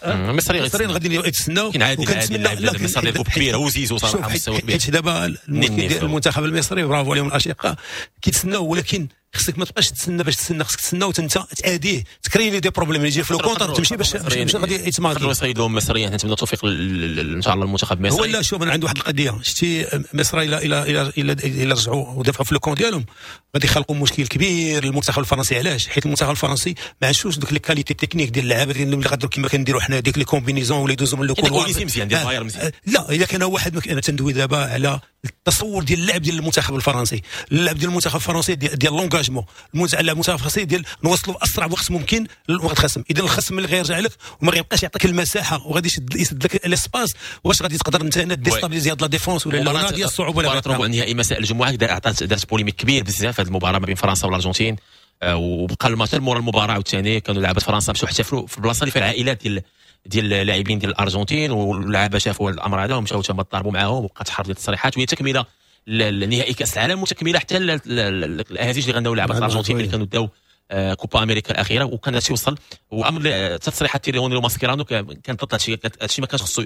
المصريين غادي يتسناو، وكنتمنى لا المصري كبيرة وزيزو صراحة مستوى كبير، حيت دابا المشكل ديال المنتخب المصري برافو عليهم الاشقاء كيتسناو، ولكن خصك ما تبقاش تسنى باش تسنى، خصك تسنى وانت تادية تكري les des problèmes اللي يجي في le contre تمشي باش غادي يتماركي. يصيدوا المصريين، نتمنى التوفيق ان شاء الله المنتخب المصري. هو لا شوف انا عندي واحد القضية، شتي مصر الى الى الى الى, إلى رجعوا ودافعوا في le camp ديالهم غادي يخلقوا مشكل كبير للمنتخب الفرنسي. علاش؟ حيت المنتخب الفرنسي ما عندوش دوك les qualités techniques ديال اللعابه اللي غادروا كما كنديروا حنا ديك les combinaisons ولا يدوزوا من le couloir مزيان ديال البايرن مزيان. لا الا كان واحد، انا تندوي دابا على التصور ديال اللعب ديال المنتخب الفرنسي، اللعب ديال المنتخب الفرنسي ديال l'engagement، المنتخب الفرنسي ديال نوصلوا في اسرع وقت ممكن للوقت الخصم. اذا الخصم اللي غيرجع لك وما غيبقاش يعطيك المساحة وغادي يسد لك l'espace، واش غادي تقدر انت هنا déstabiliser هاد la défense ولا لا؟ ديال الصعوبة. مباراة ربع النهائي مساء الجمعة دارت polémique كبير بزاف هذه المباراة ما بين فرنسا والارجنتين، وبقى الماتش مورا المباراة عاوتاني كانوا لعابه فرنسا مشاو احتفلوا في البلاصة اللي فيها العائلات ديال اللاعبين ديال الارجنتين، واللعابه شافوا الامر هذا ومشاو تما تضاربوا معاهم، وبقات حرب ديال التصريحات، وهي تكمله لنهائي كاس العالم وتكمله حتى الاهازيج اللي غناو لعبه الارجنتين اللي كانوا داو كوبا امريكا الاخيرة. وكان هادشي وصل وامر تصريحات تيري وماسكيرانو كان ضد هادشي، ما كانش خصو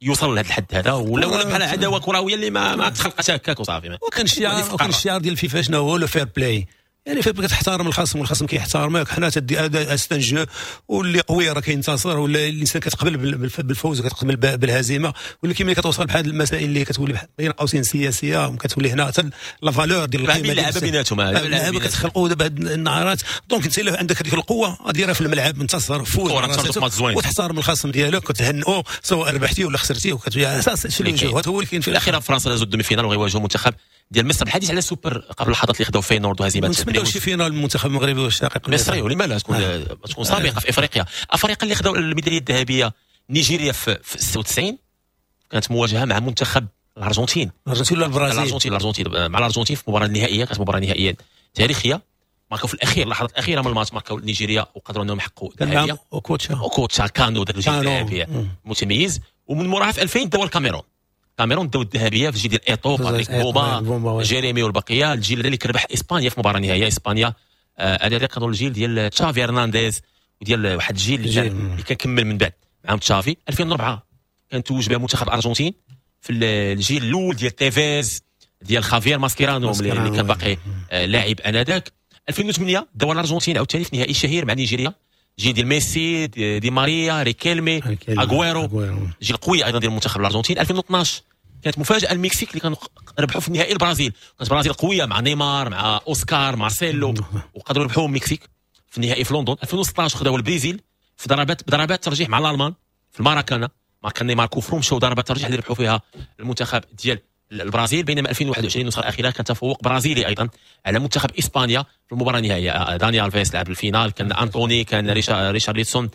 يوصل لهذا الحد هذا، ولا بحال عداوة كروية اللي ما تخلقتش هكاك وصافي. وكان الشعار ديال الفيفا شنو هو؟ le fair-play، يعني فين كتحترم الخصم والخصم كيحترمك. حنا تدي هذا c'est un jeu، واللي قوي راه كينتصر، ولا الانسان كتقبل بالفوز وكتقبل بالهزيمة. ولكن ملي كتوصل بحال المسائل اللي كتولي بين قوسين سياسية، وكتولي هنا حتى la valeur ديال القيمة اللعبة بيناتهم، اللعبة كتخلقوا دابا هاد النعرات. donc انت الا عندك هذيك القوة ديرها في الملعب، انتصر، فوز، وتحترم الخصم ديالك وتهنئو سواء ربحتي ولا خسرتي، وكتولي اساس le jeu هو اللي كاين. في الاخيرة فرنسا دازوا ال demi-finale وغيواجهوا منتخب ديال مصر. الحديث على السوبر قبل اللحظات اللي خداو فينورد وهزيمة نتمناو شي finale المنتخب المغربي والشقيق المصري، ولما لا تكون سابقه في افريقيا. افريقيا اللي خداو الميداليه الذهبية نيجيريا في 96 كانت مواجهة مع منتخب الارجنتين ولا البرازيل؟ الارجنتين مع الارجنتين في المباراة النهائية، كانت مباراة نهائية تاريخية، ماركاو في الاخير اللحظات الاخيرة من الماتش ماركاو نيجيريا وقدروا انهم يحققوا الذهبية. اوكوتشا كانو داك الجيل الذهبي متميز. ومن موراها في 2000 داو الكاميرون داو الذهبية في الجيل ديال ايطو، باتريك بوما، جيريمي والبقية. الجيل اللي كربح اسبانيا في مباراة نهائية اسبانيا، هذا كانوا الجيل ديال تشافي هرنانديز وديال واحد الجيل اللي كان كمل من بعد معاهم تشافي. 2004 كان توج بها منتخب الارجنتين في الجيل الاول ديال تيفيز ديال خافير ماسكيرانو اللي كان باقي لاعب انذاك. 2008 داو الارجنتين عاوتاني في نهائي شهير مع نيجيريا، جيل ديال ميسي، دي ماريا، ريكيلمي، اغويرو، جيل قوي ايضا ديال المنتخب الارجنتين. 2012 كانت مفاجاة المكسيك اللي كانوا ربحوا في النهائي البرازيل، كانت البرازيل قوية مع نيمار مع اوسكار مارسيلو وقدروا يربحوا المكسيك في النهائي في لندن. 2016 خداو البرازيل في ضربات ترجيح مع الالمان في الماراكانا، مع كان نيمار coup franc، مشاو ضربات ترجيح اللي ربحوا فيها المنتخب ديال البرازيل. بينما 2021 النسخة الاخيرة كان تفوق برازيلي ايضا على منتخب اسبانيا في المباراة النهائية، داني الفيس لعب ال finale، كان انطوني، كان ريشارليسون،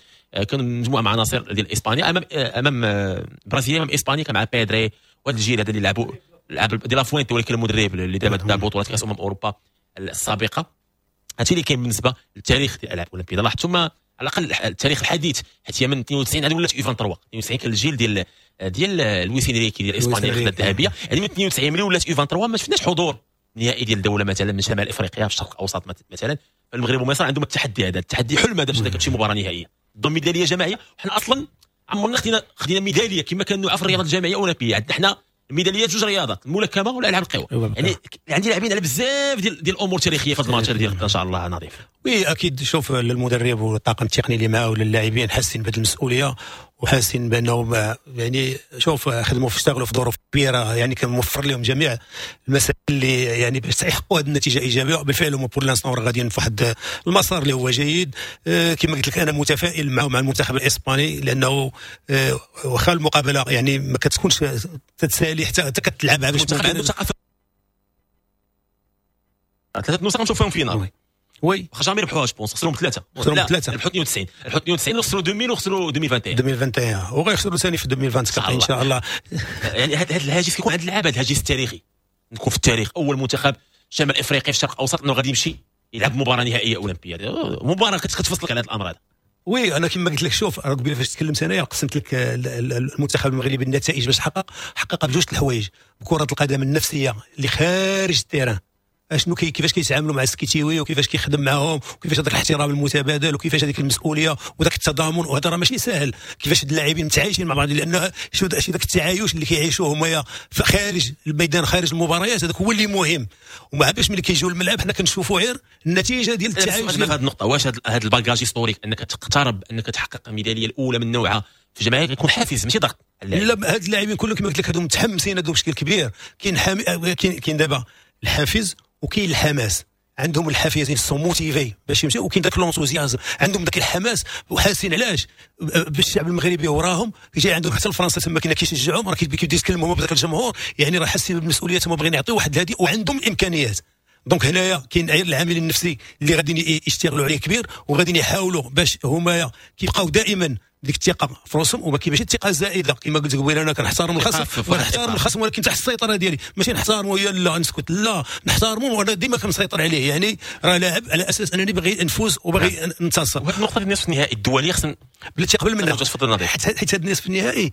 كانوا مجموعة مع عناصر ديال اسبانيا امام البرازيل، امام اسبانيا كان مع بيدري وهذا الجيل هذا اللي لعبوا لعب دي لا فوينتي، ولكن المدرب اللي دابا دا بطوله كاس اوروبا السابقة. هادشي اللي كاين بالنسبة للتاريخ ديال الالعاب الاولمبية. لاحظتوا على الاقل التاريخ الحديث، حيت هي من 92 عاد ولات U 23. 92 كان الجيل ديال لويس انريكي ديال اسبانيا اللي خدا الذهبية، يعني من 92 ملي ولات U 23 ما شفناش حضور نهائي ديال دولة مثلا من شمال افريقيا في الشرق الاوسط مثلا. المغرب ومصر عندهم التحدي هذا، التحدي حلم هذا باش تمشي مباراة نهائية ضم ميدالية جماعية. وحنا اصلا عمرنا خدينا ميدالية كما كان في الرياضات الجامعية الاولمبية، عندنا حنا ميداليات جوج رياضات، الملاكمة والالعاب القوى. يعني عندي لاعبين على بزاف ديال الامور التاريخية في هذا الماتش ديال غدا ان شاء الله نظيف. oui اكيد، شوف المدرب والطاقم التقني اللي معاه ولا اللاعبين حاسين بهذه المسؤولية وحاسين بانهم يعني شوف خدموا، اشتغلوا في ظروف كبيره، يعني كان موفر لهم جميع المسائل اللي يعني باش يحققوا هذه النتيجة ايجابيه. بالفعل هما pour l'instant غاديين في واحد المسار اللي هو جيد. كما قلت لك انا متفائل مع المنتخب الاسباني، لانه واخا المقابلة يعني ما كتكونش تتسالي حتى كتلعبها باش ثلاثة نسخ نشوفهم finale. oui واخا jamais ربحوها je pense، خسروا بثلاثة. خسروا بثلاثة، ربحوا 92، ربحوا 92 وخسروا 2000 وخسروا 2021. 2021 وغيخسروا ثاني في 2024 ان شاء الله. يعني هذا الهاجس كيكون عند اللعابه، هذا الهاجس التاريخي، نكون في التاريخ اول منتخب شمال افريقيا في الشرق الاوسط انه غادي يمشي يلعب مباراة نهائية اولمبيه، مباراة كتفصلك على هذا الامر هذا. oui انا كما قلت لك شوف قبيلة فاش تكلمت انايا قسمت لك المنتخب المغربي النتائج باش حقق بجوج الحوايج، بكره القدم النفسية اللي خارج ال terrain، اشنو كيفاش كيتعاملوا مع السكيتيوي وكيفاش كيخدم معاهم وكيفاش هذاك الاحترام المتبادل وكيفاش هذيك المسؤولية وذاك التضامن، وهذا راه ماشي ساهل. كيفاش اللاعبين متعايشين مع بعض، لان شو ذاك التعايش اللي كيعيشوه هما خارج الميدان خارج المباريات هذاك هو اللي مهم. ومع باش ملي كيجيو للملعب حنا كنشوفوا غير النتيجة ديال التعايش. في هذه النقطة واش هذا ال bagage historique انك تقترب انك تحقق الميداليه الاولى من نوعها في الجماعية يكون حافز ماشي ضغط؟ لا، هاد اللاعبين كلهم كما قلت لك هادو متحمسين، هادو بشكل كبير. كاين دابا الحافز وكاين الحماس، عندهم الحافز sont motivés باش يمشيو، وكاين داك l'enthousiasme، عندهم داك الحماس وحاسين علاش بالشعب المغربي وراهم جاي عندهم حتى الفرنسا تما كاين كيشجعهم، راه كيبداو يتكلموا هما بداك الجمهور، يعني راه حاسين بالمسؤولية تما باغيين يعطيو واحد الهدي وعندهم الامكانيات. donc هنايا كاين غير العامل النفسي اللي غادي يشتغلوا عليه كبير، وغادي يحاولوا باش هما كيبقاو دائما ديك الثقة في راسهم، وما كاينش الثقة الزائدة كما قلت قبيلة. انا كنحترم الخصم ونحترم الخصم ولكن تحت السيطرة ديالي، ماشي نحترمو يا لا نسكت، لا نحترمو وانا ديما كنسيطر عليه، يعني راه لاعب على اساس انني باغي نفوز وباغي ننتصر. وهاد النقطة ديال النصف النهائي الدولية خصنا بلاتي قبل منها حيت هاد النصف النهائي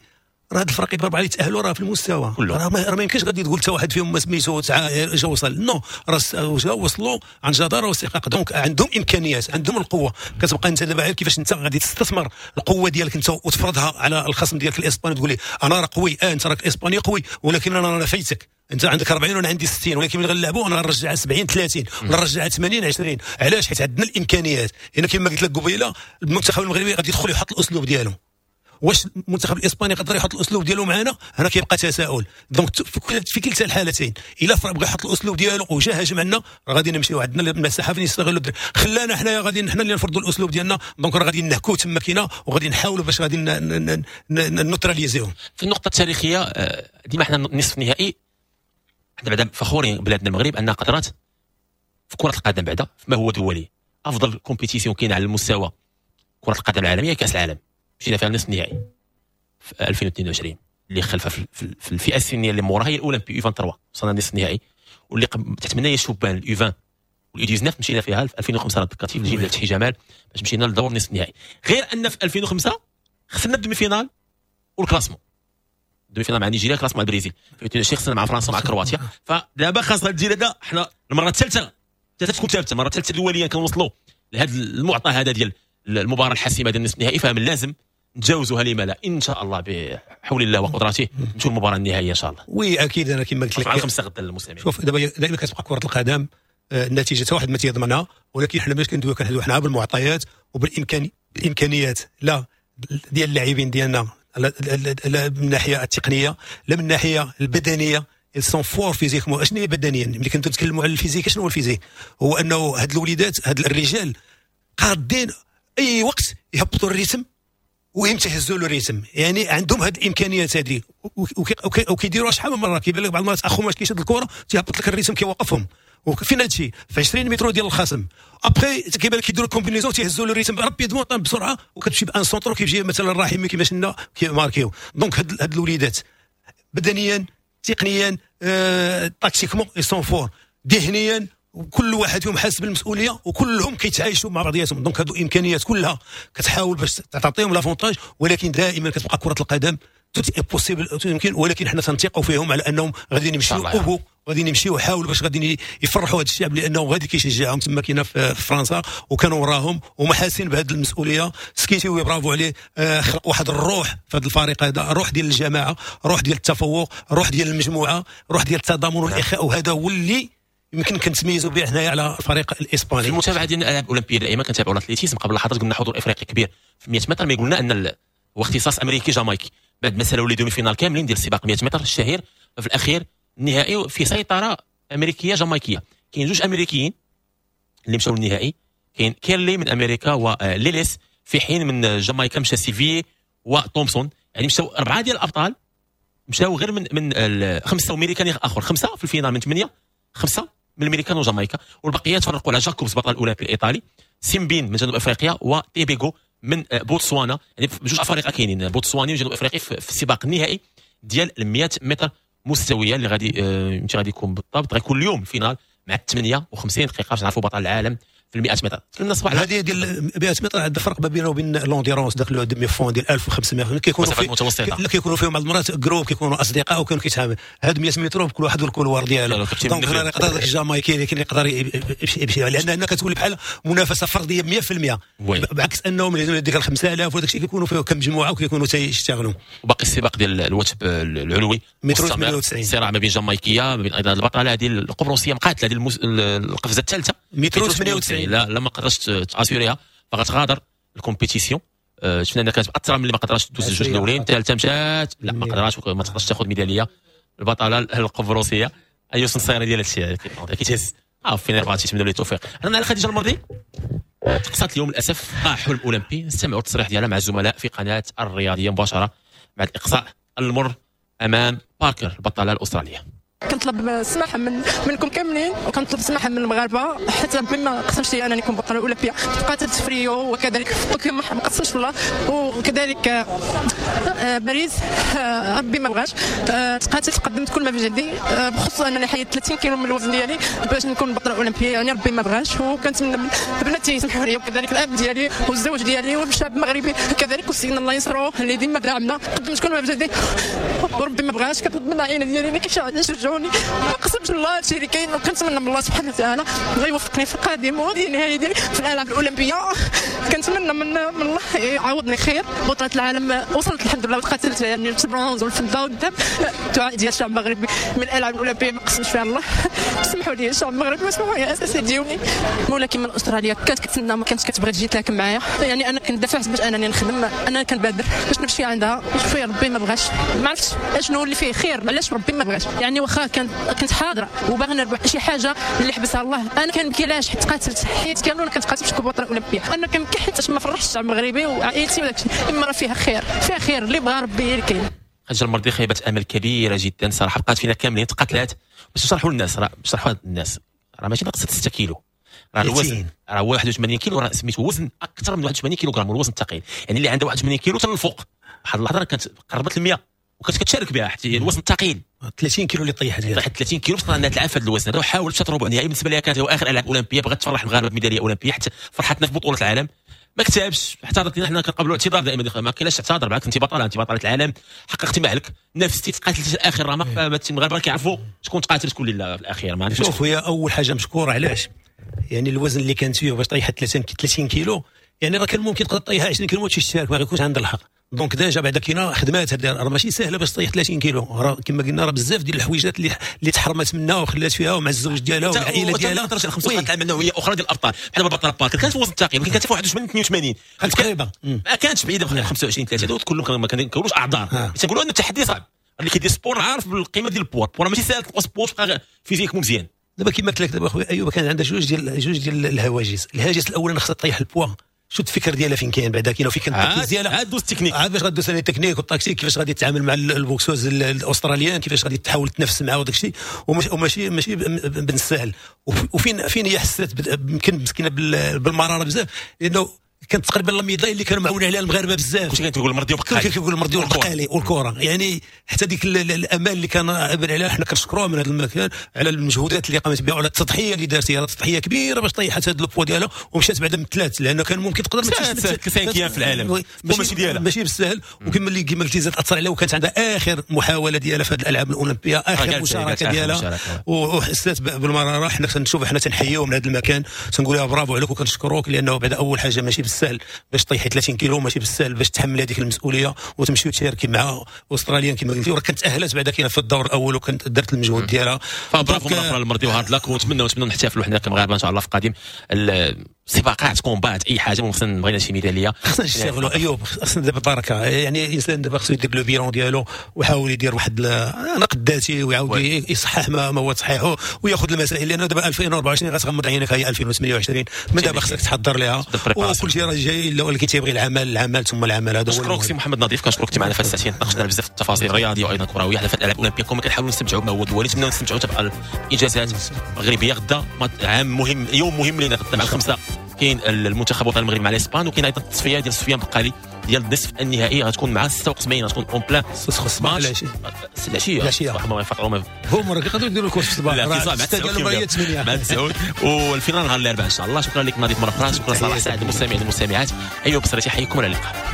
راه هاد الفرق الاربعة اللي تاهلوا راه في المستوى، راه ما يمكنش غادي تقول حتى واحد فيهم ما سميتو جا وصل، non راه وصلوا عن جداره واستحقاق. donc عندهم امكانيات، عندهم القوة. كتبقى انت دابا كيفاش انت غادي تستثمر القوة ديالك انت وتفرضها على الخصم ديالك الاسباني، تقول ليه انا راه قوي، انت راك اسباني قوي ولكن انا راه فايتك، انت عندك 40 وانا عندي 60، ولكن ملي غنلعبوا انا غنرجعها 70 30 ولا نرجعها 80 20. علاش؟ حيت عندنا الامكانيات. هنا كما قلت لك قبيلة المنتخب المغربي غادي يدخل يحط الاسلوب ديالو، واش المنتخب الاسباني يقدر يحط الاسلوب ديالو معنا؟ هنا كيبقى تساؤل. donc في كلتا الحالتين الا بغى يحط الاسلوب ديالو وجا هاجم عندنا راه غادي نمشيو، عندنا المساحة فين يستغلوا، خلانا حنايا غادي حنا اللي نفرضوا الاسلوب ديالنا، donc راه غادي نهكو تما كاينه وغادي نحاولوا باش غادي نوتراليزيهم. في النقطة التاريخية ديما حنا النصف النهائي حنا بعدا فخورين بلادنا المغرب انها قدرات في كره القدم بعدا ما هو دولي، افضل compétition كاين على المستوى كره القدم العالمية كاس العالم، مشينا فيها النصف النهائي في 2022 اللي خلفها في الفئة السنية اللي موراها هي الاولمبي U 23 وصلنا النصف النهائي، واللي تحت منا هي الشبان ال U 20 وال U 19 مشينا فيها في 2005 ذكرتي في الجيل فتحي جمال باش مشينا لدور النصف النهائي. غير ان في 2005 خسرنا ال demi-finale وال classement، ال demi-finale مع نيجيريا، classement مع البرازيل، في 2022 خسرنا مع فرنسا ومع كرواتيا. فدابا خاص هذا الجيل هذا حنا المرة الثالثة تكون ثابتة، المرة الثالثة دوليا كنوصلوا لهذا المعطى هذا ديال المباراة الحاسمة ديال النصف النهائي، فمن لازم نتجاوزوها لما لا ان شاء الله بحول الله وقدرته نمشيو للمباراة النهائية ان شاء الله. oui اكيد انا كما قلت لك على 5 غدا للمستمعين. شوف دابا دائما كتبقى كره القدم النتيجة حتى واحد ما تيضمنها، ولكن حنا باش كندويو كنهضروا حنا بالمعطيات وبالامكانيات لا ديال اللاعبين ديالنا، لا من الناحية التقنية لا من الناحية البدنية. ils sont forts physiquement. اشنو هي بدنيا؟ ملي كنتو نتكلموا على ال physique شنو هو ال physique؟ هو انه هاد الوليدات هاد الرجال قادين اي وقت يهبطوا ال rythme ويمتى يهزوا له ال rythme، يعني عندهم هاد الامكانيات هذه وكيديروها شحال من مرة. كيبان لك بعض المرات اخو ماش كيشد الكره تيهبط لك ال rythme كيوقفهم، وفين هادشي في 20 متر ديال الخصم. après كيبان لك كيديروا combinaison تيهزوا له ال rythme rapidement بسرعة، وكتمشي ب un centre كيجي مثلا الرحيمي كيما شفنا كيماركيو. donc هاد الوليدات بدنيا تقنيا tactiquement ils sont forts، ذهنيا وكل واحد فيهم حاس بالمسؤولية وكلهم كيتعايشوا مع بعضياتهم. donc هادو امكانيات كلها كتحاول باش تعطيهم l'avantage، ولكن دائما كتبقى كره القدم tout est possible يمكن، ولكن حنا تنثقوا فيهم على انهم غادي يمشيو au bout، غادي يمشيو ويحاولوا باش غادي يفرحوا هذا الشعب لانه غادي كيشجعهم تما كاينه في فرنسا وكانوا وراهم وما حاسين بهذه المسؤولية. سكيتيوي برافو عليه، خلق واحد الروح في هذا الفريق هذا، روح ديال الجماعة، روح ديال التفوق، روح ديال المجموعة، روح ديال التضامن والاخاء، وهذا هو اللي يمكن كنتميزوا به حنايا على الفريق الاسباني. في المتابعة ديال الالعاب الاولمبية دائما كنتابعوا l'athlétisme. قبل لحظات قلنا حضور افريقي كبير في 100 متر، ما قلنا ان هو اختصاص امريكي جامايكي. بعد ما سالوا les demi-finales كاملين ديال سباق 100 متر الشهير، في الاخير النهائي في سيطرة امريكية جامايكيه. كاين جوج امريكيين اللي مشاو للنهائي، كاين كيرلي من امريكا وليليس، في حين من جامايكا مشى سيفي وتومسون. يعني مشاو اربعة ديال الابطال، مشاو غير من خمسة امريكان اخر، خمسة في ال finale من 8، خمسة من الامريكان وجامايكا، والبقية تفرقوا على جاكوبس بطل الاولمبي الايطالي، سيمبين من جنوب افريقيا، وتيبيغو من بوتسوانا. يعني بجوج افارقه كاينين، بوتسواني وجنوب افريقي في السباق النهائي ديال 100 متر مستوية اللي غادي غادي يكون بالضبط غيكون اليوم ال finale مع 58 دقيقة باش نعرفوا بطل العالم في 100 متر. تكلمنا الصباح هذه ديال 100 متر، عندها فرق ما بينه وبين l'endurance داك le demi-fond ديال 1500 كيكونوا في كيكونوا فيهم بعض المرات groupe، كيكونوا اصدقاء وكانوا كيتعامل. هاد 100 متر كل واحد وال couloir ديالو، donc هنا يقدر داك الجامايكي اللي يقدر يمشي، لان هنا كتولي بحال منافسه فردية 100%، بعكس انهم ديك 5000 وداك الشيء كيكونوا فيه كمجموعة وكيكونوا تيشتغلوا. وباقي السباق ديال الوثب العلوي متر 98، صراع ما بين جامايكيه ما بين ايضا البطلة هذه القبرصيه مقاتله ديال القفزة الثالثة متر 98، لا ما قدرتش تاسيوريها فغتغادر ال compétition. شفنا انها كانت مأثره ملي ما قدرتش تدوز الجوج الاولين، الثالثة مشات لا ما قدراتش، ما تقدرش تاخذ ميدالية البطلة القبرصيه. ايوس نصيري ديال هادشي كيتهز فين بغاتي تمنوا لي التوفيق. هضرنا على خديجة المرضي، تقصات اليوم للاسف حلم اولمبي. نستمعوا التصريح ديالها مع الزملاء في قناة الرياضية مباشرة بعد الاقصاء المر امام باركر البطلة الاسترالية. كنطلب السماحة منكم كاملين، وكنطلب السماحة من المغاربة حتى بما قسمش لي انني نكون بطلة اولمبيه. تقاتلت في ريو وكذلك في طوكيو ما قسمش الله، وكذلك باريس ربي ما بغاش. تقاتلت قدمت كل ما في جهدي، بخصوص انني حيدت 30 كيلو من الوزن ديالي باش نكون بطلة اولمبيه، يعني ربي ما بغاش. وكنتمنى من بناتي يسمحوا لي، وكذلك الاب ديالي والزوج ديالي والشعب المغربي كذلك، وسيدنا الله ينصرو اللي ديما دعمنا. قدمت كل ما في جهدي وربي ما بغاش. كنطلب من العائلة ديالي اللي كيشجعوني، ما قسمش الله هادشي اللي كاين، وكنتمنى من الله سبحانه وتعالى غيوفقني في القادم وهذه النهاية ديالي في الالعاب الاولمبية. كنتمنى من الله يعوضني خير. بطوله العالم وصلت الحمد لله، وتقاتلت يعني البرونز والفضة والذهب. الدعاء ديال الشعب المغربي من الالعاب الاولمبية ما قسمش فيها الله. سمحوا لي الشعب المغربي، وسمحوا لي اساسا ديوني. ولكن من استراليا كانت كتسنى، ما كانتش كتبغي تجي تلاكم معايا، يعني انا كنت دافعت باش انني نخدم، انا كنبادر باش نمشي عندها. شوفي ربي ما بغاش، ما عرفتش اشنو اللي فيه خير، علاش ربي ما بغاش. يعني واخا كنت حاضره وباغي نربح شي حاجة اللي حبسها الله، انا كنبكي علاش حيت تقاتلت حيت كامل كنتقاتل باش نكون بطلة اولمبيه. انا كنبكي حيت ما فرحتش الشعب المغربي وعائلتي وداك الشيء، اما راه فيها خير، فيها خير اللي بغى ربي اللي كاين. خديجة المرضي خيبه امل كبيرة جدا صراحة، بقات فينا كاملين، تقاتلات. باش نشرحوا للناس، راه نشرحوا للناس راه ماشي نقصت 6 كيلو، راه الوزن راه 81 كيلو، راه سميتو وزن اكثر من 81 كيلوغرام الوزن الثقيل، يعني اللي عنده 81 كيلو حتى الفوق. واحد اللحظة كانت قربت ل 100 وكانت كتشارك بها حتى الوزن الثقيل 30 كيلو اللي طيحت فيها، طيحت 30 كيلو باش انها تلعب في هذا الوزن هذا، وحاولت مشات ربع نهائي. بالنسبة لها كانت هو اخر العاب اولمبيه، بغات تفرح المغاربة بميداليه اولمبيه، حتى فرحتنا في بطوله العالم ما كتبش. اعتذرت لنا، حنا كنقبلوا اعتذار دائما، ما كاينش اعتذر معاك، انت بطلة، انت بطلة العالم، حققتي ما عليك، نفستي تقاتلتي اخر رمق. فالمغاربه كيعرفوا شكون تقاتل شكون لا في الاخير. ما عندكش. شوف هي اول حاجة مشكورة، علاش يعني الوزن اللي كانت فيه باش طيحت 30 كيلو، يعني راه كان ممكن تقدر طيحها 20 كيلو ما تمشيش تشارك، ما غيكونش عندها الحق. donc déjà بعدا كاينه خدمات، راه ماشي سهلة باش طيح 30 كيلو، راه كما قلنا راه بزاف ديال الحويجات اللي تحرمت منها وخلات فيها ومع الزوج ديالها والعائلة ديالها. ما تهضرش على 5 العام نوعية اخرى ديال الابطال، بحال البطل باركر كانت في وزن الثقيل، ولكن كانت في 81 82 تقريبا، ما كانتش بعيدة ب 25 30، هذو كلهم ما كنقولوش اعذار، تنقولوا ان التحدي صعب. اللي كيدير sport عارف بالقيمة ديال ال poids، ال poids ماشي ساهل تبقى sport تبقى physique مزيان. دابا كما قلت لك دابا خويا ايوب، كان عندها جوج ديال الهواجس. الهاجس الاول خصها تطيح البوا، شو الفكر ديالها فين كاين بعدا، كاين فين كان التركيز ديالها، عاد دوز التكنيك، عاد باش غدوز ال technique وال tactique، كيفاش غادي تتعامل مع ال boxeuse ال australienne، كيفاش غادي تحاول تنافس معاه وداك الشيء، وماشي ماشي بالسهل. وفين فين هي حسات يمكن مسكينه بالمراره بزاف، لانه كانت تقريبا la médaille اللي كانوا معولين عليها المغاربة بزاف. كلشي كان كيقول المرضي والبقالي، كلشي كيقول المرضي والبقالي والكره، يعني حتى ديك الامال اللي كان عبر عليها حنا كنشكروها من هذا المكان على المجهودات اللي قامت بها وعلى التضحية اللي دارت هي، تضحية كبيرة باش طيحت هذا البوا ديالها ومشات بعدا من ثلاث، لانه كان ممكن تقدر ما تمشيش cinquième في العالم، ماشي ديالها، ماشي بالسهل. وكما اللي كما قلتي زاد اثر عليها، وكانت عندها اخر محاولة ديالها في هذه الالعاب الاولمبية، اخر مشاركة ديالها، وحسات بالمراره. حنا كنشوف حنا تنحييو من هذا المكان، تنقول لها برافو عليك وكنشكروك، لانه بعد اول حاجة ماشي بالسهل. بالسهل باش طيحي 30 كيلو، ماشي بالسهل باش تحمل هذيك المسؤولية وتمشي وتشاركي مع استراليا كما قلتي، وراه كانت تاهلت بعدا كاينه في الدور الاول وكانت درت المجهود ديالها. فبرافو مرة اخرى المرضي و hard luck، ونتمنى نحتفلوا حنا كمغاربه ان شاء الله في قادم السباقات، combat، اي حاجه، خصنا بغينا شي ميداليه. خصنا نشتغلوا ايوب، خصنا دابا بركه، يعني الانسان دابا خصو يدير le bilan ديالو ويحاول يدير واحد نقد ذاتي ويعاود يصحح ما هو تصحيحه وياخذ المسائل، لانه دابا 2024 غتغمض عينك هي 2028، من دابا خصك تحضر لها وكل شيء راه جاي، ولكن تيبغي العمل العمل ثم العمل. هذا هو. نشكرك سي محمد نظيف، كنشكرك معنا في الساعتين، ناقشنا بزاف التفاصيل الرياضية وايضا كروية على الالعاب الاولمبيه، كما كنحاولوا نستمتعوا بما هو دولي، نتمنوا نستمتعوا تبقى الانجازات المغربية. غدا عام مهم، يوم مهم لنا، غدا مع 5 كاين المنتخب الوطني المغربي مع الاسبان، وكاين ايضا التصفية ديال سفيان بقالي ديال النصف النهائي غتكون مع 76، غتكون en plein الصباح العشية العشية العشية هما راه كيقدروا يديروا ال course في الصباح، لا مع 9 وال finale نهار الاربعاء ان شاء الله. شكرا لك نظيف مرة اخرى، شكرا صلاح سعد المستمعين والمستمعات، ايوب بصري تحييكم، الى اللقاء.